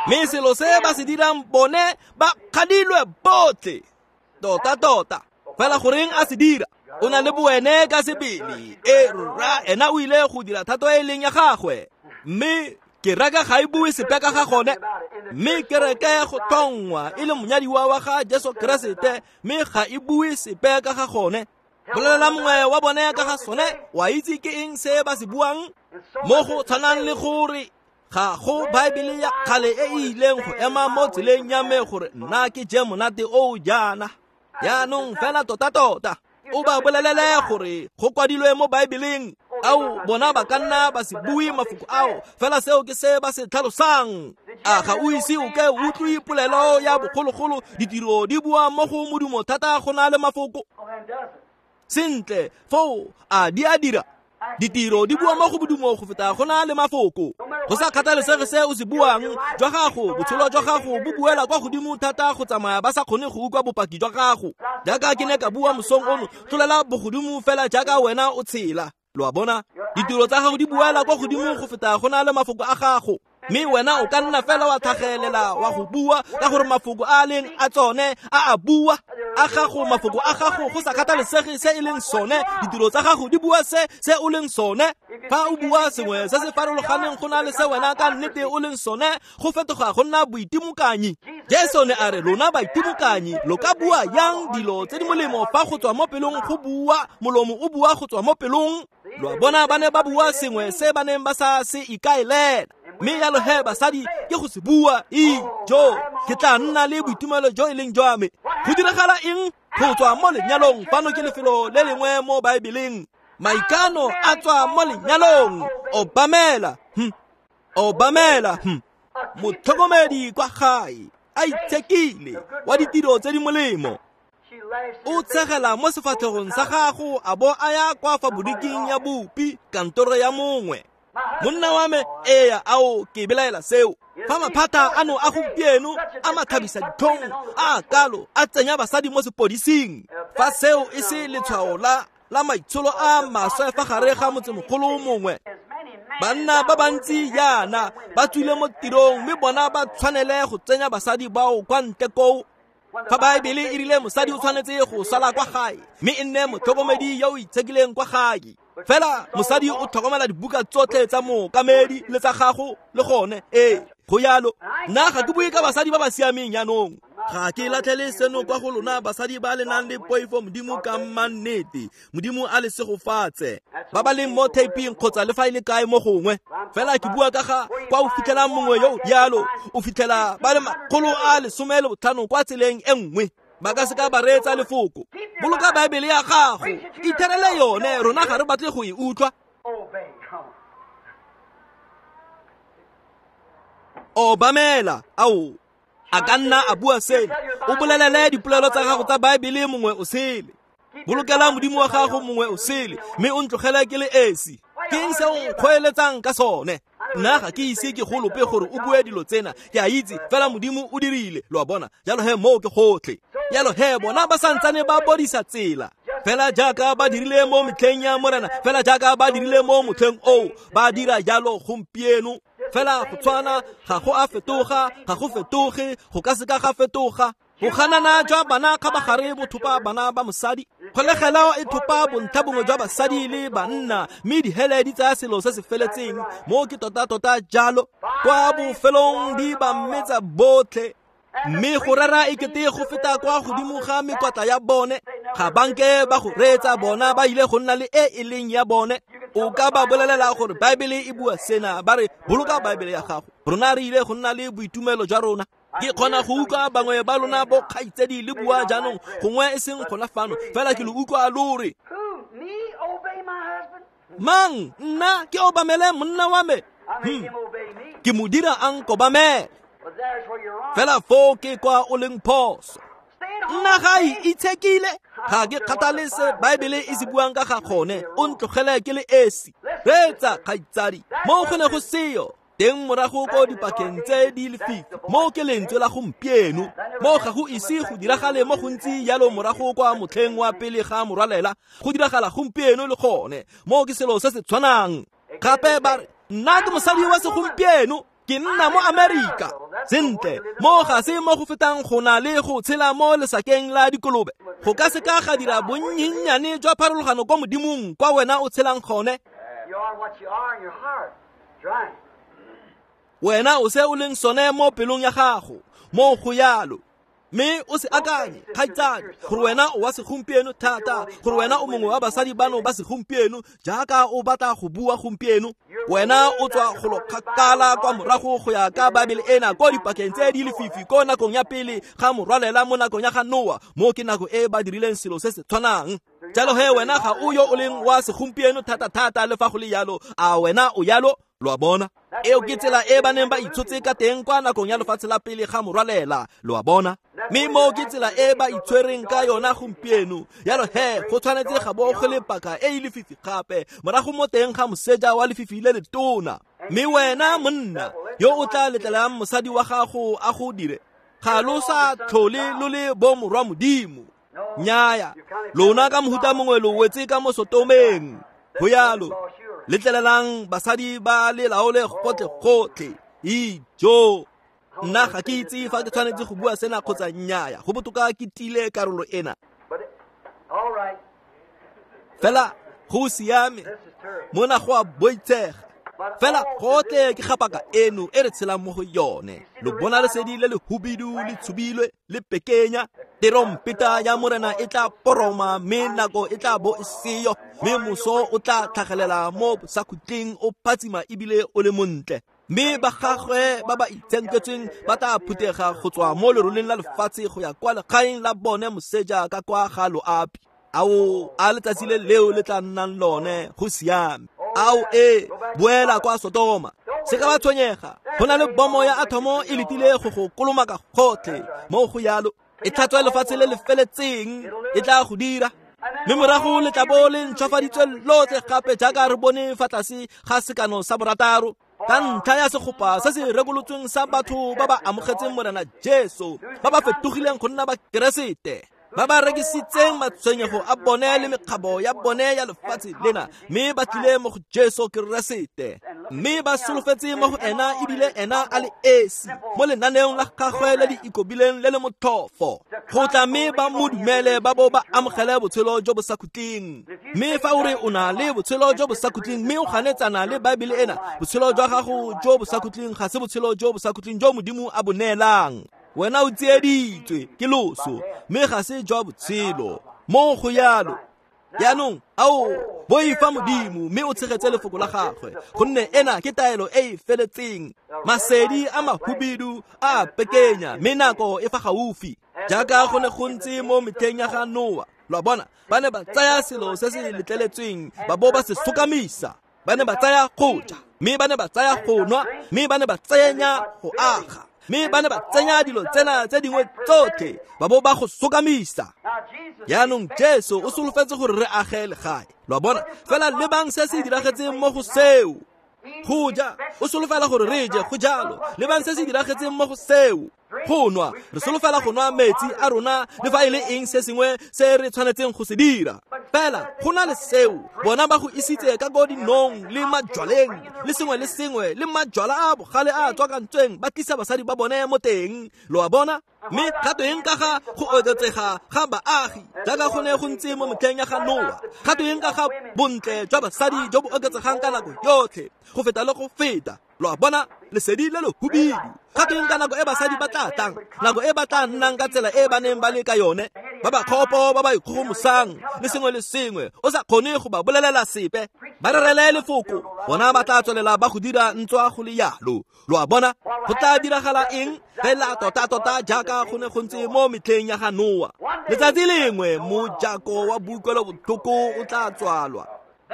Mme selo se ba se dirang bone ba kgadilwe botlhe. Tota-tota. Fela goreng a se dira? O na le boene ka sebele. E rra, ena o ile go dira thato e leng ya gagwe. Mme kereke ga e bue sepe ka ga gone. Mme kereke go tlhongwa e le monyadiwa wa ga Jesu Keresete, mme ga e bue sepe ka ga gone. Bolelela mongwe wa bone ka ga sone, wa itse ke eng se ba se buang? Mo go tshwanang le gore ga go Baebele ya kgale e e ileng go ema mo tseleng ya me gore nna ke je monate o jaana. Jaanong fela tota-tota o ba bolelele gore go kwadilwe mo Baebeleng. Ao bona ba ka nna ba se bue mafoko ao, fela seo ke se ba se tlhalosang. A ga o ise o ke utlwe polelo ya bogologolo, ditiro di bua mo go modumo thata go na le mafoko? Sentle, foo a di a dira? Ditiro di bua mo go modumo go feta go na le mafoko. Go sa kgathalesege se o se buang, jwa gago, botshelo jwa gago bo buela kwa godimo thata go tsamaya ba sa kgone go utlwa bopaki jwa gago. Jaaka ke ne ka bua mosong ono, tlolela bogodimo fela jaaka wena o tshela. Lo a bona? Ditiro tsa gago di buela kwa godimo go feta go na le mafoko a gago. Mme wena o ka nna fela wa tlhagelela wa go bua ka gore mafoko a leng a tsone a a bua. A gago, mafoko a gago, go sa kgathalesege se e leng sone, ditiro tsa gago di bua se se o leng sone. Fa o bua sengwe se se farologaneng go na le se wena ka nnete o leng sone, go fetoga go nna boitimokanyi. Jesu ne a re, lona baitimokanyi, lo ka bua yang dilo tse di molemo fa go tswa mo pelong go bua, molomo o bua go tswa mo pelong? Lo a bona, ba ne ba bua sengwe se ba neng ba sa se ikaelela. Mme jalo he basadi ke go se bua, ijo, ke tla nna le boitumelo jo e leng jwa me. Go diragala eng? Go tswa mo lenyalong. Fano ke lefelo le lengwe mo Baebeleng. Maikano a tswa mo lenyalong. Obamela, hm. Obamela, hm. Motlhokomedi kwa gae, a itshekile, wa ditiro tse di molemo. O tshegela mo sefatlhegong sa gago a bo a ya kwa faboriking ya bopi, kantoro ya mongwe. Monna wa me, eya, ao ke belaela seo. Fa maphata ano a gompieno a mathabisa ditlhong a kalo a tsenya basadi mo sepodising. Fa seo e se letshwao la la maitsholo a maswe fa gare ga motsemogolo mongwe. Banna ba bantsi yana ba tswile mo tirong mme bona ba tshwanele go tsenya basadi bao kwa ntle koo. Fa Baebele e rile mosadi o tshwanetse go sala kwa gae mme e nne motlhokomedi yo o itshekileng kwa gae. Fela mosadi o tlhokomela dibuka tsotlhe tsa mookamedi le tsa gago le gone. Ee, go yalo. Nna ga ke bue ka basadi ba ba siameng jaanong. Ga ke latlhele seno kwa go lona basadi ba le nang le poifo Modimo ka mannete. Modimo a le segofatse. Ba ba leng mo taping kgotsa le fa e le kae mo gongwe. Fela ke bua ka ga kwa o fitlhelang mongwe yo yalo, o fitlhela ba le makgolo a lesome le botlhano kwa tseleng e nngwe. Ba ka se ka ba reetsa lefoko. Boloka Baebele ya gago, itherele yone, rona ga re batle go e utlwa. Obamela, ao, a ka nna a bua seno. O bolelele dipolelo tsa gago tsa Baebele mongwe o sele. Bolokela Modimo wa gago mongwe o sele, mme o ntlogele ke le esi. Ke eng se o nkgoeletsang ka sone? Nna ga ke ise ke go lope gore o bue dilo tsena. Ke a itse fela Modimo o dirile, lo a bona. Jalo he moo ke gotlhe. Jalo he bona ba santsane ba bodisa tsela. Fela jaaka ba dirile mo metlheng ya Morena, fela jaaka ba dirile mo motlheng oo, ba dira jalo gompieno. Fela go tshwana, ga go a fetoga, ga go fetoge, go ka se ka ga fetoga. Go ganana jwa bana kgabagare bo thopa bana ba mosadi. Kgolegelo e thopa bontlha bongwe jwa basadi le banna, mme dihele di tsaya selo se se feletseng. Mo ke tota-tota jalo, kwa bofelong di ba metsa botlhe. Mme go rera e kete go feta kwa godimo ga mekwatla ya bone. Ga banke ba go reetsa bona, ba ile go nna le e e leng ya bone. O ka ba bolelela gore Baebele e bua sena, ba re boloka Baebele ya gago. Rona re ile go nna le boitumelo jwa rona. Ke kgona go utlwa bangwe ba lona bo kgaitsedi le bua jaanong, gongwe e seng gona fano, fela ke lo utlwa lo re, mang nna ke obamele monna wa me? Hmm. Ke mo dira a nkobamele. Fela foo ke kwa o leng phoso. Nna ga e itshekile, ga ke kgathale se Baebele e se buang ka ga gone, o ntlogele ke le esi. Reetsa kgaitsadi, mo go ne go seo teng morago ko dipakeng tse di lefifi, mo ke lentswe la gompieno. Mo ga go ise go diragale mo gontsi jalo morago kwa motlheng wa pele ga morwalela, go diragala gompieno le gone. Mo ke selo se se tshwanang. Gape ba re, nna ke mosadi wa segompieno, ke nna mo Amerika. Sentle, mo ga se mo go fetang go na le go tshela mo lesakeng la dikolobe. Go ka se ka ga dira bonnyennyane jwa pharologano kwa Modimong kwa wena o tshelang gone. Wena o se o leng sone mo pelong ya gago, mo go yalo. Mme o se akanye, kgaitsadi, gore wena o wa segompieno thata, gore wena o mongwe wa basadi bano ba segompieno, jaaka o batla go bua gompieno. Wena o tswa go lo kgakala kwa morago go ya ka Baebele ena, ko dipakeng tse di lefifi, ko nakong ya pele ga morwalela, mo nakong ya ga Noa. Mo ke nako e ba dirileng selo se se tshwanang. Jalo he wena ga o yo o leng wa segompieno thata-thata, le fa go le yalo, a wena o yalo? Lo a bona? Eo ke tsela e ba neng ba itshotse ka teng kwa nakong ya lefatshe la pele ga morwalela, lo a bona? Mme mo ke tsela e ba itshwereng ka yona gompieno. Jalo he go tshwanetse ga bo go le paka e e lefifi gape, morago mo teng ga moseja wa lefifi le letona. Mme wena monna yo o tla letlelang mosadi wa gago a go dire, ga lo sa tlhole lo le bo morwa Modimo. Nnyaya, lona ka mohuta mongwe lo wetse ka mo Sotomeng. Go yalo, letlelelang basadi ba le laole gotlhe-gotlhe. Ijo, nna ga ke itse fa ke tshwanetse go bua sena kgotsa nnyaya. Go botoka ke tile karolo ena. Fela go siame, mona go a boitshega. Fela gotlhe ke gapaka eno e re tshelang mo go yone. Lo bona lesedi le le hubidu le tshubilwe le pekenya. Terompeta ya Morena e tla poroma, mme nako e tla bo e seyo, mme moso o tla tlhagelela mo bosakhutleng o phatsima ebile o le montle. Mme ba gagwe ba ba itshenketsweng ba tla phuthega go tswa mo leroleng la lefatshe go ya kwa legaeng la bone moseja ka kwa ga loapi. Ao, a letsatsi le leo le tla nnang lone, go siame. Ao e, boela kwa Sodoma. Se ka ba tshwenyega, go na le bomo ya athomo e letile go go kolomaka gotlhe mo go yalo. E tlhatswa lefatshe le le feletseng, e tla go dira. Mme morago le tla bo le ntšhwafaditswe lotlhe gape jaaka re bone fa tlase ga sekano sa borataro, ka ntlha ya segopa se se rekolotsweng sa batho ba ba amogetseng Morena Jesu, ba ba fetogileng go nna ba Keresete, ba ba rekisitseng matshwenyego a bone le mekgabo ya bone ya lefatshe lena, mme ba tlile mo go Jesu Keresete, mme ba solofetse mo go ena ebile ena a le esi mo lenaneong la gagwe le le ikobileng le le motlhofo, go tla mme ba mo dumele ba bo ba amogele botshelo jo bo sa khutleng. Mme fa o re o na le botshelo jo bo sa khutleng mme o ganetsana le Baebele ena, botshelo jwa gago jo bo sa khutleng ga se botshelo jo bo sa khutleng jo Modimo a bo neelang. Wena o tsieditswe ke loso, mme ga se jwa botshelo mo go yalo. Jaanong ao boifa Modimo mme o tshegetse lefoko la gagwe, gonne ena ke taelo e e feletseng. Masedi a mahubidu a pekenya, mme nako e fa gaufi, jaaka go ne go ntse mo metlheng ya ga Noa. Lo a bona, ba ne ba tsaya selo se se letleletsweng ba bo ba se sokamisa. Ba ne ba tsaya go ja, mme ba ne ba tsaya go nwa, mme ba ne ba tsenya go aga, mme ba ne ba tsenya dilo tsena tse dingwe tsotlhe ba bo ba go sokamisa. Jaanong Jesu o solofetse gore re age legae. Lo a bona, fela lebang se se diragetseng mo go seo. Go ja, o solofela gore re je, go jalo. Lebang se se diragetseng mo go seo. Go nwa, re solofela go nwa metsi a rona le fa e le eng se sengwe se re tshwanetseng go se dira. Fela go na le seo, bona ba go isitse ka ko dinong le majwaleng le sengwe le sengwe le majwala a bogale a tswakantsweng, ba tlisa basadi ba bone mo teng. Lo a bona? Mme ga tweng ka ga go oketsega ga baagi jaaka go ne go ntse mo metlheng ya ga Noa? Ga tweng ka ga bontle jwa basadi jo bo oketsegang ka nako yotlhe go feta le go feta? Lo a bona, lesedi le le hubidu. Ga tweng ka nako e basadi ba tla tlang, nako e ba tla nnang ka tsela e ba neng ba le ka yone, ba ba kgopo, ba ba ikgogomosang le sengwe le sengwe, o sa kgone go ba bolelela sepe, ba rerele lefoko, bona ba tla tswelela ba go dira ntswa go le yalo. Lo a bona, go tla diragala eng? Fela tota-tota jaaka go ne go ntse mo metlheng ya ga Noa. Letsatsi lengwe mojako wa boikuelobotlhoko o tla tswalwa.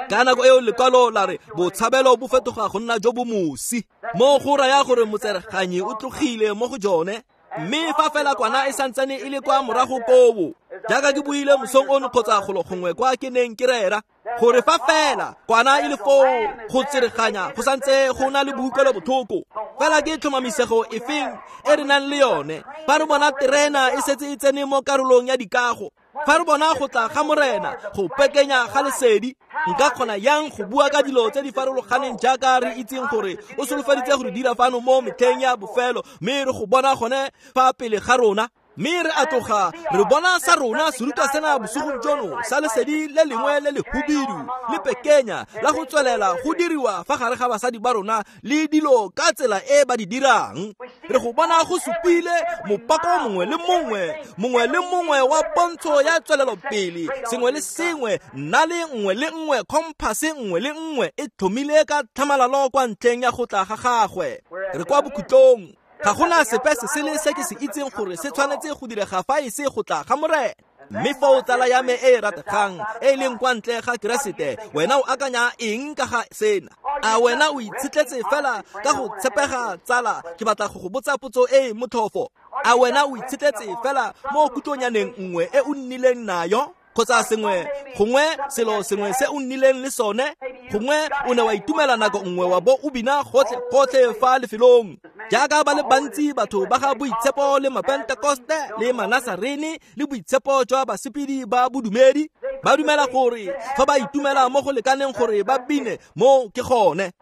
Ka nako eo lekwalo la re botshabelo bo fetoga go nna jo bo mosi, mo go raya gore motsereganyi o tlogile mo go jone. Mme fa fela kwana e santsane e le kwa morago koo, jaaka ke buile mosong ono kgotsa golo gongwe kwa ke neng ke rera, gore fa fela kwana e le foo go tsereganya go santse go na le boikuelobotlhoko. Fela ke tlhomamisego efeng e re nang le yone fa re bona terena e setse e tsene mo karolong ya dikago, fa re bona go tla ga Morena go pekenya ga lesedi? Nka kgona yang go bua ka dilo tse di farologaneng jaaka re itseng gore o solofeditse go re dira fano mo metlheng ya bofelo, mme re go bona gone fa pele ga rona? Mme re a tloga re bona sa rona serutwa sena bosigong jono sa lesedi le lengwe le le hubidu le pekenya la go tswelela go diriwa fa gare ga basadi ba rona le dilo ka tsela e ba di dirang. Re go bona go supile mopako mongwe le mongwe, mongwe le mongwe wa pontsho ya tswelelopele, sengwe le sengwe, nna le nngwe le nngwe, compass nngwe le nngwe e tlhomile ka tlhamalalo kwa ntlheng ya go tla ga gagwe. Re kwa bokhutlong. Ga gona sepe se sele se ke se itseng gore se tshwanetse go direga fa e se go tla ga Morena. Mme fa o tsala ya me e e rategang e e leng kwa ntle ga Keresete, wena o akanya eng ka ga sena? A wena o itshetletse fela ka go tshepega, tsala? Ke batla go go botsa potso e e motlhofo. A wena o itshetletse fela mo kutlonyaneng nngwe e o nnileng nayo, kgotsa sengwe, gongwe selo sengwe se o nnileng le sone? Gongwe o ne wa itumela nako nngwe wa bo o bina gotlhe gotlhe fa lefelong, jaaka ba le bantsi batho ba ga Boitshepo le Mapentekoste le Manasarene le boitshepo jwa basepedi ba bodumedi ba dumela gore fa ba itumela mo go lekaneng gore ba bine, mo ke gone.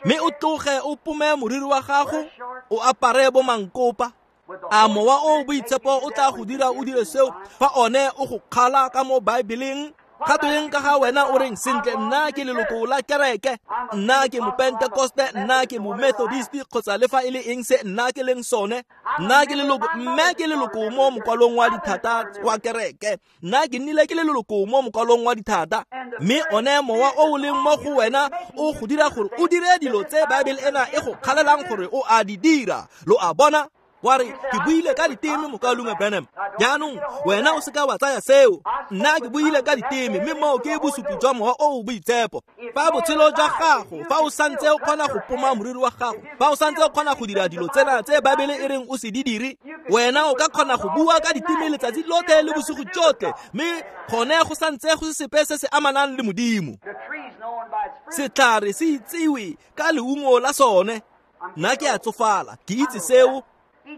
Mme o tloge o pome moriri wa gago, o apare bo mankopa. A mowa o boitshepo o tla go dira o dire seo fa one o go kgala ka mo Baebeleng? Ga tweng ka ga wena o reng, sentle, nna ke leloko la kereke, nna ke mopentekoste, nna ke momethodist, kgotsa le fa e le eng se nna ke leng sone, nna ke leloko, mme ke leloko mo mokwalong wa dithata wa kereke, nna ke nnile ke le leloko mo mokwalong wa dithata. Mme one mowa o o leng mo go wena o go dira gore o dire dilo tse Baebele ena e go kgalelang gore o a di dira. Lo a bona? Wa re ke buile ka diteme mokaulengwe Branham. Jaanong wena o seka wa tsaya seo. Nna ke buile ka diteme mme moo ke bosupi jwa Mowa o o Boitshepo. Fa botshelo jwa gago, fa o santse o kgona go poma moriri wa gago, fa o santse o kgona go dira dilo tsena tse Baebele e reng o se di dire, wena o ka kgona go bua ka diteme letsatsi lotlhe le bosigo jotlhe, mme gone go santse go se sepe se se amanang le Modimo. Setlhare se itsiwe ka leungo la sone. Nna ke a tsofala, ke itse seo.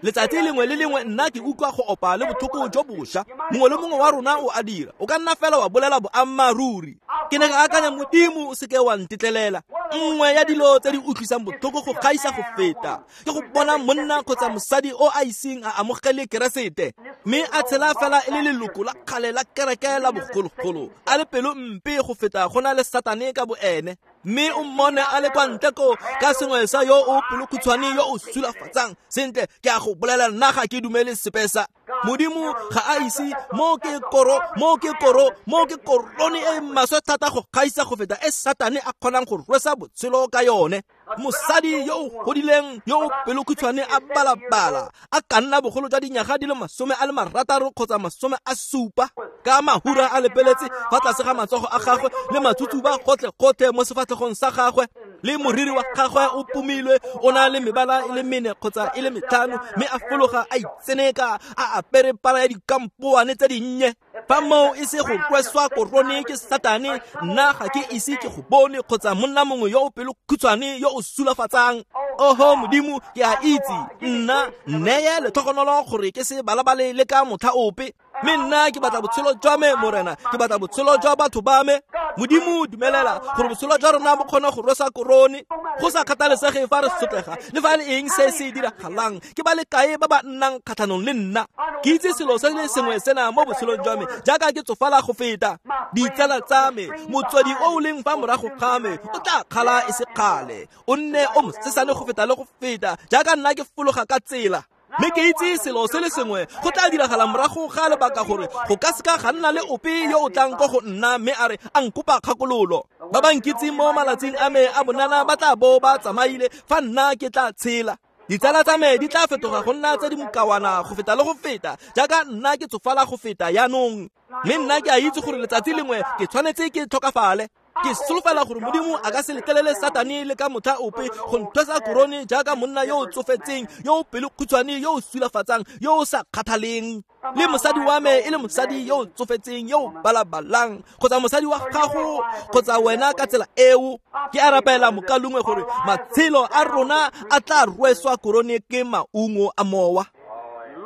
Letsatsi lengwe le lengwe nna ke utlwa go opa le botlhoko jo bošwa. Mongwe le mongwe wa rona o a dira. O ka nna fela wa bolela boammaaruri. Ke ne ka akanya, Modimo o seke wa ntetlelela. Nngwe ya dilo tse di utlwisang botlhoko go gaisa go feta ke go bona monna kgotsa mosadi o a iseng a amogele Keresete, mme a tshela fela e le leloko la kgale la kereke la bogologolo, a le pelo mpe go feta go na le Satane ka boene. Mme o mmone a le kwa ntle ko ka sengwe sa yo o pelokhutshwane yo o sulafatsang. Sentle, ke a go bolela, nna ga ke dumele sepe sa Modimo ga a ise mo ke koro mo ke koro mo ke korone e maswe thata go gaisa go feta e Satane a kgonang go rwesa botshelo ka yone. Mosadi yo o godileng yo o pelokhutshwane a balabala a ka nna bogolo jwa dinyaga di le masome a le marataro kgotsa masome a supa, ka mahura a lepeletse fa tlase ga matsogo a gagwe le matsutsuba gotlhe-gotlhe mo sefatlhegong sa gagwe, le moriri wa gagwe o pomilwe o na le mebala e le mene kgotsa e le metlhano, mme a fologa a itseneka a apere pala ya dikampoane tse dinnye. Fa moo e se go rweswa korone ke Satane, nna ga ke ise ke go bone kgotsa monna mongwe yo o pelokhutshwane yo o sulafatsang. Oho Modimo, ke a itse, nna nneye letlhogonolo gore ke se balabale le ka motlha ope. Mme nna ke batla botshelo jwa me, Morena, ke batla botshelo jwa batho ba me. Modimo, dumelela gore botshelo jwa rona bo kgone go rwesa korone, go sa kgathalesege fa re sotlega le fa le eng se se diragalang. Ke ba le kae ba ba nnang kgatlhanong le nna? Ke itse selo se le sengwe sena mo botshelong jwa me, jaaka ke tsofala go feta. Ditsala tsa me, motswedi o o leng fa morago ga me o tla kgala e se kgale, o nne o mosesane go feta le go feta jaaka nna ke fologa ka tsela. Mme ke itse selo se le sengwe go tla diragala morago ga lebaka, gore go ka seka ga nna le ope yo o tlang ko go nna mme a re a nkopa kgakololo. Ba ba nkitseng mo malatsing a me a bonana ba tla bo ba tsamaile fa nna ke tla tshela. Ditsala tsa me di tla fetoga go nna tse di mokawana go feta le go feta jaaka nna ke tsofala go feta yaanong. Mme nna ke a itse gore letsatsi lengwe ke tshwanetse ke tlhokafale. Ke solofela gore Modimo a ka se letlelele Satane le ka motlha ope go nthwesa korone jaaka monna yo o tsofetseng, yo o pelokhutshwane, yo o sulafatsang, yo o sa kgathaleng. Le mosadi wa me e le mosadi yo o tsofetseng, yo o balabalang, kgotsa mosadi wa gago kgotsa wena ka tsela eo. Ke a rapela mokalongwe gore matshelo a rona a tla rweswa korone ke maungo a Mowa.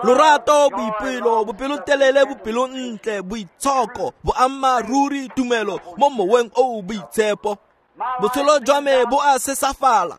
Lorato, boipelo, bopelotelele, bopelontle, boitshoko, boammaaruri, tumelo mo moweng o o boitshepo. Botshelo jwa me bo a sesafala.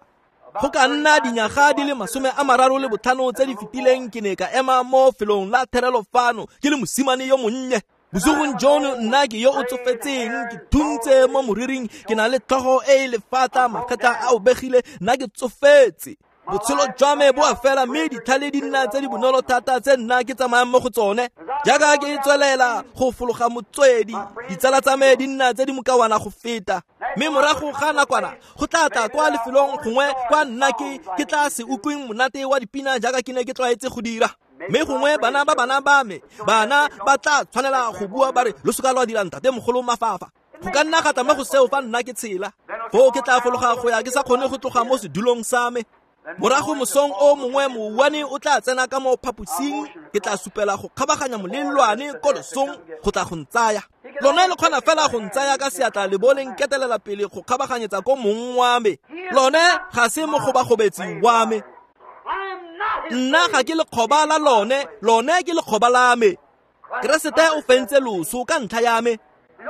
Go ka nna dinyaga di le masome a mararo le botlhano tse di fetileng ke ne ka ema mo felong la therelo fano ke le mosimane yo monnye. Bosigong jono nna ke yo o tsofetseng, ke thuntse mo moriring, ke na le tlhogo e e lefatla, magetla a obegile, nna ke tsofetse. Botshelo jwa me bo a fela, mme ditlhale di nna tse di bonolo thata tse nna ke tsamayang mo go tsone. Jaaka ke tswelela go fologa motswedi, ditsala tsa me di nna tse di mokawana go feta. Mme morago ga nakwana go tla tla kwa lefelong gongwe kwa nna ke ke tla se utlweng monate wa dipina jaaka ke ne ke tlwaetse go dira. Mme gongwe bana ba bana ba me, bana ba tla tshwanela go bua ba re lo seka lwa dira ntate mogolo mafafa. Go ka nna ga tla mo go seo fa nna ke tshela. Foo ke tla fologa go ya ke sa kgone go tloga mo sedulong sa me. Morago mosong o mongwe mouwane o tla tsena ka mo phaposing, ke tla supela go kgabaganya molelwane ko losong go tla go ntsaya. Lone le kgona fela go ntsaya ka seatla le bo le nketelela pele go kgabaganyetsa ko mong wa me. Lone ga se mogobagobetsi wa me. Nna ga ke lekgoba la lone, lone ke lekgoba la me. Keresete o fentse loso ka ntlha ya me.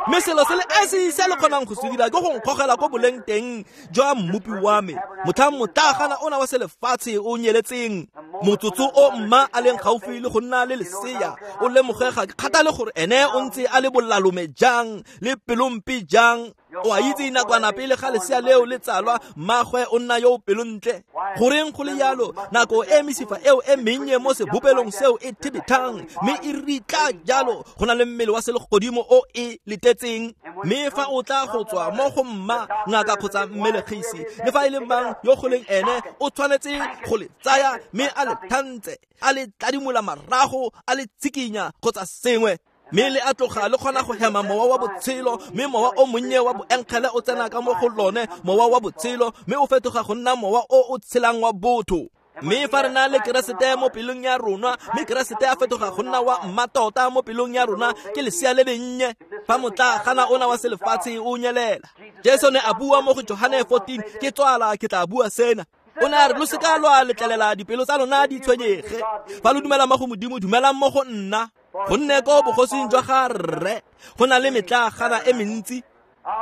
Mme selo se le esi se le kgonang go se dira ke go nkgogela ko boleng teng jwa mmopi wa me. Motlhang motlagana ona wa selefatshe o nyeletseng, motsotso o mma a leng gaufi le go nna le lesea, o lemogega ke kgathale gore ene o ntse a le bolalome jang le pelompe jang. O a itse nakwana pele ga lesea leo le tsalwa, mmagwe o nna yo o pelontle. Goreng go le yalo, nako e mesifa eo e mennye mo sebopelong seo e thibethang mme e ritla jalo, go na le mmele wa selegodimo o e letetseng. Mme fa o tla go tswa mo go mma, ngaka kgotsa mmelegisi, le fa e le mang yo go leng ene, o tshwanetse go le tsaya mme a le thantse, a le tladimola marago, a le tshikinya kgotsa sengwe. Mme le a tloga le kgona go hema mowa wa botshelo, mme mowa o monnye wa boenkgele o tsena ka mo go lone, mowa wa botshelo, mme o fetoga go nna mowa o o tshelang wa botho. Mme fa re na le Keresete mo pelong ya rona, mme Keresete a fetoga go nna wa mmatota mo pelong ya rona, ke lesea le lennye. Fa motlagana ona wa selefatshe o nyelela, Jesu ne a bua mo go Johane fourteen, ke tswala ke tla bua sena. O ne a re lo seka lwa letlelela dipelo tsa lona di tshwenyege. Fa lo dumela mo go Modimo, dumelang mo go nna. Gonne ko bogosing jwa ga Rre go na le metlagana e mentsi.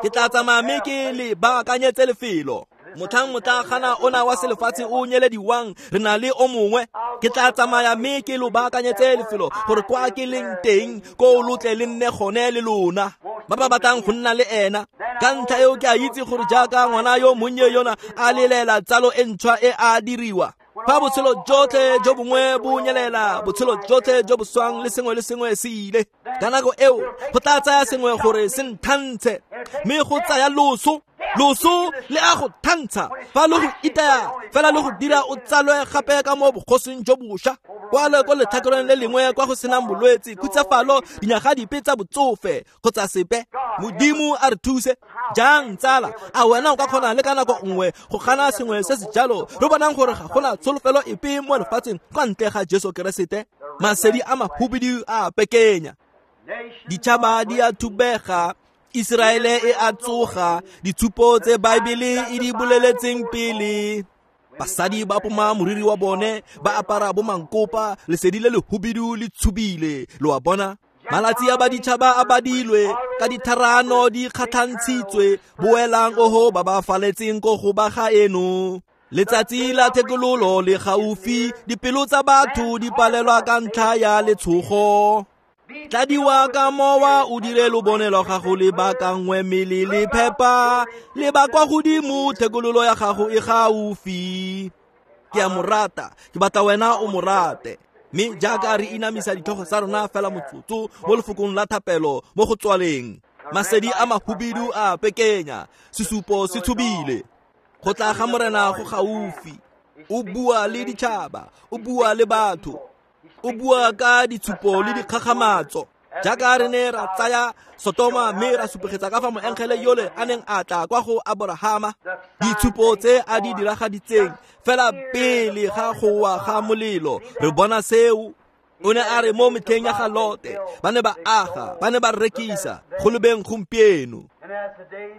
Ke tla tsamaya mme ke le baakanyetse lefelo. Motlhang motlagana ona wa selefatshe o nyelediwang, re na le o mongwe. Ke tla tsamaya mme ke lo baakanyetse lefelo, gore kwa ke leng teng ko lo tle le nne gone le lona. Ba ba batlang go nna le ena. Ka ntlha eo ke a itse gore jaaka ngwana yo monnye yona a lelela tsalo e ntšhwa e a diriwa. Fa botshelo jotlhe jo bongwe bo nyelela, botshelo jotlhe jo bo swang le sengwe le sengwe se ile. Ka nako eo go tla tsaya sengwe gore se nthantshe, mme go tsaya loso. Loso le a go thantsha, fa le go itaya fela le go dira o tsalwe gape ka mo bogosing jo bošwa. Kwa le ko letlhakoreng le lengwe kwa go senang bolwetse, khutsafalo, dinyaga dipe tsa botsofe kgotsa sepe. Modimo a re thuse. Jang tsala, a wena o ka kgona le ka nako nngwe go gana sengwe se se jalo? Re bonang gore ga gona tsholofelo epe mo lefatsheng kwa ntle ga Jesu Keresete. Masedi a mahubidu a pekenya, ditšhaba di a thubega, Iseraele e a tsoga, ditshupo tse Baebele e di boleletseng pele. Basadi ba poma moriri wa bone, ba apara bo mankopa, lesedi le lehubidu le tshubile. Lo a bona? Malatsi a baditšhaba a badilwe, ka ditharano di kgatlhantshitswe. Boelang oho ba ba faletseng ko go ba ga eno. Letsatsi la thekololo le gaufi, dipelo tsa batho di palelwa ka ntlha ya letshogo. Tladiwa ka mowa o dire lobone lwa gago le bakangwe mmele le phepa, le ba kwa godimo, thekololo ya gago e gaufi. Ke a mo rata, ke batla wena o mo rate. Mme jaaka re inamisa ditlhogo tsa rona fela motsotso mo lefokong la thapelo mo go tswaleng, masedi a mahubidu a pekenya, sesupo se tshubile. Go tla ga Morena go gaufi. O bua le ditšhaba, o bua le batho, o bua ka ditshupo le dikgakgamatso. Jaaka re ne ra tsaya Sotoma mme ra supegetsa ka fa moengele yole a neng a tla kwa go Aborahama, ditshupo tse a di diragaditseng fela pele ga go wa ga molelo. Re bona seo. O ne a re mo metlheng ya ga Lote, ba ne ba aga, ba ne ba rekisa, go lebeng gompieno.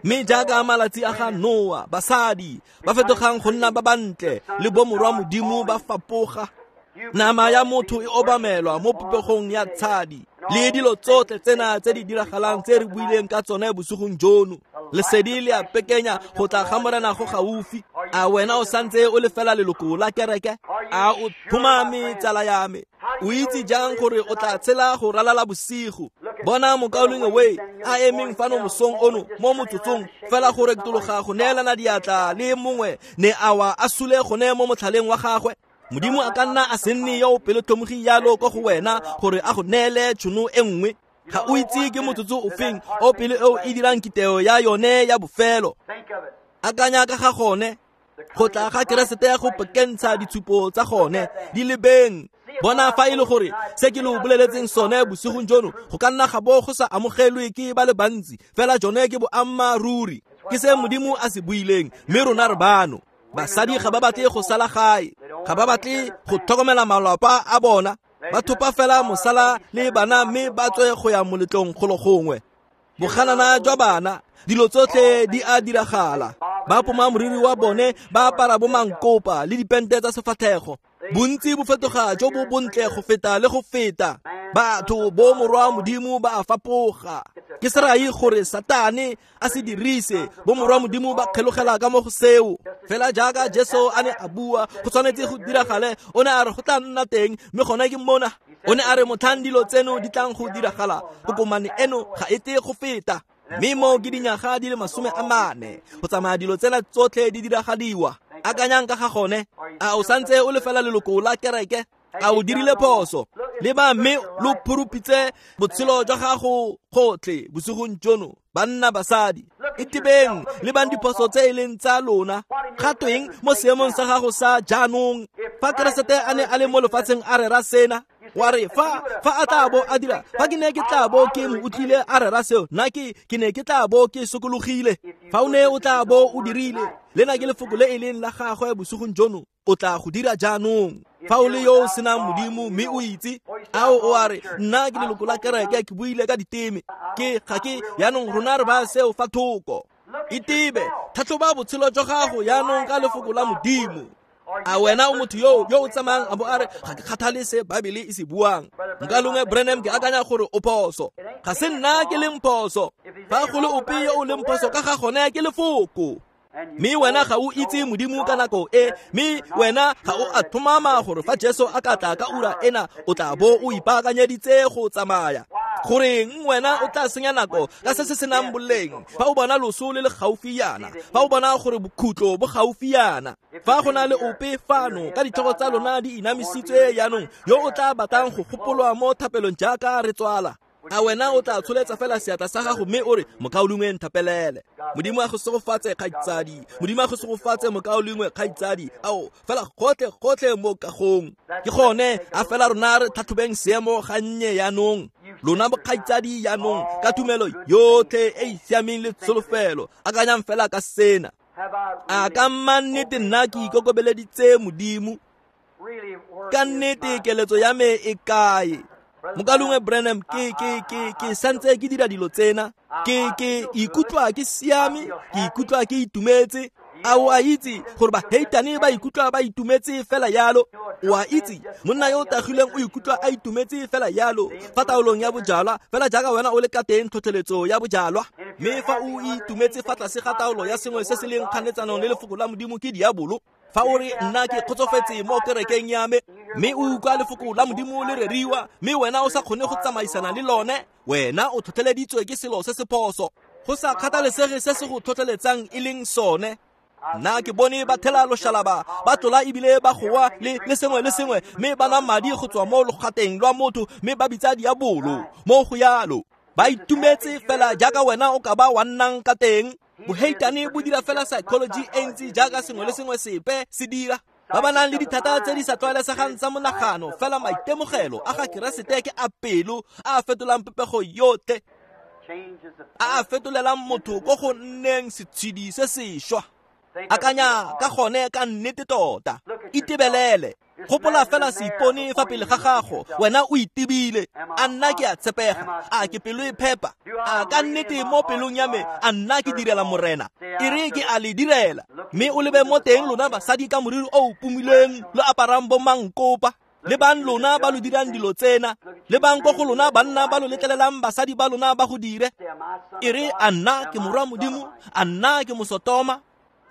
Mme jaaka malatsi a ga Noa, basadi ba fetogang go nna ba bantle le bomorwa Modimo ba fapoga. Nama ya motho e obamelwa mo popegong ya tshadi, le dilo tsotlhe tsena tse di diragalang tse re buileng ka tsone bosigong jono. Lesedi le a pekenya, go tla ga Morena go gaufi. A wena o santse o le fela leloko la kereke? A o tlhomame tsala ya me? O itse jang gore o tla tshela go ralala bosigo? Bona mokaulengwe we a emeng fano mosong ono mo motsotsong fela go reketologa go neelana diatla le mongwe ne a wa a sule gone mo motlhaleng wa gagwe. Modimo a ka nna a se nne yo o pelotlhomogi yalo ko go wena gore a go neele tšhono e nngwe. Ga o itse ke motsotso o feng o pele eo e dirang kiteo ya yone ya bofelo. Akanya ka ga gone, go tla ga Keresete go pekentsha ditshupo tsa gone di lebeng. Bona fa e le gore se ke lo boleletseng sone bosigong jono go ka nna ga bo go sa amogelwe ke ba le bantsi, fela jone ke boammaaruri, ke se Modimo a se buileng, mme rona re bano. Basadi ga ba batle go sala gae, ga ba batle go tlhokomela malapa a bona, ba thopa fela mosala le bana mme ba tswe go ya moletlong golo gongwe. Boganana jwa bana, dilo tsotlhe di a diragala. Ba poma moriri wa bone, ba apara bo mankopa le dipente tsa sefatlhego. Bontsi bo fetoga jo bo bontle go feta le go feta. Batho bo morwa Modimo ba a fapoga. Ke serai gore Satane a se dirise, bo morwa Modimo ba kgelogela ka mo go seo. Fela jaaka Jesu a ne a bua, go tshwanetse go diragale, o ne a re go tla nna teng, mme gone ke mona. O ne a re motlhang dilo tseno di tlang go diragala, kokomane eno ga e tle go feta. Mme mo ke dinyaga di le masome a mane go tsamaya dilo tsena tsotlhe di diragadiwa. Akanyang ka ga gone. A o santse o le fela leloko la kereke? A o dirile phoso? Leba mme lo phurupitse botshelo jwa gago gotlhe bosigong jono, banna basadi. Itebeng, lebang diphoso tse e leng tsa lona. Gatweng mo seemong sa gago sa jaanong. Fa Keresete a ne a le mo lefatsheng a rera sena, wa re fa fa a tla bo a dira, fa ke ne ke tla bo ke mo utlwile a rera seo, nna ke ke ne ke tla bo ke sokologile. Fa o ne o tla bo o dirile, lena ke lefoko le e leng la gagwe bosigong jono, o tla go dira jaanong. Fa o le yo o senang Modimo mme o itse, ao o a re nna ke leloko la kereke, ke buile ka diteme, ke ga ke yaanong rona re ba seo fa thoko. Itebe, tlhatlhoba botshelo jwa gago yaanong ka lefoko la Modimo. A wena o motho yo yo o tsamayang a bo a re ga ke kgathale se Baebele e se buang. Nkalongwe Branham ke akanya gore o phoso. Ga se nna ke leng phoso. Fa go le ope yo o leng phoso ka ga gone ke lefoko. Mme wena ga o itse Modimo ka nako e, mme wena ga o a tlhomama gore fa Jesu a ka tla ka ura ena o tla bo o ipaakanyeditse go tsamaya. Goreng wena o tla senya nako ka se se senang boleng fa o bona loso le le gaufi yana, fa o bona gore bokhutlo bo gaufi yana. Fa go na le ope fano ka ditlhogo tsa lona di inamisitswe yaanong yo o tla batlang go gopolwa mo thapelong jaaka re tswala, a wena o tla tsholetsa fela seatla sa gago mme o re mokaulengwe nthapelele. Modimo a go segofatse kgaitsadi, Modimo a go segofatse mokaulengwe kgaitsadi. Ao fela gotlhe gotlhe mo kagong. Ke gone a fela rona re tlhatlhobeng seemo gannye yaanong. Lona bokgaitsadi yaanong ka tumelo yotlhe e e siameng le tsholofelo, akanyang fela ka sena. A ka mannete nna ke ikokobeleditse Modimo? Ka nnete keletso ya me e kae? Mokalongwe Branham, ke ke ke ke santse ke dira dilo tsena, ke ke ikutlwa ke siame, ke ikutlwa ke itumetse. A o a itse gore baheitane ba ikutlwa ba itumetse fela yalo? O a itse monna yo o tagileng o ikutlwa a itumetse fela yalo fa taolong ya bojalwa, fela jaaka wena o le ka teng tlhotlheletso ya bojalwa. Mme fa o itumetse fa tlase ga taolo ya sengwe se se leng kganetsanong le lefoko la Modimo ke diabolo. Fa o re nna ke kgotsofetse mo kerekeng ya me, mme o utlwa lefoko la Modimo le reriwa, mme wena o sa kgone go tsamaisana le lone, wena o tlhotlheleditswe ke selo se se phoso. Go sa kgathalesege se se go tlhotlheletsang e leng sone. Nna ke bone ba thela loshalaba, ba tlola ebile ba goa le le sengwe le sengwe, mme ba nwa madi go tswa mo logateng lwa motho, mme ba bitsa diabolo mo go yalo. Ba itumetse fela jaaka wena o ka ba wa nnang ka teng. Boheitane bo dira fela psychology e ntsi jaaka sengwe le sengwe sepe se dira. Ba ba nang le dithata tse di sa tlwaelesegang tsa monagano, fela maitemogelo a ga Keresete ke a pelo a a fetolang popego yotlhe, a a fetolelang motho ko go nneng setshedi se sešwa. Akanya ka gone ka nnete tota. Itebelele. Gopola fela seipone fa pele ga gago, wena o itebile. A nna ke a tshepega? A ke pelo e phepa? A ka nnete mo pelong ya me a nna ke direla Morena? E re ke a le direla. Mme o lebe mo teng lona basadi ka moriri o o pumileng, lo aparang bo mankopa, le bang lona ba lo dirang dilo tsena, le bang ko go lona banna ba lo letlelelang basadi ba lona ba go dire. E re a nna ke morwa Modimo? A nna ke mosotoma?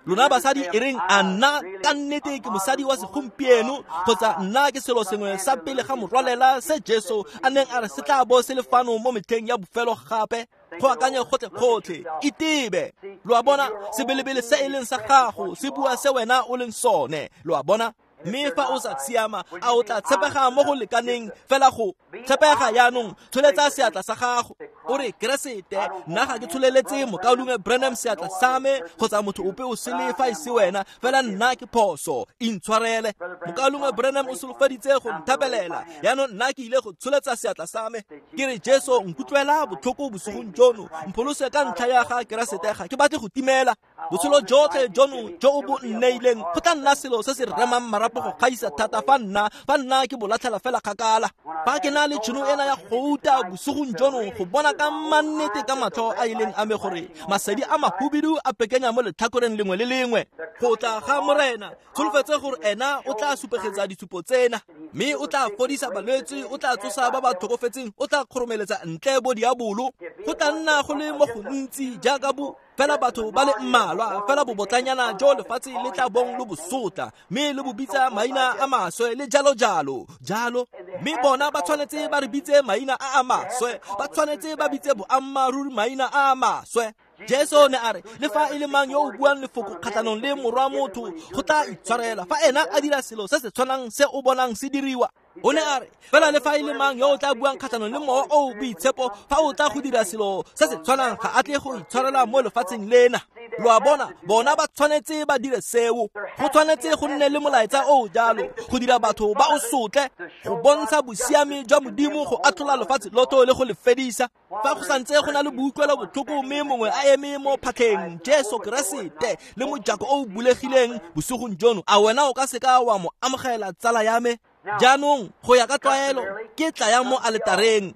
Lona basadi e reng a nna ka nnete ke mosadi wa segompieno, kgotsa nna ke selo sengwe sa pele ga morwalela se Jesu a neng a re se tla bo se le fano mo metlheng ya bofelo gape? Go akanye gotlhe-gotlhe, itebe. Lo a bona, sebelebele se e leng sa gago se bua se wena o leng sone. Lo a bona? Mme fa o sa siama, a o tla tshepega mo go lekaneng fela go tshepega yaanong? Tsholetsa seatla sa gago o re Keresete, nna ga ke tsholeletse mokaulengwe Branham seatla sa me kgotsa motho ope o sele fa e se wena, fela nna ke phoso, intshwarele. Mokaulengwe Branham o solofeditse go nthapelela, yaanong nna ke ile go tsholetsa seatla sa me. Ke re Jesu, nkutlwela botlhoko bosigong jono, mpholose ka ntlha ya ga Keresete, ga ke batle go timela. Botshelo jotlhe jono jo o bo nneileng go tla nna selo se se remang marapo go gaisa thata fa nna fa nna ke bo latlhela fela kgakala. Fa ke na le tšhono ena ya gouta bosigong jono go bona ka mannete ka matlho a ileng a me gore masedi a mahubidu a pekenya mo letlhakoreng lengwe le lengwe go tla ga Morena, tsholofetse gore ena o tla supegetsa ditshupo tsena, mme o tla fodisa balwetse, o tla tsosa ba ba tlhokofetseng, o tla kgoromeletsa ntle bo diabolo. Go tla nna go le mo gontsi jaaka bo Fela batho ba le mmalwa, fela bobotlanyana jo lefatshe le tla bong lo bosotla, mme le bo bitsa maina a maswe le jalo jalo jalo. Mme bona ba tshwanetse ba re bitse maina a a maswe, ba tshwanetse ba bitse boammaaruri maina a a maswe. Jesu ne a re, le fa e le mang yo o buang lefoko kgatlhanong le morwa motho, go tla itshwarela fa ena a dira selo se se tshwanang se o bonang se diriwa. O ne a re, fela le fa e le mang yo o tla buang kgatlhanong le mowa o o boitshepo, fa o tla go dira selo se se tshwanang, ga a tle go itshwarela mo lefatsheng lena. Lo a bona, bona ba tshwanetse ba dire seo. Go tshwanetse go nne le molaetsa o o jalo, go dira batho ba o sotle, go bontsha bosiami jwa Modimo go atlhola lefatshe lotho le go le fedisa. Fa go santse go na le boutlwelo botlhoko mme mongwe a eme mo phatlheng, Jesu Keresete le mojako o o bulegileng bosigong jono, a wena o ka seka wa mo amogela, tsala ya me? Jaanong go ya ka tlwaelo ke tla yang mo aletareng.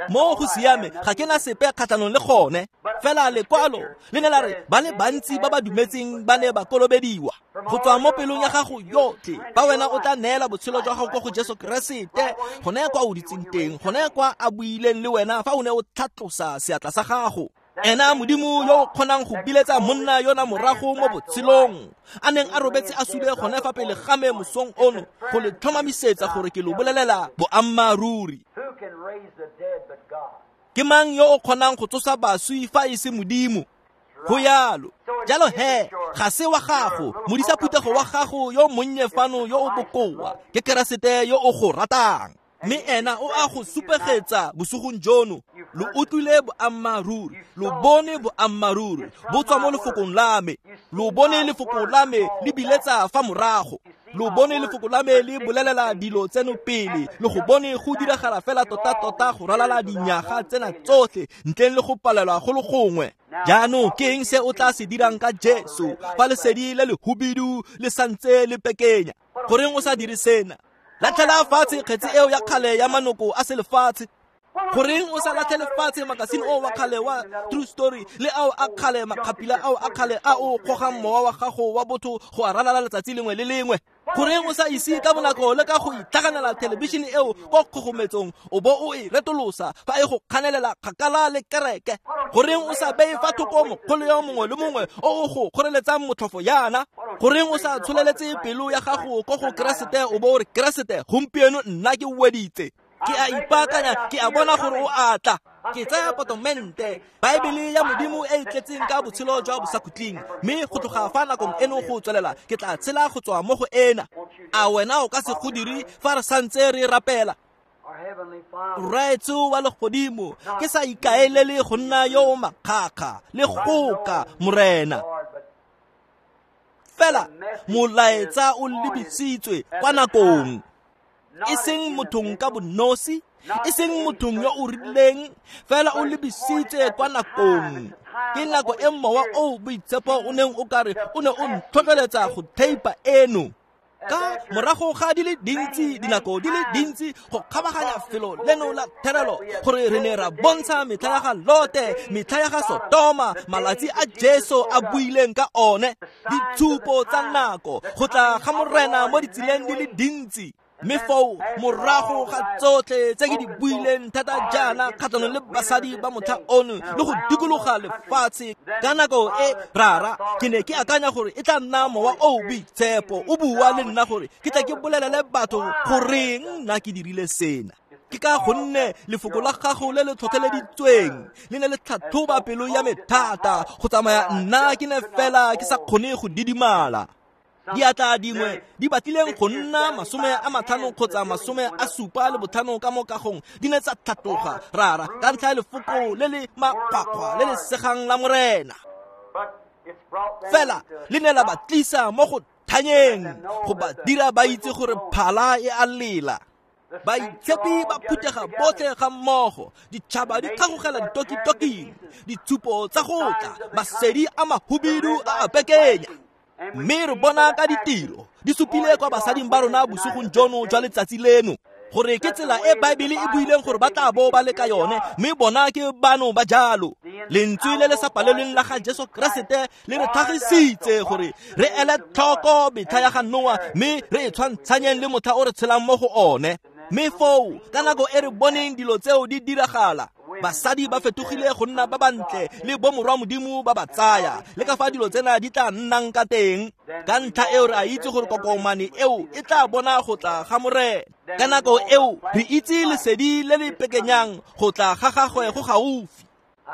Mo go siame, ga ke na sepe kgatlhanong le gone. Fela lekwalo le ne la re ba le bantsi ba ba dumetseng ba ne ba kolobediwa. Go tswa mo pelong ya gago yotlhe, fa wena o tla neela botshelo jwa gago kwa go Jesu Keresete, gone kwa o ditseng teng, gone kwa a buileng le wena fa o ne o tlhatlosa seatla sa gago. Ena Modimo yo o kgonang go biletsa monna yona morago mo botshelong, a neng a robetse a sule gone fa pele ga me mosong ono, go le tlhomamisetsa gore ke lo bolelela boammaaruri. Ke mang yo o kgonang go tsosa baswi fa e se Modimo? Go yalo. Jalo he, ga se wa gago, modisa phuthego wa gago yo monnye fano yo o bokoa, ke Keresete yo o go ratang. Mme ena o a go supegetsa bosigong jono. Lo utlwile boammaaruri, lo bone boammaaruri bo tswa mo lefokong la me. Lo bone lefoko la me le biletsa fa morago. Lo bone lefoko la me le bolelela dilo tseno pele, le go bone go diragala fela tota-tota go ralala dinyaga tsena tsotlhe ntleng le go palelwa go le gongwe. Jaanong ke eng se o tla se dirang ka Jesu fa lesedi le lehubidu le santse le pekenya? Goreng o sa dire sena? Latlhela fatshe kgetse eo ya kgale ya manoko a selefatshe. Goreng o sa latlhele fatshe makasine o wa kgale wa True Story le ao a kgale makgapila ao a kgale a o gogang mowa wa gago wa botho go a ralala letsatsi lengwe le lengwe? Goreng o sa ise ka bonako le ka go itlhaganela thelebišene eo kwa kgogometsong o bo o e retolosa fa e go kganelela kgakala le kereke? Goreng o sa beye fa thoko mokgolo yo mongwe le mongwe o o go kgoreletsang motlhofo yana? Goreng o sa tsholeletse pelo ya gago ko go Keresete o bo o re, Keresete, gompieno nna ke weditse, ke a ipaakanya, ke a bona gore o a tla. Ke tsaya potomente, Baebele ya Modimo e e tletseng ka botshelo jwa bosakhutleng, mme go tloga fa nakong eno go tswelela ke tla tshela go tswa mo go ena. A wena o ka se go dire fa re santse re rapela? Rraetsho wa legodimo, ke sa ikaelele go nna yo o makgakga le goka, Morena. Fela molaetsa o lebisitswe kwa nakong, e seng mothong ka bonosi, e seng mothong yo o rileng, fela o lebisitse kwa nakong. Ke nako e mowa o boitshepo o neng o kare o ne o ntlhotlheletsa go theipa eno. Ka morago ga di le dintsi, dinako di le dintsi go kgabaganya felo leno la therelo, gore re ne ra bontsha metlha ya ga Lote, metlha ya ga Sodoma, malatsi a Jesu a buileng ka one, ditshupo tsa nako, go tla ga Morena mo ditseleng di le dintsi. Mme foo morago ga tsotlhe tse ke di buileng thata jaana kgatlhanong le basadi ba motlha ono le go dikologa lefatshe ka nako e, rara, ke ne ke akanya gore e tla nna mowa o boitshepo o bua le nna gore ke tla ke bolelele batho goreng nna ke dirile sena. Ke ka gonne lefoko la gago le le tlhotlheleditsweng le ne le tlhatlhoba pelo ya me thata go tsamaya nna ke ne fela ke sa kgone go didimala. Diatla dingwe di batlileng go nna masome a matlhano kgotsa masome a supa le botlhano ka mo kagong di ne tsa tlhatloga, rara, ka ntlha ya lefoko le le makgwakgwa le le segang la Morena. Fela le ne la ba tlisa mo go thanyeng, go ba dira ba itse gore phala e a lela. Baitshepi ba phuthega botlhe ga mmogo, ditšhaba di tlhagogela ditokitoking, ditshupo tsa go tla, masedi a mahubidu a a pekenya. Mme re bona ka ditiro di supile kwa basading ba rona bosigong jono jwa letsatsi leno gore ke tsela e Baebele e buileng gore ba tla bo ba le ka yone, mme bona ke bano ba jalo. Lentswe le le sa palelweng la ga Jesu Keresete le re tlhagisitse gore re ele tlhoko metlha ya ga Noa, mme re e tshwantshanyeng le motlha o re tshelang mo go one. Mme foo ka nako e re boneng dilo tseo di diragala, Basadi ba fetogile go nna ba bantle le bomorwa Modimo ba ba tsaya, le ka fa dilo tsena di tla nnang ka teng. Ka ntlha eo re a itse gore kokomane eo e tla bona go tla ga Morena. Ka nako eo re itse lesedi le le pekenyang go tla ga gagwe go gaufi.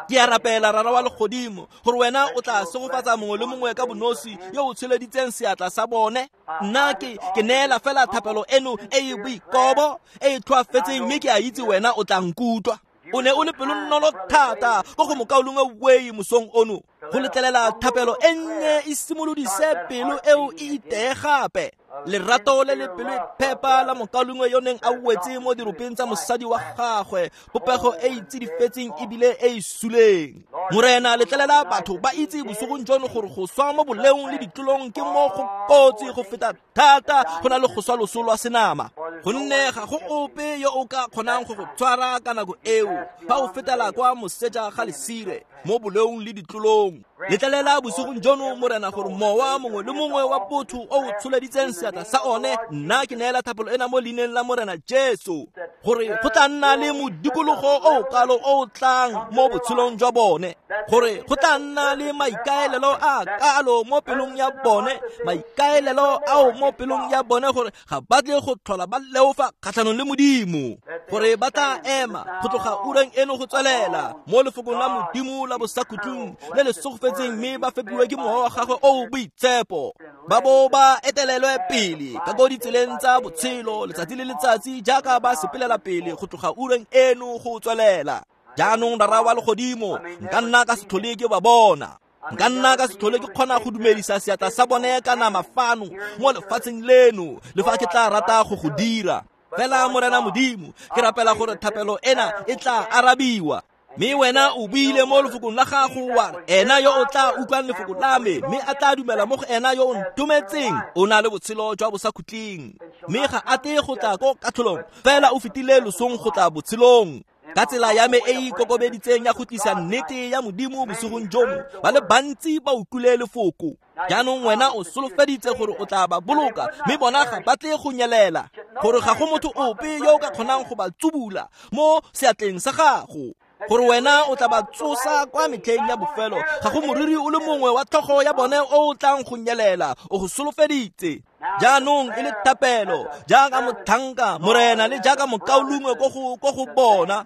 Ke a rapela Rara wa legodimo gore wena o tla segofatsa mongwe le mongwe ka bonosi yo o tsholeditseng seatla sa bone. Nna ke ke neela fela thapelo eno e e boikobo e e tlhoafetseng, mme ke a itse wena o tla nkutlwa. O ne o le pelonolo thata ko go mokaulengwe Wei mosong ono go letlelela thapelo e nnye e simolodise pelo eo e iteye gape. Lerato le le pelo e phepa la mokaulengwe yo neng a wetse mo diropeng tsa mosadi wa gagwe, popego e e tsidifetseng ebile e e suleng. Morena, letlelela batho ba itse bosigong jono gore go swa mo boleong le ditlolong ke mo go kotsi go feta thata go na le go swa loso lwa senama, gonne ga go ope yo o ka kgonang go go tshwara ka nako eo fa o fetela kwa moseja ga lesire mo boleong le ditlolong. Letlelela bosigong jono, Morena, gore mowa mongwe le mongwe wa botho o o tsholeditseng seatla sa one, nna ke neela thapelo ena mo leineng la Morena Jesu, gore go tla nna le modikologo o o kalo o o tlang mo botshelong jwa bone, gore go tla nna le maikaelelo a kalo mo pelong ya bone, maikaelelo ao mo pelong ya bone gore ga ba tle go tlhola ba leofa kgatlhanong le Modimo, gore ba tla ema go tloga ureng eno go tswelela mo lefokong la Modimo la bosakhutlong le le segofetseng, mme ba fepiwe ke mowa wa gagwe o o boitshepo, ba bo ba etelelwe pele ka ko ditseleng tsa botshelo letsatsi le letsatsi jaaka ba sepelela pele go tloga ureng eno go tswelela. Jaanong Rara wa legodimo, nka nna ka se tlhole ke ba bona, nka nna ka se tlhole ke kgona go dumedisa seatla sa bone ka nama fano mo lefatsheng leno, le fa ke tla rata go go dira. Fela Morena Modimo, ke rapela gore thapelo ena e tla arabiwa. Mme wena o buile mo lefokong la gago wa re, ena yo o tla utlwang lefoko la me mme a tla dumela mo go ena yo o ntometseng o na le botshelo jwa bosakhutleng, mme ga a tle go tla ko katlholong, fela o fetile losong go tla botshelong. Ka tsela ya me e e ikokobeditseng ya go tlisa nnete ya Modimo bosigong jono, ba le bantsi ba utlwile lefoko. Jaanong wena o solofeditse gore o tla ba boloka, mme bona ga ba tle go nyelela, gore ga go motho ope yo o ka kgonang go ba tsubula mo seatleng sa gago, gore wena o tla ba tsosa kwa metlheng ya bofelo. Ga go moriri o le mongwe wa tlhogo ya bone o o tlang go nyelela, o go solofeditse. Jaanong e le thapelo jaaka motlhanka Morena le jaaka mokaulengwe ko go ko go bona,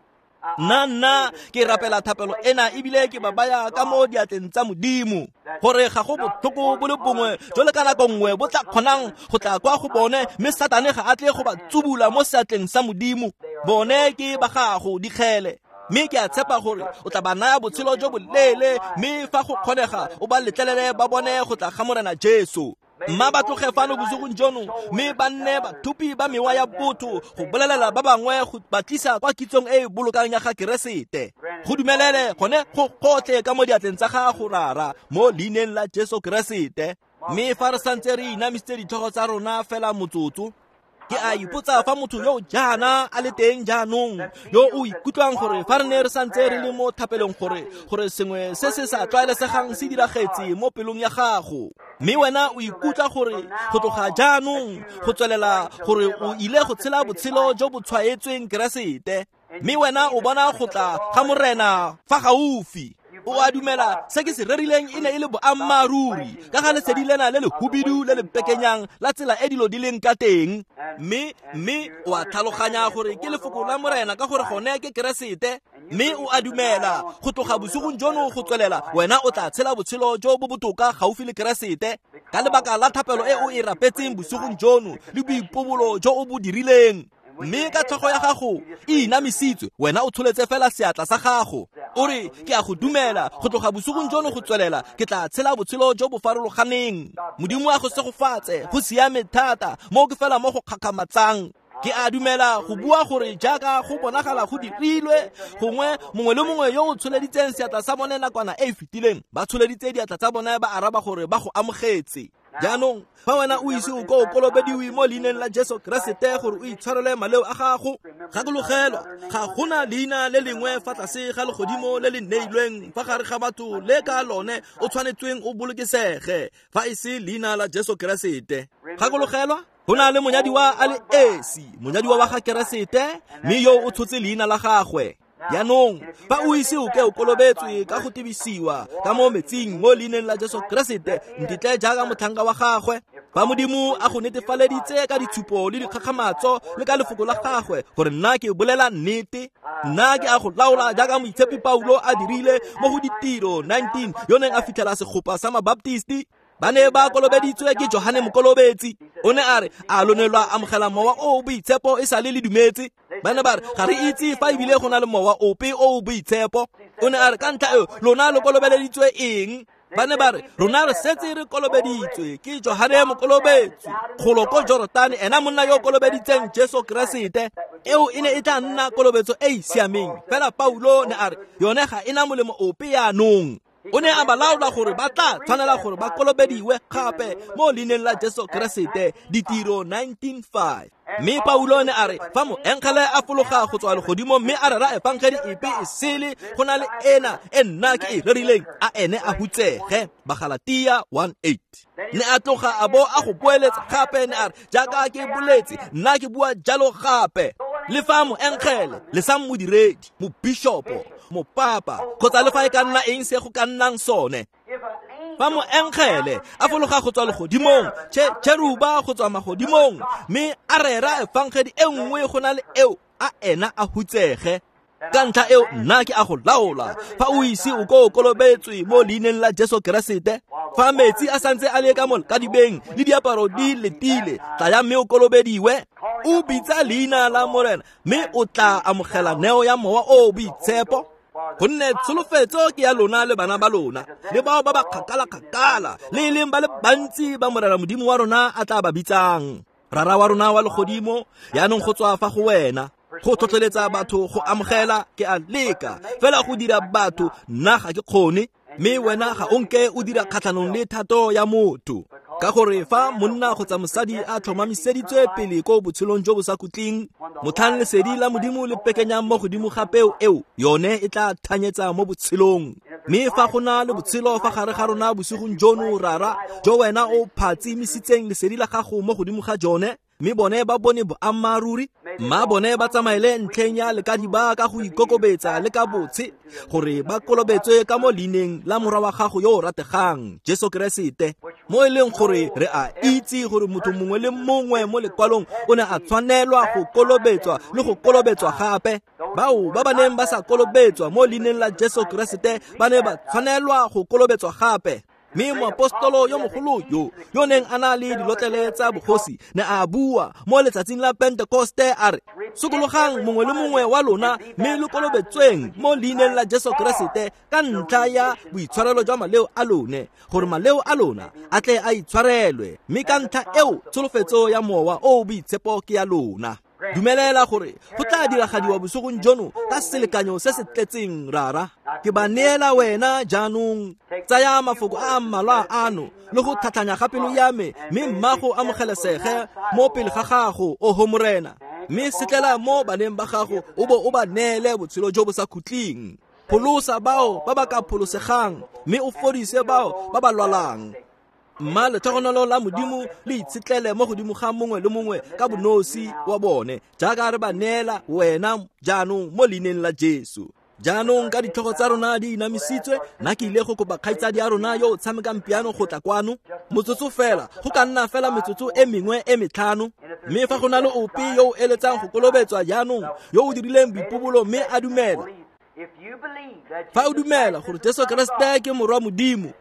nna nna ke rapela thapelo ena ebile ke ba baya ka mo diatleng tsa Modimo, gore ga go botlhoko bo le bongwe jo le ka nako nngwe bo tla kgonang go tla kwa go bone, mme Satane ga a tle go ba tsubula mo seatleng sa Modimo. Bone ke ba gago dikgele, mme ke a tshepa gore o tla ba naya botshelo jo boleele, mme fa go kgonega o ba letlelele ba bone go tla ga Morena Jesu. Mma ba tloge fano bosigong jono mme ba nne bathupi ba mewa ya botho go bolelela ba bangwe go ba tlisa kwa kitsong e e bolokang ya ga Keresete. Go dumelele gone go gotlhe ka mo diatleng tsa gago, Rara, mo leineng la Jesu Keresete. Mme fa re santse re inamisitse ditlhogo tsa rona fela motsotso, ke a ipotsa fa motho yo jaana a le teng jaanong yo o ikutlwang gore fa re ne re santse re le mo thapelong gore gore sengwe se se sa tlwaelesegang se diragetse mo pelong ya gago, mme wena o ikutlwa gore go tloga jaanong go tswelela gore o ile go tshela botshelo jo bo tshwaetsweng Keresete, mme wena o bona go tla ga Morena fa gaufi. O a dumela se ke se rerileng e ne e le boammaaruri ka ga lesedi lena le le hubidu le le pekenyang la tsela e dilo di leng ka teng, mme mme o a tlhaloganya gore ke lefoko la Morena ka gore gone ke Keresete, mme o a dumela go tloga bosigong jono go tswelela wena o tla tshela botshelo jo bo botoka gaufi le Keresete ka lebaka la thapelo e o e rapetseng bosigong jono le boipobolo jo o bo dirileng. Mme ka tlhogo ya gago e inamisitswe, wena o tsholetse fela seatla sa gago, o re, ke a go dumela go tloga bosigong jono go tswelela ke tla tshela botshelo jo bo farologaneng. Modimo a go segofatse, go siame thata mo ke fela mo go kgakgamatsang. Ke a dumela go bua gore jaaka go bonagala go dirilwe, gongwe mongwe le mongwe yo o tsholeditseng seatla sa bone nakwana e e fetileng ba tsholeditse diatla tsa bone ba araba gore ba go amogetse. Jaanong fa wena o ise o ko o kolobediwe mo leineng la Jesu Keresete gore o itshwarele maleo a gago, gakologelwa ga gona leina le lengwe fa tlase ga legodimo le le neilweng fa gare ga batho le ka lone o tshwanetsweng o bolokesege fa e se leina la Jesu Keresete. Gakologelwa go na le monyadiwa a le esi, monyadiwa wa ga Keresete, mme yo o tshotse leina la gagwe. Jaanong fa o ise o ke o kolobetswe ka go tebisiwa ka mo metsing mo leineng la Jesu Keresete, ntitle jaaka motlhanka wa gagwe, fa Modimo a go netefaleditse ka ditshupo le dikgakgamatso le ka lefoko la gagwe gore nna ke bolela nnete, nna ke a go laola jaaka moitshepi Paulo a dirile mo go Ditiro nineteen yo neng a fitlhela segopa sa Mabaptisti. Ba ne ba kolobeditswe ke Johane Mokolobetsi. O ne a re, a lo ne lwa amogela mowa o o boitshepo e sa le le dumetse? Ba ne ba re, ga re itse fa ebile go na le mowa ope o o boitshepo. O ne a re, ka ntlha eo lona lo kolobeleditswe eng? Ba ne ba re, rona re setse re kolobeditswe ke Johane Mokolobetsi golo ko Jorotane, ena monna yo o kolobeditseng Jesu Keresete. Eo e ne e tla nna kolobetso e e siameng. Fela Paulo ne a re, yone ga e na molemo ope yaanong. O ne a ba laola gore ba tla tshwanela gore ba kolobediwe gape mo leineng la Jesu Keresete, Ditiro nineteen five. Mme Paulo ne a re, fa moengele a fologa go tswa legodimo mme a rera efangedi epe e sele go na le ena e nna ke e rerileng, a ene a hutsege. Bagalatia one eight. Ne a tloga a bo a go boeletsa gape, ne a re, jaaka ke boletse, nna ke bua jalo gape. Le fa moengele le sa modiredi, mobishopo, mopapa, kgotsa le fa e ka nna eng se go ka nnang sone, fa moengele a fologa go tswa legodimong, cheruba go tswa magodimong, mme a rera efangedi e nngwe go na le eo, a ena a hutsege. Ka ntlha eo nna ke a go laola, fa o ise o ko o kolobetswe mo leineng la Jesu Keresete, fa metsi a santse a le ka mo kadibeng le diaparo di letile, tlaya mme o kolobediwe, o bitsa leina la Morena, mme o tla amogela neo ya mowa o o boitshepo. Gonne tsholofetso ke ya lona le bana ba lona, le bao ba ba kgakala-kgakala, le e leng ba le bantsi ba Morena Modimo wa rona a tla ba bitsang. Rara wa rona wa legodimo, yaanong go tswa fa go wena go tlhotlheletsa batho go amogela, ke a leka fela go dira batho, nna ga ke kgone, mme wena ga o nke o dira kgatlhanong le thato ya motho. Ka gore fa monna kgotsa mosadi a tlhomamiseditswe pele ko botshelong jo bo sa khutleng, motlhang lesedi la Modimo le pekenyang mo godimo ga peo eo, yone e tla thanyetsa mo botshelong. Mme fa go na le botshelo fa gare ga rona bosigong jono, Rara, jo wena o phatsimisitseng lesedi la gago mo godimo ga jone, mme bone ba bone boammaaruri, mma bone ba tsamaele ntlheng ya lekadiba ka go ikokobetsa le ka botshe, gore ba kolobetswe ka mo leineng la morwa wa gago yo o rategang, Jesu Keresete. Mo e leng gore re a itse gore motho mongwe le mongwe mo lekwalong o ne a tshwanelwa go kolobetswa le go kolobetswa gape. Bao ba ba neng ba sa kolobetswa mo leineng la Jesu Keresete ba ne ba tshwanelwa go kolobetswa gape. Mme moapostolo yo mogolo yo, yo neng a na le dilotlele tsa bogosi, ne a bua mo letsatsing la Pentekoste a re, sokologang mongwe le mongwe wa lona mme lo kolobetsweng mo leineng la Jesu Keresete ka ntlha ya boitshwarelo jwa maleo a lone, gore maleo a lona a tle a itshwarelwe, mme ka ntlha eo tsholofetso ya mowa o o boitshepo ke ya lona. Dumelela gore go tla diragadiwa bosigong jono ka selekanyo se se tletseng, Rara. Ke ba neela wena jaanong. Tsaya mafoko a mmalwa ano le go tlhatlhanya ga pelo ya me, mme mma go amogelesege mo pele ga gago, oho Morena. Mme setlela mo baneng ba gago o bo o ba neele botshelo jo bo sa khutleng. Pholosa bao ba ba ka pholosegang, mme o fodise bao ba ba lwalang. Mma letlhogonolo la Modimo le itshetlele mo godimo ga mongwe le mongwe ka bonosi wa bone, jaaka re ba neela wena jaanong mo leineng la Jesu. Jaanong ka ditlhogo tsa rona di inamisitswe, nna ke ile go kopa kgaitsadi ya rona yo o tshamekang piano go tla kwano motsotso fela, go ka nna fela metsotso e mengwe e metlhano. Mme fa go na le ope yo o eletsang go kolobetswa jaanong, yo o dirileng boipobolo mme a dumela, fa o dumela gore Jesu Keresete ke morwa Modimo,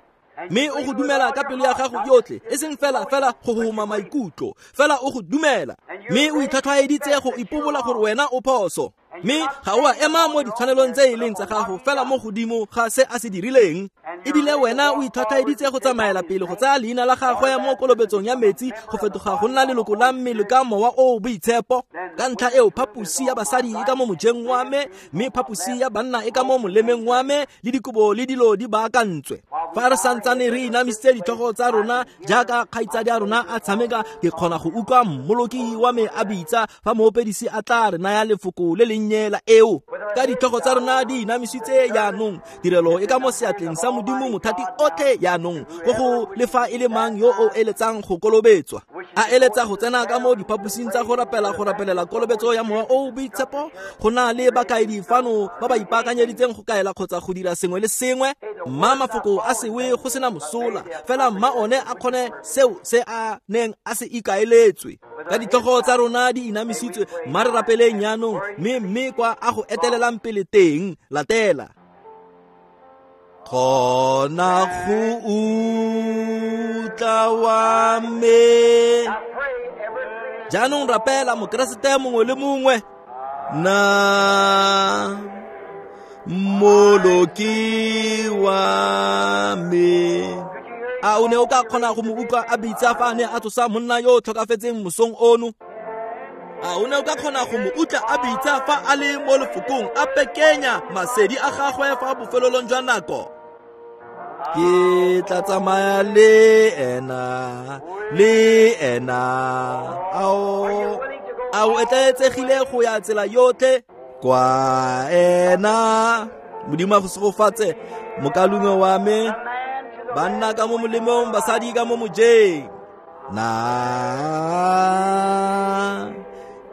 mme o go dumela ka pelo ya gago yotlhe, e seng fela fela go homa maikutlo, fela o go dumela, mme o itlhwatlhwaeditse go ipobola gore wena o phoso, mme ga o a ema mo ditshwanelong tse e leng tsa gago fela mo godimo ga se a se dirileng, ebile wena o itlhwatlhwaeditse go tsamaela pele go tsaya leina la gagwe mo kolobetsong ya metsi go fetoga go nna leloko la mmele ka mowa o o boitshepo. Ka ntlha eo phaposi ya basadi e ka mo mojeng wa me, mme phaposi ya banna e ka mo molemeng wa me, le dikobo le dilo di baakantswe. Fa re santsane re inamisitse ditlhogo tsa rona jaaka kgaitsadi ya rona a tshameka, ke kgona go utlwa mmoloki wa me a bitsa fa moopedisi a tla re naya lefoko le lennye la eo. Ka ditlhogo tsa rona di inamisitse jaanong, tirelo e ka mo seatleng sa Modimo mothati otlhe jaanong, go go le fa e le mang yo o eletsang go kolobetswa. A eletsa go tsena ka mo diphaposing tsa go rapela go rapelela kolobetso ya Mowa o o Boitshepo, go na le bakaedi fano ba ba ipaakanyeditseng go kaela kgotsa go dira sengwe le sengwe. Mma mafoko a sewe go sena mosola, fela mma one a kgone seo se a neng a se ikaeletswe. Ka ditlhogo tsa rona di inamisitswe, mma re rapeleng jaanong, mme mme kwa a go etelelang pele teng, latela. Kgona go utlwa wa me. Jaanong rapela mokeresete mongwe le mongwe. Na Mmoloki wa me. A o ne o ka kgona go mo utlwa a bitsa fa a ne a tsosa monna yo o tlhokafetseng mosong ono? A o ne o ka kgona go mo utlwa a bitsa fa a le mo lefokong a pekenya masedi a gagwe fa bofelelong jwa nako? Ke tla tsamaya le ena, le ena. Ao, a o etleetsegile go ya tsela yotlhe kwa ena? Modimo a go segofatse mokaulengwe wa me. Banna ka mo molemong, basadi ka mo mojeng. Na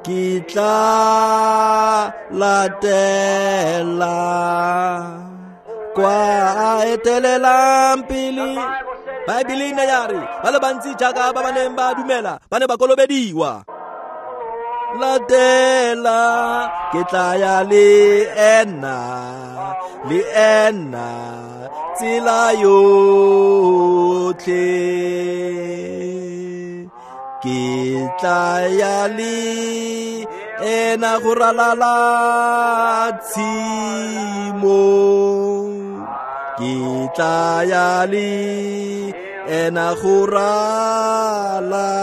ke tla latela kwa a etelelang pele. Baebele e ne ya re ba le bantsi jaaka ba ba neng ba dumela ba ne ba kolobediwa. Latela ke tla ya le ena, le ena tsela yotlhe. Ke tla ya le ena go ralala tshimo. Ke tla ya le ena go ralala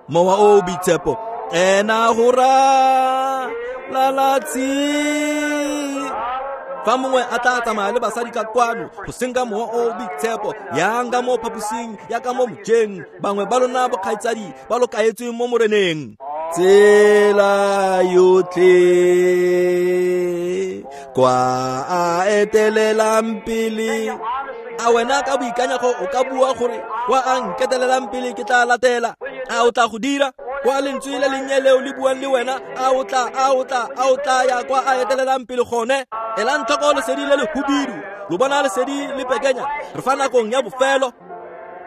Mowa o Boitshepo, ena go ralala tshimo. Fa mongwe a tla tsamaya le basadi ka kwano go senka Mowa o Boitshepo, yang ka mo phaposing ya ka mo mojeng, bangwe ba lona bokgaitsadi ba lo kaetsweng mo Moreneng. Tsela yotlhe kwa a etelelang pele. A wena ka boikanyego o ka bua gore kwa a nketelelang pele ke tla latela? A o tla go dira? Kwa lentswe le lennye leo le buang le wena, a o tla, a o tla, a o tla ya kwa a etelelang pele gone? Elang tlhoko lesedi le le hubidu, lo bona lesedi le pekenya, re fa nakong ya bofelo.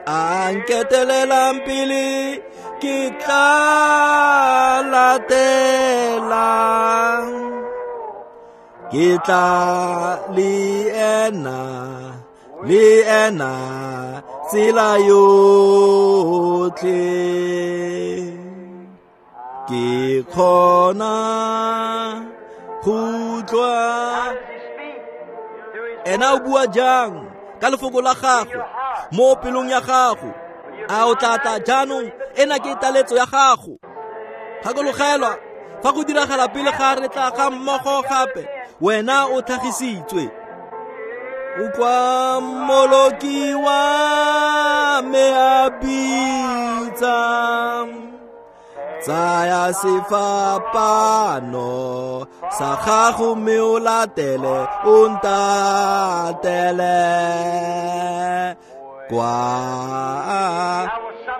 A nketelelang pele ke tla latela. Ke tla le ena, le ena tsela yotlhe. Ke kgona go utlwa. Ena o bua jang ka lefoko la gago mo pelong ya gago? A o tla tla jaanong? Ena ke taletso ya gago. Gakologelwa, fa go diragala pele ga re tla ga mmogo gape, wena o tlhagisitswe. Utlwa Mmoloki wa me a bitsa, tsaya sefapano sa gago mme o latele, o ntatele kwa.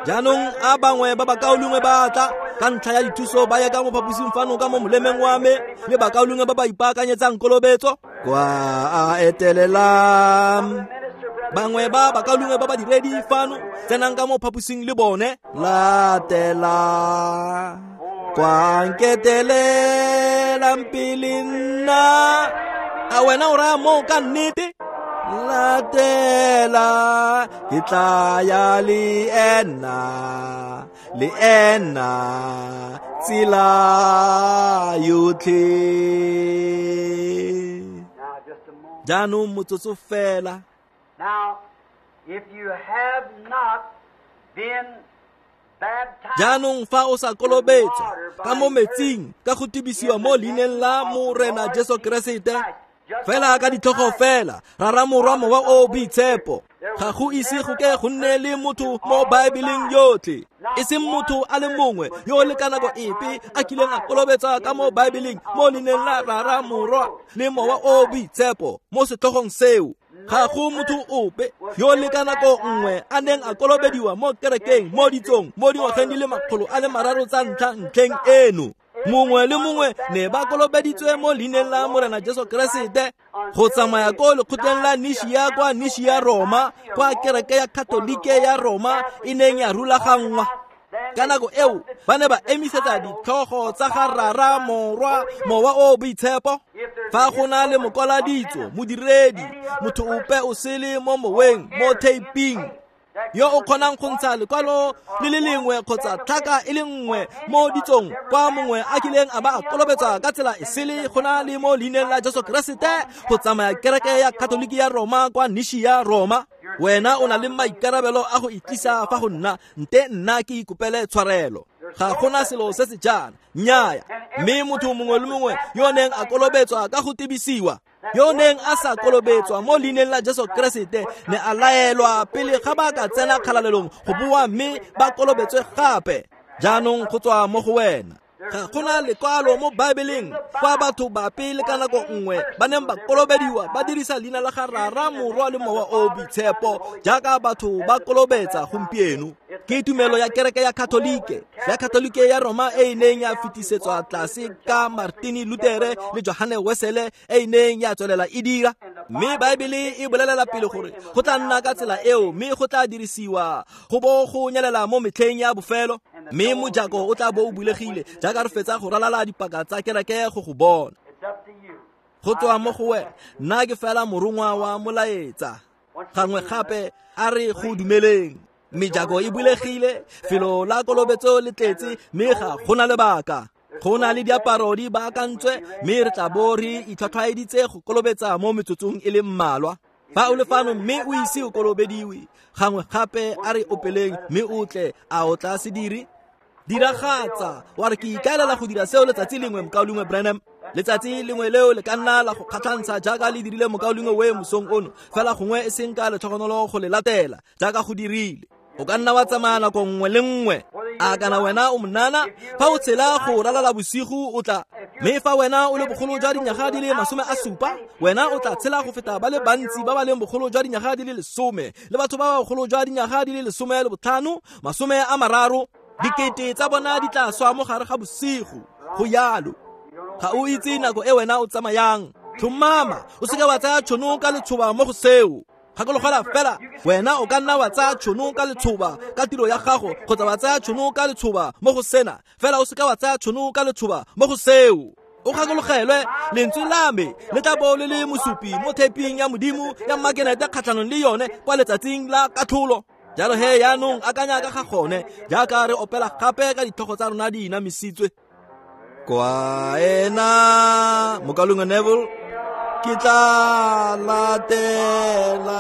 Jaanong a bangwe ba bakaulengwe ba tla ka ntlha ya dithuso ba ye ka mo phaposing fano ka mo molemeng wa me, le bakaulengwe ba ba ipaakanyetsang kolobetso kwa a etelelang. Bangwe ba bakaulengwe ba ba diredi fano, tsenang ka mo phaposing le bone. Latela kwa nketelelang pele nna. A wena o raya moo ka nnete? Latela ke tla ya le ena, le ena tsela yotlhe. Jaanong motsotso fela. Now, if you have not been baptized, Jaanong fa o sa kolobetswa ka mo metsing ka go tibisiwa mo leineng la Morena Jesu Keresete, fela ka ditlhogo fela, Rara Morwa Mowa o Boitshepo, ga go ise go ke go nne le motho mo Baebeleng yotlhe, e seng motho a le mongwe yo le ka nako epe a kileng a kolobetsa ka mo Baebeleng mo leineng la Rara Morwa le Mowa o Boitshepo mo setlhogong seo. Ga go motho ope yo le ka nako nngwe a neng a kolobediwa mo kerekeng mo ditsong mo dingwageng di le makgolo a le mararo tsa ntlha ntlheng eno. Mongwe le mongwe ne ba kolobeditswe mo leineng la Morena Jesu Keresete go tsamaya ko lekgotleng la Nishia kwa Nishia Roma, kwa kereke ya Katolike ya Roma e neng ya rulaganngwa. Ka nako eo ba ne ba emisetsa ditlhogo tsa ga Rara, Morwa, Mowa o Boitshepo. Fa go na le mokwaladitso, modiredi, motho ope o sele mo moweng, mo taping, yo o kgonang go ntsha lekwalo le le lengwe kgotsa tlhaka e le nngwe mo ditsong kwa mongwe a kileng a ba a kolobetsa ka tsela e sele go na le mo leineng la Jesu Keresete go tsamaya kereke ya Katoliki ya Roma kwa Nishia Roma, wena o na le maikarabelo a go itlisa fa go nna, nte nna ke ikopele tshwarelo. Ga gona selo se se jaana, nnyaya. Mme motho mongwe le mongwe yo neng a kolobetswa ka go tebisiwa, yo neng a sa kolobetswa mo leineng la Jesu Keresete, ne a laelwa pele ga ba ka tsena kgalalelong go boa mme ba kolobetswe gape. Jaanong go tswa mo go wena. Ga gona lekwalo mo Baebeleng kwa batho ba pele ka nako nngwe ba neng ba kolobediwa ba dirisa leina la ga Rara, Morwa le Mowa o Boitshepo jaaka batho ba kolobetsa gompieno. Ke tumelo ya kereke ya Katolike, ya Katolike ya Roma e e neng ya fetisetswa tlase ka Martini Lutere le Johane Wesele e e neng ya tswelela e dira. Mme Baebele e bolelela pele gore go tla nna ka tsela eo, mme go tla dirisiwa go bo go nyelela mo metlheng ya bofelo, mme mojako o tla bo o bulegile jaaka re fetsa go ralala dipaka tsa kereke go go bona. Go tswa mo go wena, nna ke fela morongwa wa molaetsa. Gangwe gape a re go dumeleng. Mejako e bulegile, felo la kolobetso le tletse, mme ga gona lebaka. Go na le diaparo di baakantswe, mme re tla bo re itlhwatlhwaeditse go kolobetsa mo metsotsong e le mmalwa. Fa o le fano mme o ise o kolobediwe, gangwe gape a re opeleng mme o tle, a o tla se dire? Diragatsa, wa re ke ikaelela go dira seo letsatsi lengwe, mokaulengwe Branham. Letsatsi lengwe leo le ka nna la go kgatlhantsha jaaka le dirile mokaulengwe we mosong ono, fela gongwe e seng ka letlhogonolo go le latela jaaka go dirile. O ka nna wa tsamaya nako nngwe le nngwe. A kana wena o monana, fa o tshela go ralala bosigo o tla. Mme fa wena o le bogolo jwa dinyaga di le masome a supa, wena o tla tshela go feta ba le bantsi ba ba leng bogolo jwa dinyaga di le lesome, le batho ba ba bogolo jwa dinyaga di le lesome le botlhano, masome a mararo. Dikete tsa bona di tla swa mo gare ga bosigo. Go yalo. Ga o itse nako e wena o tsamayang. Tlhomama, o seke wa tsaya tšhono ka letshoba mo go seo. Gakologelwa fela, wena o ka nna wa tsaya tšhono ka letshoba ka tiro ya gago, kgotsa wa tsaya tšhono ka letshoba mo go sena, fela o seke wa tsaya tšhono ka letshoba mo go seo. O gakologelwe, lentswe la me le tla bo le le mosupi mo theping ya Modimo ya makenete kgatlhanong le yone kwa letsatsing la katlholo. Jalo he yaanong akanya ka ga gone jaaka re opela gape ka ditlhogo tsa rona di inamisitswe. Kwa ena mokaulengwe Neville, ke tla latela.